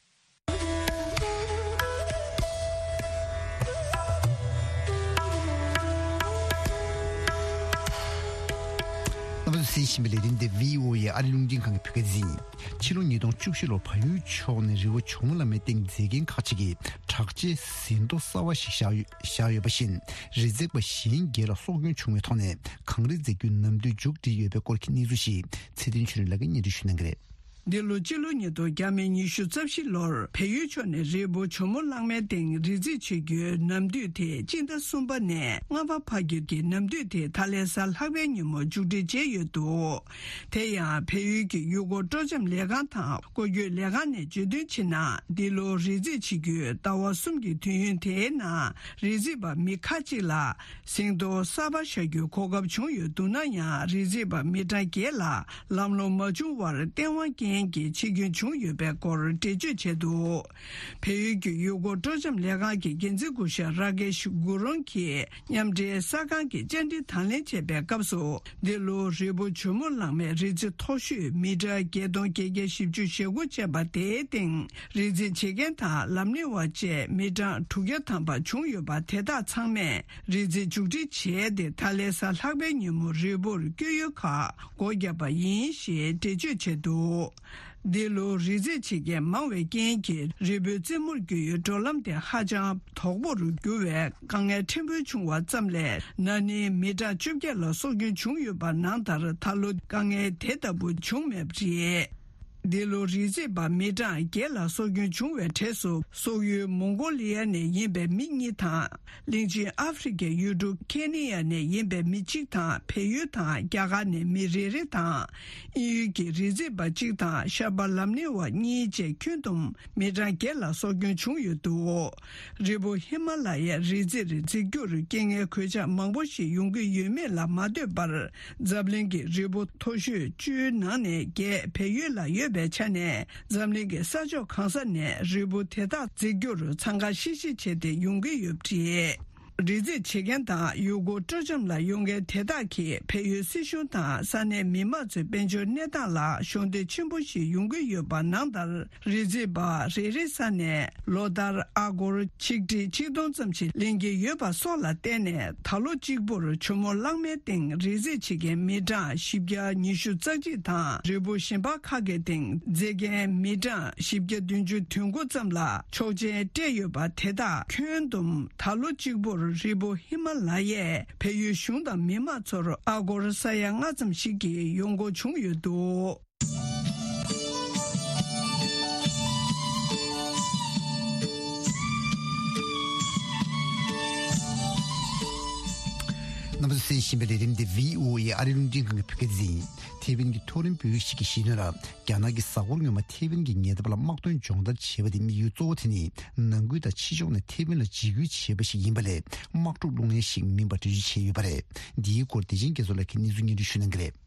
རྣམ་པ་ཚོས་གསན་བཞིན་པའི་ལས་རིམ་འདི་བྷི་ཨོ་ཨེ་ཨ་རི་རླུང་འཕྲིན་ཁང་གི་བོད་སྐད་སྡེ་ཚན་ཡིན། ཕྱི་ལོ་ཉིས་སྟོང་བཅུ་བཞི་ལོར་བལ་ཡུལ་ཕྱོགས་ནས་རི་བོ་ཇོ་མོ་གླང་མའི་སྟེང་མཛེས་རྒྱན་ཁག་ཅིག་གིས་དྲག་ཆར་ཟིན་ཐོ་གསར་བ་ཞིག་བཞག་ཡོད་བཞག་ཡོད་པ་བཞིན། རི་འཛེག་པ་གཞན་བརྒྱད་ལ་སྲོག་སྐྱོན་བྱུང་བའི་ཐོག་ནས་གངས་རི་འཛེག་རྒྱུའི་ནམ་དུས་མཇུག་སྒྲིལ་ཡོད་པའི་སྐོར་གྱི་གནས་ཚུལ་ཞིག་ཚེ་བརྟན་ཆོས་སྒྲོན་ལགས་ཀྱིས་སྙན་སྒྲོན་ཞུ་གནང་གི་རེད། འདི་ལོ་སྤྱི་ལོ་ཉིས་སྟོང་བརྒྱ་མེད་ཉི་ཤུ་རྩ་བཞི་ལོར་བལ་ཡུལ་ཕྱོགས་ནས་རི་བོ་ཇོ་མོ་གླང་མའི་སྟེང་རི་འཛེག་བྱེད་རྒྱུའི་ནམ་དུས་དེ་སྤྱི་ཟླ་གསུམ་པ་ནས་ལྔ་པ་བར་གྱི་གི་ནམ་དུས་དེ་ད་ལན་གཟའ་ལྷག་པའི་ཉིན་མོ་མཇུག་སྒྲིལ་བྱས་ཡོད་འདུག་དེ་ཡང་བལ་ཡུལ་གྱི་ཡུལ་སྐོར་སྤྲོ་འཆམ་ལས་ཁང་དང་སྐོར་སྐྱོད་ལས་ཁང་ནས་བརྗོད་དོན་བྱས་ན། འདི་ལོ་རི་འཛེག་བྱེད་རྒྱུའི་ཟླ་བ་གསུམ་གྱི་དུས་ཡུན་དེའི་ནང་རི་འཛེག་པ་མི་ཁག་ཅིག་ལ་ཟིན་ཐོ་གསར་པ་བཞག་རྒྱུའི་གོ་སྐབས་བྱུང་ཡོད་འདུག་ན་ཡང་། རི་འཛེག་པ་མི་གྲངས་བརྒྱད་ལ་ལམ་ལྷོང་མ་བྱུང་བར་སྟེས་དབང་རྐྱེན་གྱིས་ཆད་སྐྱོན་བྱུང་ཡོད་པའི་སྐོར་འགྲེལ་བརྗོད་བྱས་འདུག་བལ་ཡུལ་གྱི་ཡུལ་སྐོར་སྤྲོ་འཆམ་ལས་ཁང་གི་འགན་འཛིན་སྐུ་ཞབས་ར་ཀེཤ་གུ་རུང་གིས་མཉམ་འབྲེལ་གསར་ཁང་གི་བཅར་འདྲི་དང་ལེན་བྱས་པའི་སྐབས་སུ། འདི་ལོ་རི་བོ་ཇོ་མོ་གླང་མའི་རི་རྩེ་མཐོ་ཤོས་མི་ཊར་བརྒྱད་སྟོང་བརྒྱད་བརྒྱ་བཞི་བཅུ་ཞེ་དགུ་ཅན་པ་དེའི་སྟེང་རི་འཛེག་བྱེད་མཁན་དང་ལམ་གླེང་བ་བཅས་མི་གྲངས་དྲུག་བརྒྱ་ཐམ་པ་བྱུང་ཡོད་པ། དེ་དག་ཚང་མས་རི་འཛེག་མཇུག་སྒྲིལ་བྱས་ཏེ། ད་ལན་གཟའ་ལྷག་པའི་ཉིན་མོ་རི་བོར་བསྐྱོད་ཡུལ་ཁག་སྒོ་བརྒྱབ་པ་ཡིན་ཞེས་འགྲེལ་བརྗོད་བྱས་འདུག་འདི་ལོ་རི་འཛེག་བྱེད་མཁན་མང་བའི་རྐྱེན་གྱིས། རི་བོའི་རྩེ་མོར་བསྐྱོད་ཡུལ་འགྲོ་ལམ་དེ་ཧ་ཅང་དོག་པོར་གྱུར་བས། དཀའ་ངལ་ཕྲན་བུ་བྱུང་བ་ཙམ་ལས། ན་ནིང་མི་གྲངས་བཅོ་བརྒྱད་ལ་སྲོག་སྐྱོན་བྱུང་ཡོད་པ་ནང་ལྟར། ད་ལོ་དཀའ་ངལ་དེ་ལྟ་བུ་བྱུང་མེད་པ་རེད། འདི་ལོ་རི་འཛེག་པ་མི་གྲངས་བརྒྱད་ལ་སྲོག་སྐྱོན་བྱུང་བའི་གྲས་སུ། སོག་ཡུལ་མོང་གོ་ལི་ཡ་ནས་ཡིན་པའི་མི་གཉིས་དང་། གླིང་ཆེན་ཨ་ཧྥེ་རི་ཁའི་ཡུལ་གྲུ་ཁེ་ནི་ཡ་ནས་ཡིན་པའི་མི་གཅིག་དང་། བལ་ཡུལ་དང་རྒྱ་གར་ནས་མི་རེ་རེ་དང་། དབྱིན་ཡུལ་གྱི་རི་འཛེག་པ་གཅིག་དང་། ཤར་པ་ལམ་གླེང་བ་གཉིས་བཅས་ཁྱོན་བསྡོམས་མི་གྲངས་བརྒྱད་ལ་སྲོག་སྐྱོན་བྱུང་ཡོད་འདུག་རི་བོ་ཧི་མ་ལ་ཡའི་རི་རྩེར་འཛེག་རྒྱུར་རྐྱེན་ངན་གོད་ཆག་མང་པོ་ཞིག་ཡོང་གི་ཡོད་མེད་ལ་མ་ལྟོས་པར། འཛམ་གླིང་གི་རི་བོ་མཐོ་ཤོས་བཅུའི་ནང་ནས་བརྒྱད་བལ་ཡུལ་ལ་ཡོད་པའི་ཆ་ནས། འཛམ་གླིང་གི་ས་ཕྱོགས་གང་ས་ནས་རི་བོ་དེ་དག་འཛེག་རྒྱུར་འཚང་ཁ་ཤིག་ཤིག་བྱས་ཏེ་ཡོང་གི་ཡོད་པ་རེད། རི་འཛེག་བྱེད་མཁན་དང་ཡུལ་སྐོར་སྤྲོ་འཆམ་ལ་ཡོང་མཁན་དེ་དག་གིས་བལ་ཡུལ་སྲིད་གཞུང་དང་ས་གནས་མི་མང་ཚོའི་དཔལ་འབྱོར་གནས་སྟངས་ལ་གཞོགས་འདེགས་ཆེན་པོ་ཞིག་ཡོང་གི་ཡོད་པ་ནང་ལྟར། རི་འཛེག་པ་རེ་རེའི་ས་ནས་ལོ་ལྟར་ཨ་སྒོར་ཆིག་ཁྲི་ཆིག་སྟོང་ཙམ་ཞིག་ལེན་གྱི་ཡོད་པ་སོགས་ལ་བརྟེན་ནས། ད་ལོ་གཅིག་པུར་ཇོ་མོ་གླང་མའི་སྟེང་རི་འཛེག་བྱེད་མཁན་མི་གྲངས་བཞི་བརྒྱ་ཉི་ཤུ་རྩ་གཅིག་དང་། རི་བོ་གཞན་པ་ཁག་གི་སྟེང་འཛེག་མཁན་མི་གྲངས་བཞི་བརྒྱ་བདུན་ཅུ་དོན་དགུ་ཙམ་ལ་ཆོག་མཆན་སྤྲད་ཡོད་པ། དེ་དག་ཁྱོན་བསྡོམས་ད་ལོ་གཅིག་པུར་རི་བོ་ཧི་མ་ལ་ཡས་བལ་ཡུལ་གཞུང་དང་མི་མང་ཚོར་ཨ་སྒོར་ས་ཡ་ལྔ་ཙམ་ཞིག་གི་ཡོང་སྒོ་བྱུང་ཡོད་འདུག་རྣམ་པ་ཚོས་གསན་བཞིན་པའི་ལས་རིམ་འདི་བྷི་ཨོ་ཨེ་ཨ་རི་རླུང་འཕྲིན་ཁང་གི་བོད་སྐད་སྡེ་ཚན་ཡིན། ཐེ་ཝན་གྱི་མཐོ་རིམ་བོད་རིགས་ཤིག་གིས་བཤད་དོན་ལ། རྒྱ་ནག་གིས་གཟའ་འཁོར་སྔོན་མ་ཐེ་ཝན་གྱི་ཉེ་འདབས་ལ་དམག་དོན་སྦྱོང་བརྡར་བྱས་པ་དེ་དམིགས་ཡུལ་གཙོ་བོ་དེ་ནི་ནང་ཁུལ་དང་ཕྱི་ཕྱོགས་ནས་ཐེ་ཝན་ལ་འཇིགས་སྐུལ་བྱེད་པ་ཞིག་ཡིན་པ་ལས། དམག་འཁྲུག་སློང་ཡ་ཞིག་མིན་པ་འགྲེལ་བརྗོད་བྱས་ཡོད་པ་རེད། འདིའི་སྐོར་བདེ་ཆེན་རྒྱ་མཚོ་ལགས་ཀྱིས་གནས་ཚུལ་སྙན་སྒྲོན་ཞུ་གནང་གི་རེད།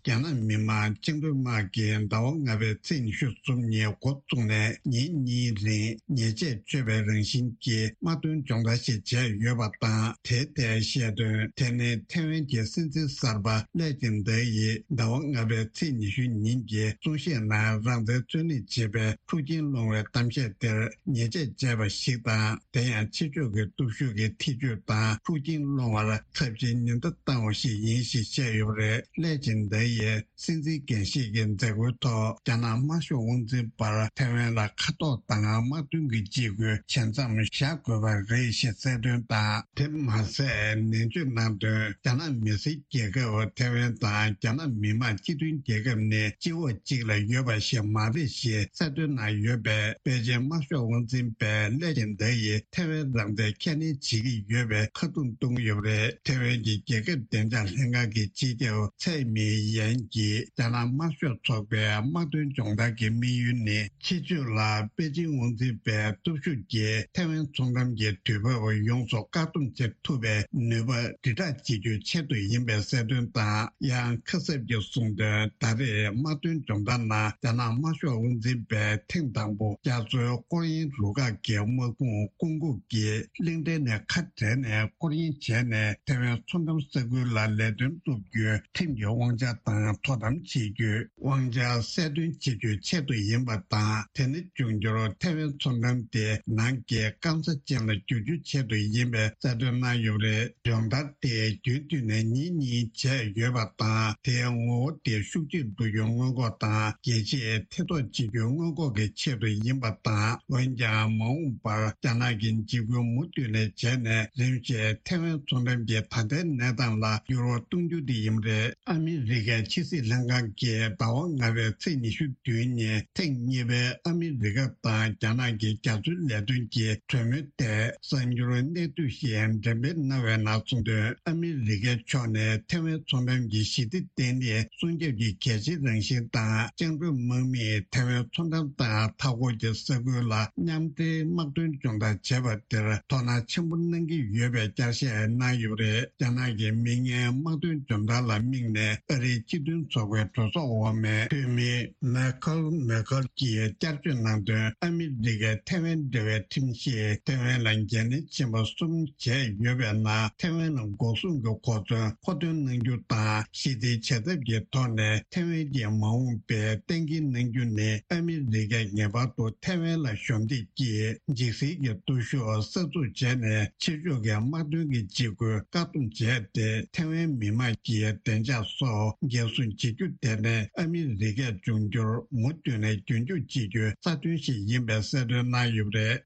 རྒྱ་ནག་མི་དམངས་བཅིངས་འགྲོལ་དམག་གིས་ཟླ་བ་ལྔ་པའི་ཚེས་ཉི་ཤུ་གསུམ་ཉིན་འགོ་བཙུགས་ནས་ཉིན་གཉིས་རིང་ཉེས་ཆད་གཅོད་པའི་རང་བཞིན་གྱི་དམག་དོན་སྦྱོང་བརྡར་ཞིག་བྱས་ཡོད་པ་དང་། དེའི་ཐད་བཤད་དོན། དེ་ནི་ཐེ་ཝན་གྱི་སྲིད་འཛིན་གསར་པ་ལེ་ཅིན་ཏེ་ཡིས་ཟླ་བ་ལྔ་པའི་ཚེས་ཉི་ཤུ་ཉིན་གྱི་གསུང་བཤད་ནང་རང་བཙན་རྩོད་ལེན་བྱེད་པའི་འཁྲུག་རྐྱེན་སློང་བའི་གཏམ་བཤད་དེར་ཉེས་ཆད་བཅད་པ་ཞིག་དང་། དེ་ཡང་ཕྱི་ཕྱོགས་ཀྱི་སྟོབས་ཤུགས་ཀྱི་ཐེ་བྱུས་དང་འཁྲུག་རྐྱེན་སློང་བར་ཚབས་ཆེའི་ཉེན་བརྡ་བཏང་བ་ཞིག་ཡིན་ཞེས་བཤད་ཡོད་པ་རེད། ལེ་ཅིན་ཏེ་ཡིས་སྲིད་འཛིན་འགན་བཞེས་ཀྱི་མཛད་སྒོའི་ཐོག་རྒྱ་ནག་དམར་ཤོག་དབང་འཛིན་པར་ཐེ་ཝན་ལ་མཁའ་ཐོག་དང་དམག་དོན་གྱི་འཇིགས་སྐུལ་ཇི་ཙམ་བཞག་དགོས་པ་རེད་ཞེས་གསལ་སྟོན་དང་། དེ་མ་ཟད་ནན་བརྗོད་གནང་དོན། རྒྱ་ནག་མི་སེར་རྒྱལ་ཁབ་ཐེ་ཝན་དང་རྒྱ་ནག་མི་དམངས་སྤྱི་མཐུན་རྒྱལ་ཁབ་ནི་སྤྱི་འོག་གཅིག་ལ་ཡོད་པ་ཞིག་མ་རེད་ཞེས་གསལ་སྟོན་གནང་ཡོད་པས། པེ་ཅིན་དམར་ཤོག་དབང་འཛིན་པས་ལེ་ཅིན་ཏེ་ཡིས་ཐེ་ཝན་རང་བཙན་ཁས་ལེན་བྱེད་ཀྱི་ཡོད་པའི་ཁ་རྡུང་གཏོང་གི་ཡོད་པ་རེད། ཐེ་ཝན་གྱི་རྒྱལ་ཁབ་བདེ་འཇགས་ལྷན་ཁང་གི་སྤྱི་ཁྱབ་ཚའེ་མིང་ཡན་གྱིས་རྒྱ་ནག་དམར་ཤོག་ཚོགས་པའི་དམག་དོན་སྦྱོང་བརྡར་གྱི་དམིགས་ཡུལ་ནི། ཕྱི་ཕྱོགས་ལ་པེ་ཅིན་དབང་འཛིན་པའི་སྟོབས་ཤུགས་ཀྱིས་ཐེ་ཝན་མཚོ་འགྲམ་གྱི་དུས་བབ་ཡོངས་སུ་བཀག་སྡོམ་བྱེད་ཐུབ་པའི་ནུས་པ་དྲིལ་བསྒྲགས་བྱེད་རྒྱུའི་ཆེད་དུ་ཡིན་པའི་གསལ་སྟོན་དང་། ཡང་ཁ་གསབ་ཀྱིས་གསུངས་དོན། ད་རེས་དམག་དོན་སྦྱོང་བརྡར་ནང་རྒྱ་ནག་དམར་ཤོག་དབང་འཛིན་པས་ཐེངས་དང་པོ་རྒྱ་མཚོའི་སྐོར་གཡེང་རུ་ཁག་གི་དམག་དཔུང་སྐུ་འགུག་གིས་གླིང་ཕྲན་ནས་ཁ་བྲལ་ནས་སྐོར་གཡེང་བྱས་ནས་ཐེ་ཝན་མཚོ་འགྲམ་ས་ཁུལ་ལ་ལས་དོན་སྒྲུབ་རྒྱུའི་ཁྲིམས་ཀྱི་དབང་ཆ་དང་དོ་དམ་བྱེད་རྒྱུའི་དབང་ཆ་གསལ་སྟོན་བྱེད་རྒྱུའི་ཆེད་དུ་ཡིན་པ་དང་། དེ་ནི་འབྱུང་འགྱུར་ཐེ་ཝན་མཚོ་འགྲམ་དེ་ནང་གི་སྐམ་ས་ཅན་ལ་བསྒྱུར་རྒྱུའི་ཆེད་དུ་ཡིན་པའི་གསལ་སྟོན་གནང་ཡོད་པ་རེད། སྦྱོང་བརྡར་དེ་རྒྱུན་མཐུད་ནས་ཉིན་གཉིས་བྱས་ཡོད་པ་དང་། དེའི་ངོ་བོ་དེ་ཤུགས་ཆེར་འགྲོ་རྒྱུའི་སྔོན་འགོག་དང་། རྒྱལ་སྤྱིས་ཐེ་གཏོགས་བྱེད་རྒྱུའི་སྔོན་འགོག་གི་ཆེད་དུ་ཡིན་པ་དང་། འོན་ཀྱང་མ་འོངས་པར་རྒྱ་ནག་གིས་འཇིགས་སྐུལ་མུ་མཐུད་ནས་བྱས་ནས་རིམ་བཞིན་ཐེ་ཝན་མཚོ་འགྲམ་གྱི་ད་ལྟའི་གནས་སྟངས་ལ་འགྱུར་བ་གཏོང་རྒྱུ་དེ་ཡིན་པ་རེད། ཨ་མི་རི་ཀའི་ཕྱི་སྲིད་ལྷན་ཁང་གིས་ཟླ་བ་ལྔ་པའི་ཚེས་ཉི་ཤུ་བདུན་ཉིན་ཐེངས་གཉིས་པའི་ཨ་མི་རི་ཀ་དང་རྒྱ་ནག་གི་རྒྱ་མཚོའི་ལས་དོན་གྱི་གྲོས་མོལ་ཐད་གསར་འགྱུར་གནད་བསྡུས་ཤིག་འགྲེམས་སྤེལ་གནང་བའི་ནང་གསུངས་དོན། ཨ་མི་རི་ཀའི་ཕྱོགས་ནས་ཐེ་ཝན་མཚོ་འགྲམ་གྱི་ཞི་བདེ་བརྟན་ལྷིང་སྲུང་སྐྱོབ་ཀྱི་གལ་ཆེའི་རང་བཞིན་དང་། བཅིངས་འགྲོལ་དམག་མིས་ཐེ་ཝན་མཚོ་འགྲམ་དང་མཐའ་འཁོར་གྱི་ས་ཁུལ་ལ་མཉམ་འབྲེལ་དམག་དོན་སྦྱོང་བརྡར་བྱས་པ་དེར་དོ་སྣང་ཆེན་པོ་གནང་གི་ཡོད་པའི་བསྐྱར་བཤད་གནང་ཡོད་པ་རེད། རྒྱ་ནག་གི་མིག་སྔའི་དམག་དོན་སྦྱོང་བརྡར་ལ་དམིགས་ནས་ཨ་རིའི་སྤྱི་མཐུན་ཚོགས་པའི་གྲོས་ཚོགས་འོག་མའི་འཐུས་མི་མེ་ཁལ་མེ་ཁལ་གྱིས་བསྐྱར་བརྗོད་གནང་དོན། ཨ་མི་རི་ཀའི་ཐེ་ཝན་འབྲེལ་བའི་ཁྲིམས་གཞིས་ཐེ་ཝན་ལ་འགན་ལེན་ཆེན་པོ་གསུམ་བྱས་ཡོད་པའི་ནང་། ཐེ་ཝན་ལ་འགོག་སྲུང་གི་གོ་མཚོན་མཁོ་འདོན་གནང་རྒྱུ་དང་། ཞི་བདེའི་བྱ་ཐབས་ཀྱི་ཐོག་ནས་ཐེ་ཝན་གྱི་མ་འོངས་པའི་གཏན་འཁེལ་གནང་རྒྱུ་ནི། ཨ་མི་རི་ཀས་ངེས་པར་དུ་ཐེ་ཝན་ལ་གཞོགས་འདེགས་ཀྱིས་འཇིགས་སེལ་གྱི་སྟོབས་ཤུགས་གསར་འཛུགས་བྱས་ནས། ཕྱི་ཕྱོགས་ཀྱི་དམག་དོན་གྱི་འཇིགས་སྐུལ་བཀག་སྡོམ་བྱས་ཏེ། ཐེ་ཝན་མི་དམངས་ཀྱི་བདེ་འཇགས་སོགས་འགན་སྲུང་བྱེད་རྒྱུ་དེ་ནི་ཨ་མི་རི་ཀས་འབྱུང་འགྱུར་མུ་མཐུད་ནས་རྒྱུན་འཁྱོངས་བྱེད་རྒྱུའི་རྩ་དོན་ཞིག་ཡིན་པའི་གསལ་སྟོན་གནང་ཡོད་པ་རེད།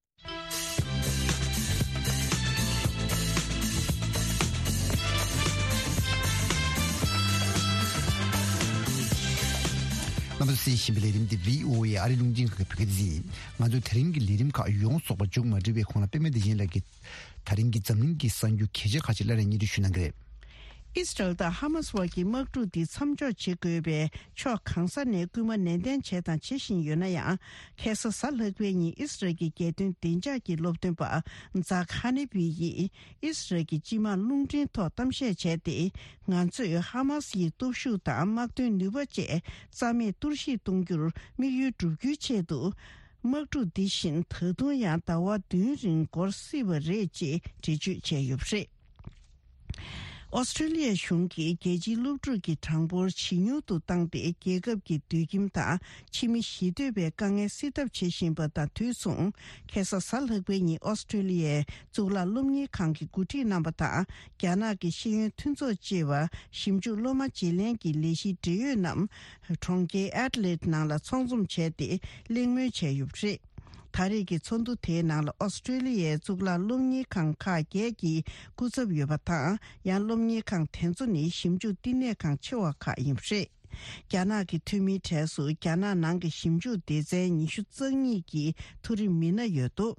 རྣམ་པ་ཚོས་གསན་བཞིན་པའི་ལས་རིམ་འདི་བྷི་ཨོ་ཨེ་ཨ་རིའི་རླུང་འཕྲིན་ཁང་གི་བོད་སྐད་སྡེ་ཚན་ཡིན། ང་ཚོའི་དེ་རིང་གི་ལས་རིམ་ཁག་ཡོངས་རྫོགས་པ་མཇུག་མ་སྒྲིལ་བའི་གོང་ལ་པད་མ་བདེ་ཆེན་ལགས་ཀྱིས་ད་རིང་གི་འཛམ་གླིང་གི་གསར་འགྱུར་གལ་ཆེ་ཁག་ཅིག་སླར་ཡང་སྙན་སྒྲོན་ཞུ་གནང་གི་རེད། ཨི་སི་རལ་དང་ཧ་མ་སི་བར་གྱི་དམག་འཁྲུག་འདི་མཚམས་འཇོག་བྱེད་དགོས་པའི་ཕྱོགས་གང་ས་ནས་སྐུལ་མ་ནན་ཏན་བྱས་དང་བྱེད་བཞིན་ཡོད་ན་ཡང་། ཁ་སང་གཟའ་ལྷག་པའི་ཉིན་ཨི་སི་རལ་གྱི་རྒྱལ་དོན་བདེ་འཇགས་ཀྱི་སློབ་སྟོན་པ་ཛག་ཧ་ནེ་བི་ཡིས་ཨི་སི་རལ་གྱི་སྤྱི་དམངས་རླུང་འཕྲིན་ཐོག་གཏམ་བཤད་བྱས་ཏེ། ང་ཚོས་ཧ་མ་སི་ཡི་སྟོབས་ཤུགས་དང་དམག་དོན་ནུས་པ་བཅས་རྩ་མེད་གཏོར་བཤིག་གཏོང་རྒྱུར་དམིགས་ཡུལ་བསྒྲུབ་རྒྱུའི་ཆེད་དུ། དམག་འཁྲུག་འདི་བཞིན་ད་དུང་ཡང་ཟླ་བ་བདུན་རིང་འགོར་སྲིད་པ་རེད་ཅེས་འགྲེལ་བརྗོད་བྱས་ཡོད་པ་རེད། ཨོ་སི་ཀྲི་ལི་ཡའི་གཞུང་གིས་རྒྱལ་སྤྱིའི་སློབ་ཕྲུག་གི་གྲངས་འབོར་ཇེ་ཉུང་དུ་བཏང་སྟེ། རྒྱལ་ཁབ་ཀྱི་སྡོད་ཁྱིམ་དང་ཕྱི་མི་ཞི་གཏོད་པའི་དཀའ་ངལ་སེལ་ཐབས་བྱེད་བཞིན་པ་དང་དུས་མཚུངས། ཁ་སང་གཟའ་ལྷག་པའི་ཉིན་ཨོ་སི་ཀྲི་ལི་ཡའི་གཙུག་ལག་སློབ་གཉེར་ཁང་གི་འགོ་ཁྲིད་རྣམ་པ་དང་། རྒྱ་ནག་གི་ཤེས་ཡོན་མཐུན་ཚོགས་ཅེས་པ་ཞིབ་འཇུག་སློབ་མ་བརྗེ་ལེན་གྱི་ལས་གཞིའི་འབྲེལ་ཡོད་རྣམས་གྲོང་ཁྱེར་ཨེ་ཌི་ལེ་ཌི་ནང་ལ་ཚོགས་འཛོམས་བྱས་ཏེ་གླེང་མོལ་བྱས་ཡོད་པ་རེད། ད་རེས་ཀྱི་ཚོགས་འདུ་དེའི་ནང་ལ་ཨོ་སི་ཀྲི་ལི་ཡའི་གཙུག་ལག་སློབ་གཉེར་ཁང་ཁག་བརྒྱད་ཀྱི་སྐུ་ཚབ་ཡོད་པ་དང་། ཡང་སློབ་གཉེར་ཁང་དེ་ཚོ་ནི་ཞིབ་འཇུག་བསྟི་གནས་ཁང་ཆེ་བ་ཁག་ཡིན་པ་རེད། རྒྱ་ནག་གི་འཐུས་མིའི་གྲས་སུ་རྒྱ་ནག་ནང་གི་ཞིབ་འཇུག་སྡེ་ཚན་ཉི་ཤུ་རྩ་གཉིས་ཀྱི་མཐོ་རིམ་མི་སྣ་ཡོད་འདུག་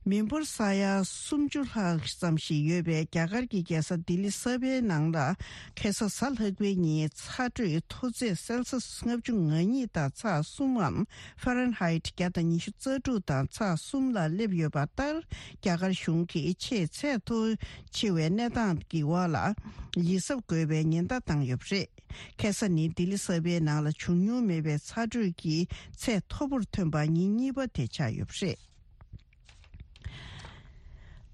མི་འབོར་ས་ཡ་སུམ་ཅུ་ལྷག་ཙམ་ཞིག་ཡོད་པའི་རྒྱ་གར་གྱི་རྒྱལ་ས་ལྡི་ལི་གསར་པའི་ནང་ལ། ཁ་སང་གཟའ་ལྷག་པའི་ཉིན་ཚ་དྲོད་མཐོ་ཚད་སེལ་སི་ལྔ་བཅུ་ང་གཉིས་དང་ཚེག་གསུམ་འམ་ཧྥ་རན་ཧའིཊ་བརྒྱ་དང་ཉི་ཤུ་རྩ་དྲུག་དང་ཚེག་གསུམ་ལ་སླེབས་ཡོད་པ་ལྟར། རྒྱ་གར་གཞུང་གིས་ཆེས་ཚད་མཐོ་ཆེ་བའི་གནས་སྟངས་ཀྱི་འོག་ལ་ཡིད་གཟབ་དགོས་པའི་ཉེན་བརྡ་བཏང་ཡོད་པ་རེད། ཁ་སང་ནི་ལྡི་ལི་གསར་པའི་ནང་ལ་བྱུང་མྱོང་མེད་པའི་ཚ་དྲོད་ཀྱི་ཚད་མཐོ་པོར་ཐོན་པ་ཉིན་གཉིས་པ་དེ་ཆགས་ཡོད་པ་རེད།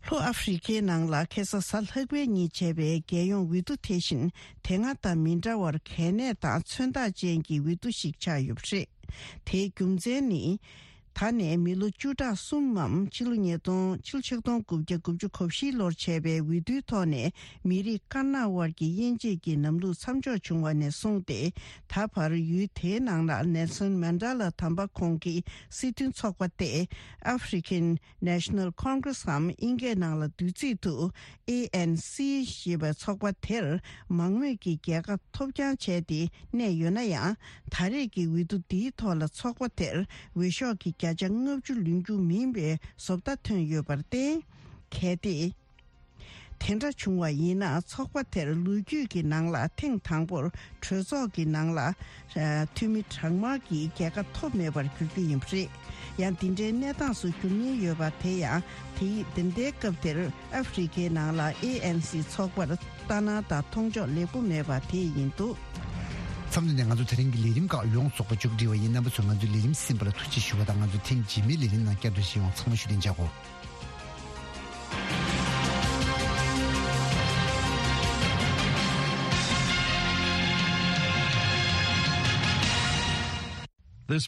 ལྷོ་ཨ་ཧྥེ་རི་ཁའི་ནང་ལ་ཁ་སང་གཟའ་ལྷག་པའི་ཉིན་བྱས་པའི་རྒྱལ་ཡོངས་འོས་བསྡུ་དེ་བཞིན་དེ་སྔ་དང་མི་འདྲ་བར་གལ་གནད་དང་མཚོན་རྟགས་ཅན་གྱི་འོས་བསྡུ་ཞིག་ཆགས་ཡོད་པ་རེད། དེའི་རྒྱུ་མཚན་ནི། ད་ནས་མི་ལོ་བཅུ་ཕྲག་གསུམ་མམ་ཕྱི་ལོ་ཉིས་སྟོང་ཕྱི་ལོ་ཆིག་སྟོང་དགུ་བརྒྱ་དགུ་བཅུ་གོ་བཞི་ལོར་བྱས་པའི་འོས་བསྡུའི་ཐོག་ནས་མི་རིགས་དཀར་ནག་དབར་གྱི་དབྱེ་འབྱེད་ཀྱི་ལམ་ལུགས་མཚམས་འཇོག་བྱུང་བ་ནས་བཟུང་སྟེ། ད་བར་ཡུལ་དེའི་ནང་ལ་ནེལ་སོན་མན་ཌེ་ལ་དམ་པ་ཁོང་གི་སྲིད་དོན་ཚོགས་པ་སྟེ། African National Congress འམ་དབྱིན་སྐད་ནང་ལ་བསྡུས་ཚིག་ཏུ་ཨེ་ཨེན་སི་ཞེས་པའི་ཚོགས་པ་དེར་མང་མོས་ཀྱི་རྒྱལ་ཁ་ཐོབ་རྐྱང་བྱས་ཏེ་གནས་ཡོད་ན་ཡང་། ད་རེས་ཀྱི་འོས་བསྡུ་འདིའི་ཐོག་ལ་ཚོགས་པ་དེར་འོས་ཤོག་གི་བརྒྱ་ཆ་ལྔ་བཅུ་ལོན་རྒྱུ་མིན་པའི་བཟོ་ལྟ་ཐོན་ཡོད་པར་བརྟེན། གལ་ཏེ། དེ་འདྲ་བྱུང་བ་ཡིན་ན། ཚོགས་པ་དེར་ལོ་རྒྱུས་ཀྱི་ནང་ལ་ཐེངས་དང་པོར་གྲོས་ཚོགས་ཀྱི་ནང་ལ་འཐུས་མི་གྲངས་མང་གི་རྒྱལ་ཁ་ཐོབ་མེད་པར་གྱུར་རྒྱུ་ཡིན་པ་རེད། ཡང་འདི་འདྲའི་གནས་སྟངས་སུ་འགྱུར་ཉེན་ཡོད་པ་དེ་ཡང་དེ་དེ་འདྲའི་སྐབས་དེར་ཨ་ཧྥེ་རི་ཁའི་ནང་ལ་ཨེ་ཨེན་སི་ཚོགས་པར་ལྟ་སྣང་དང་མཐོང་ཕྱོགས་ལེགས་པོ་མེད་པ་དེ་ཡིན་འདུག། མཚམས་འདི་ནས་ང་ཚོ་དེ་རིང་གི་ལས་རིམ་ཁག་ཡོངས་རྫོགས་པ་མཇུག་སྒྲིལ་བ་ཡིན། རྣམ་པ་ཚོས་ང་ཚོའི་ལས་རིམ་གསན་པ་ལ་ཐུགས་རྗེ་ཞུ་བ་དང་། ང་ཚོ་ཐེངས་རྗེས་མའི་ལས་རིམ་ནང་བསྐྱར་དུ་མཇལ་ཡོང་། ཚང་མ་བཞུགས་གདན་འཇགས་སྒོ།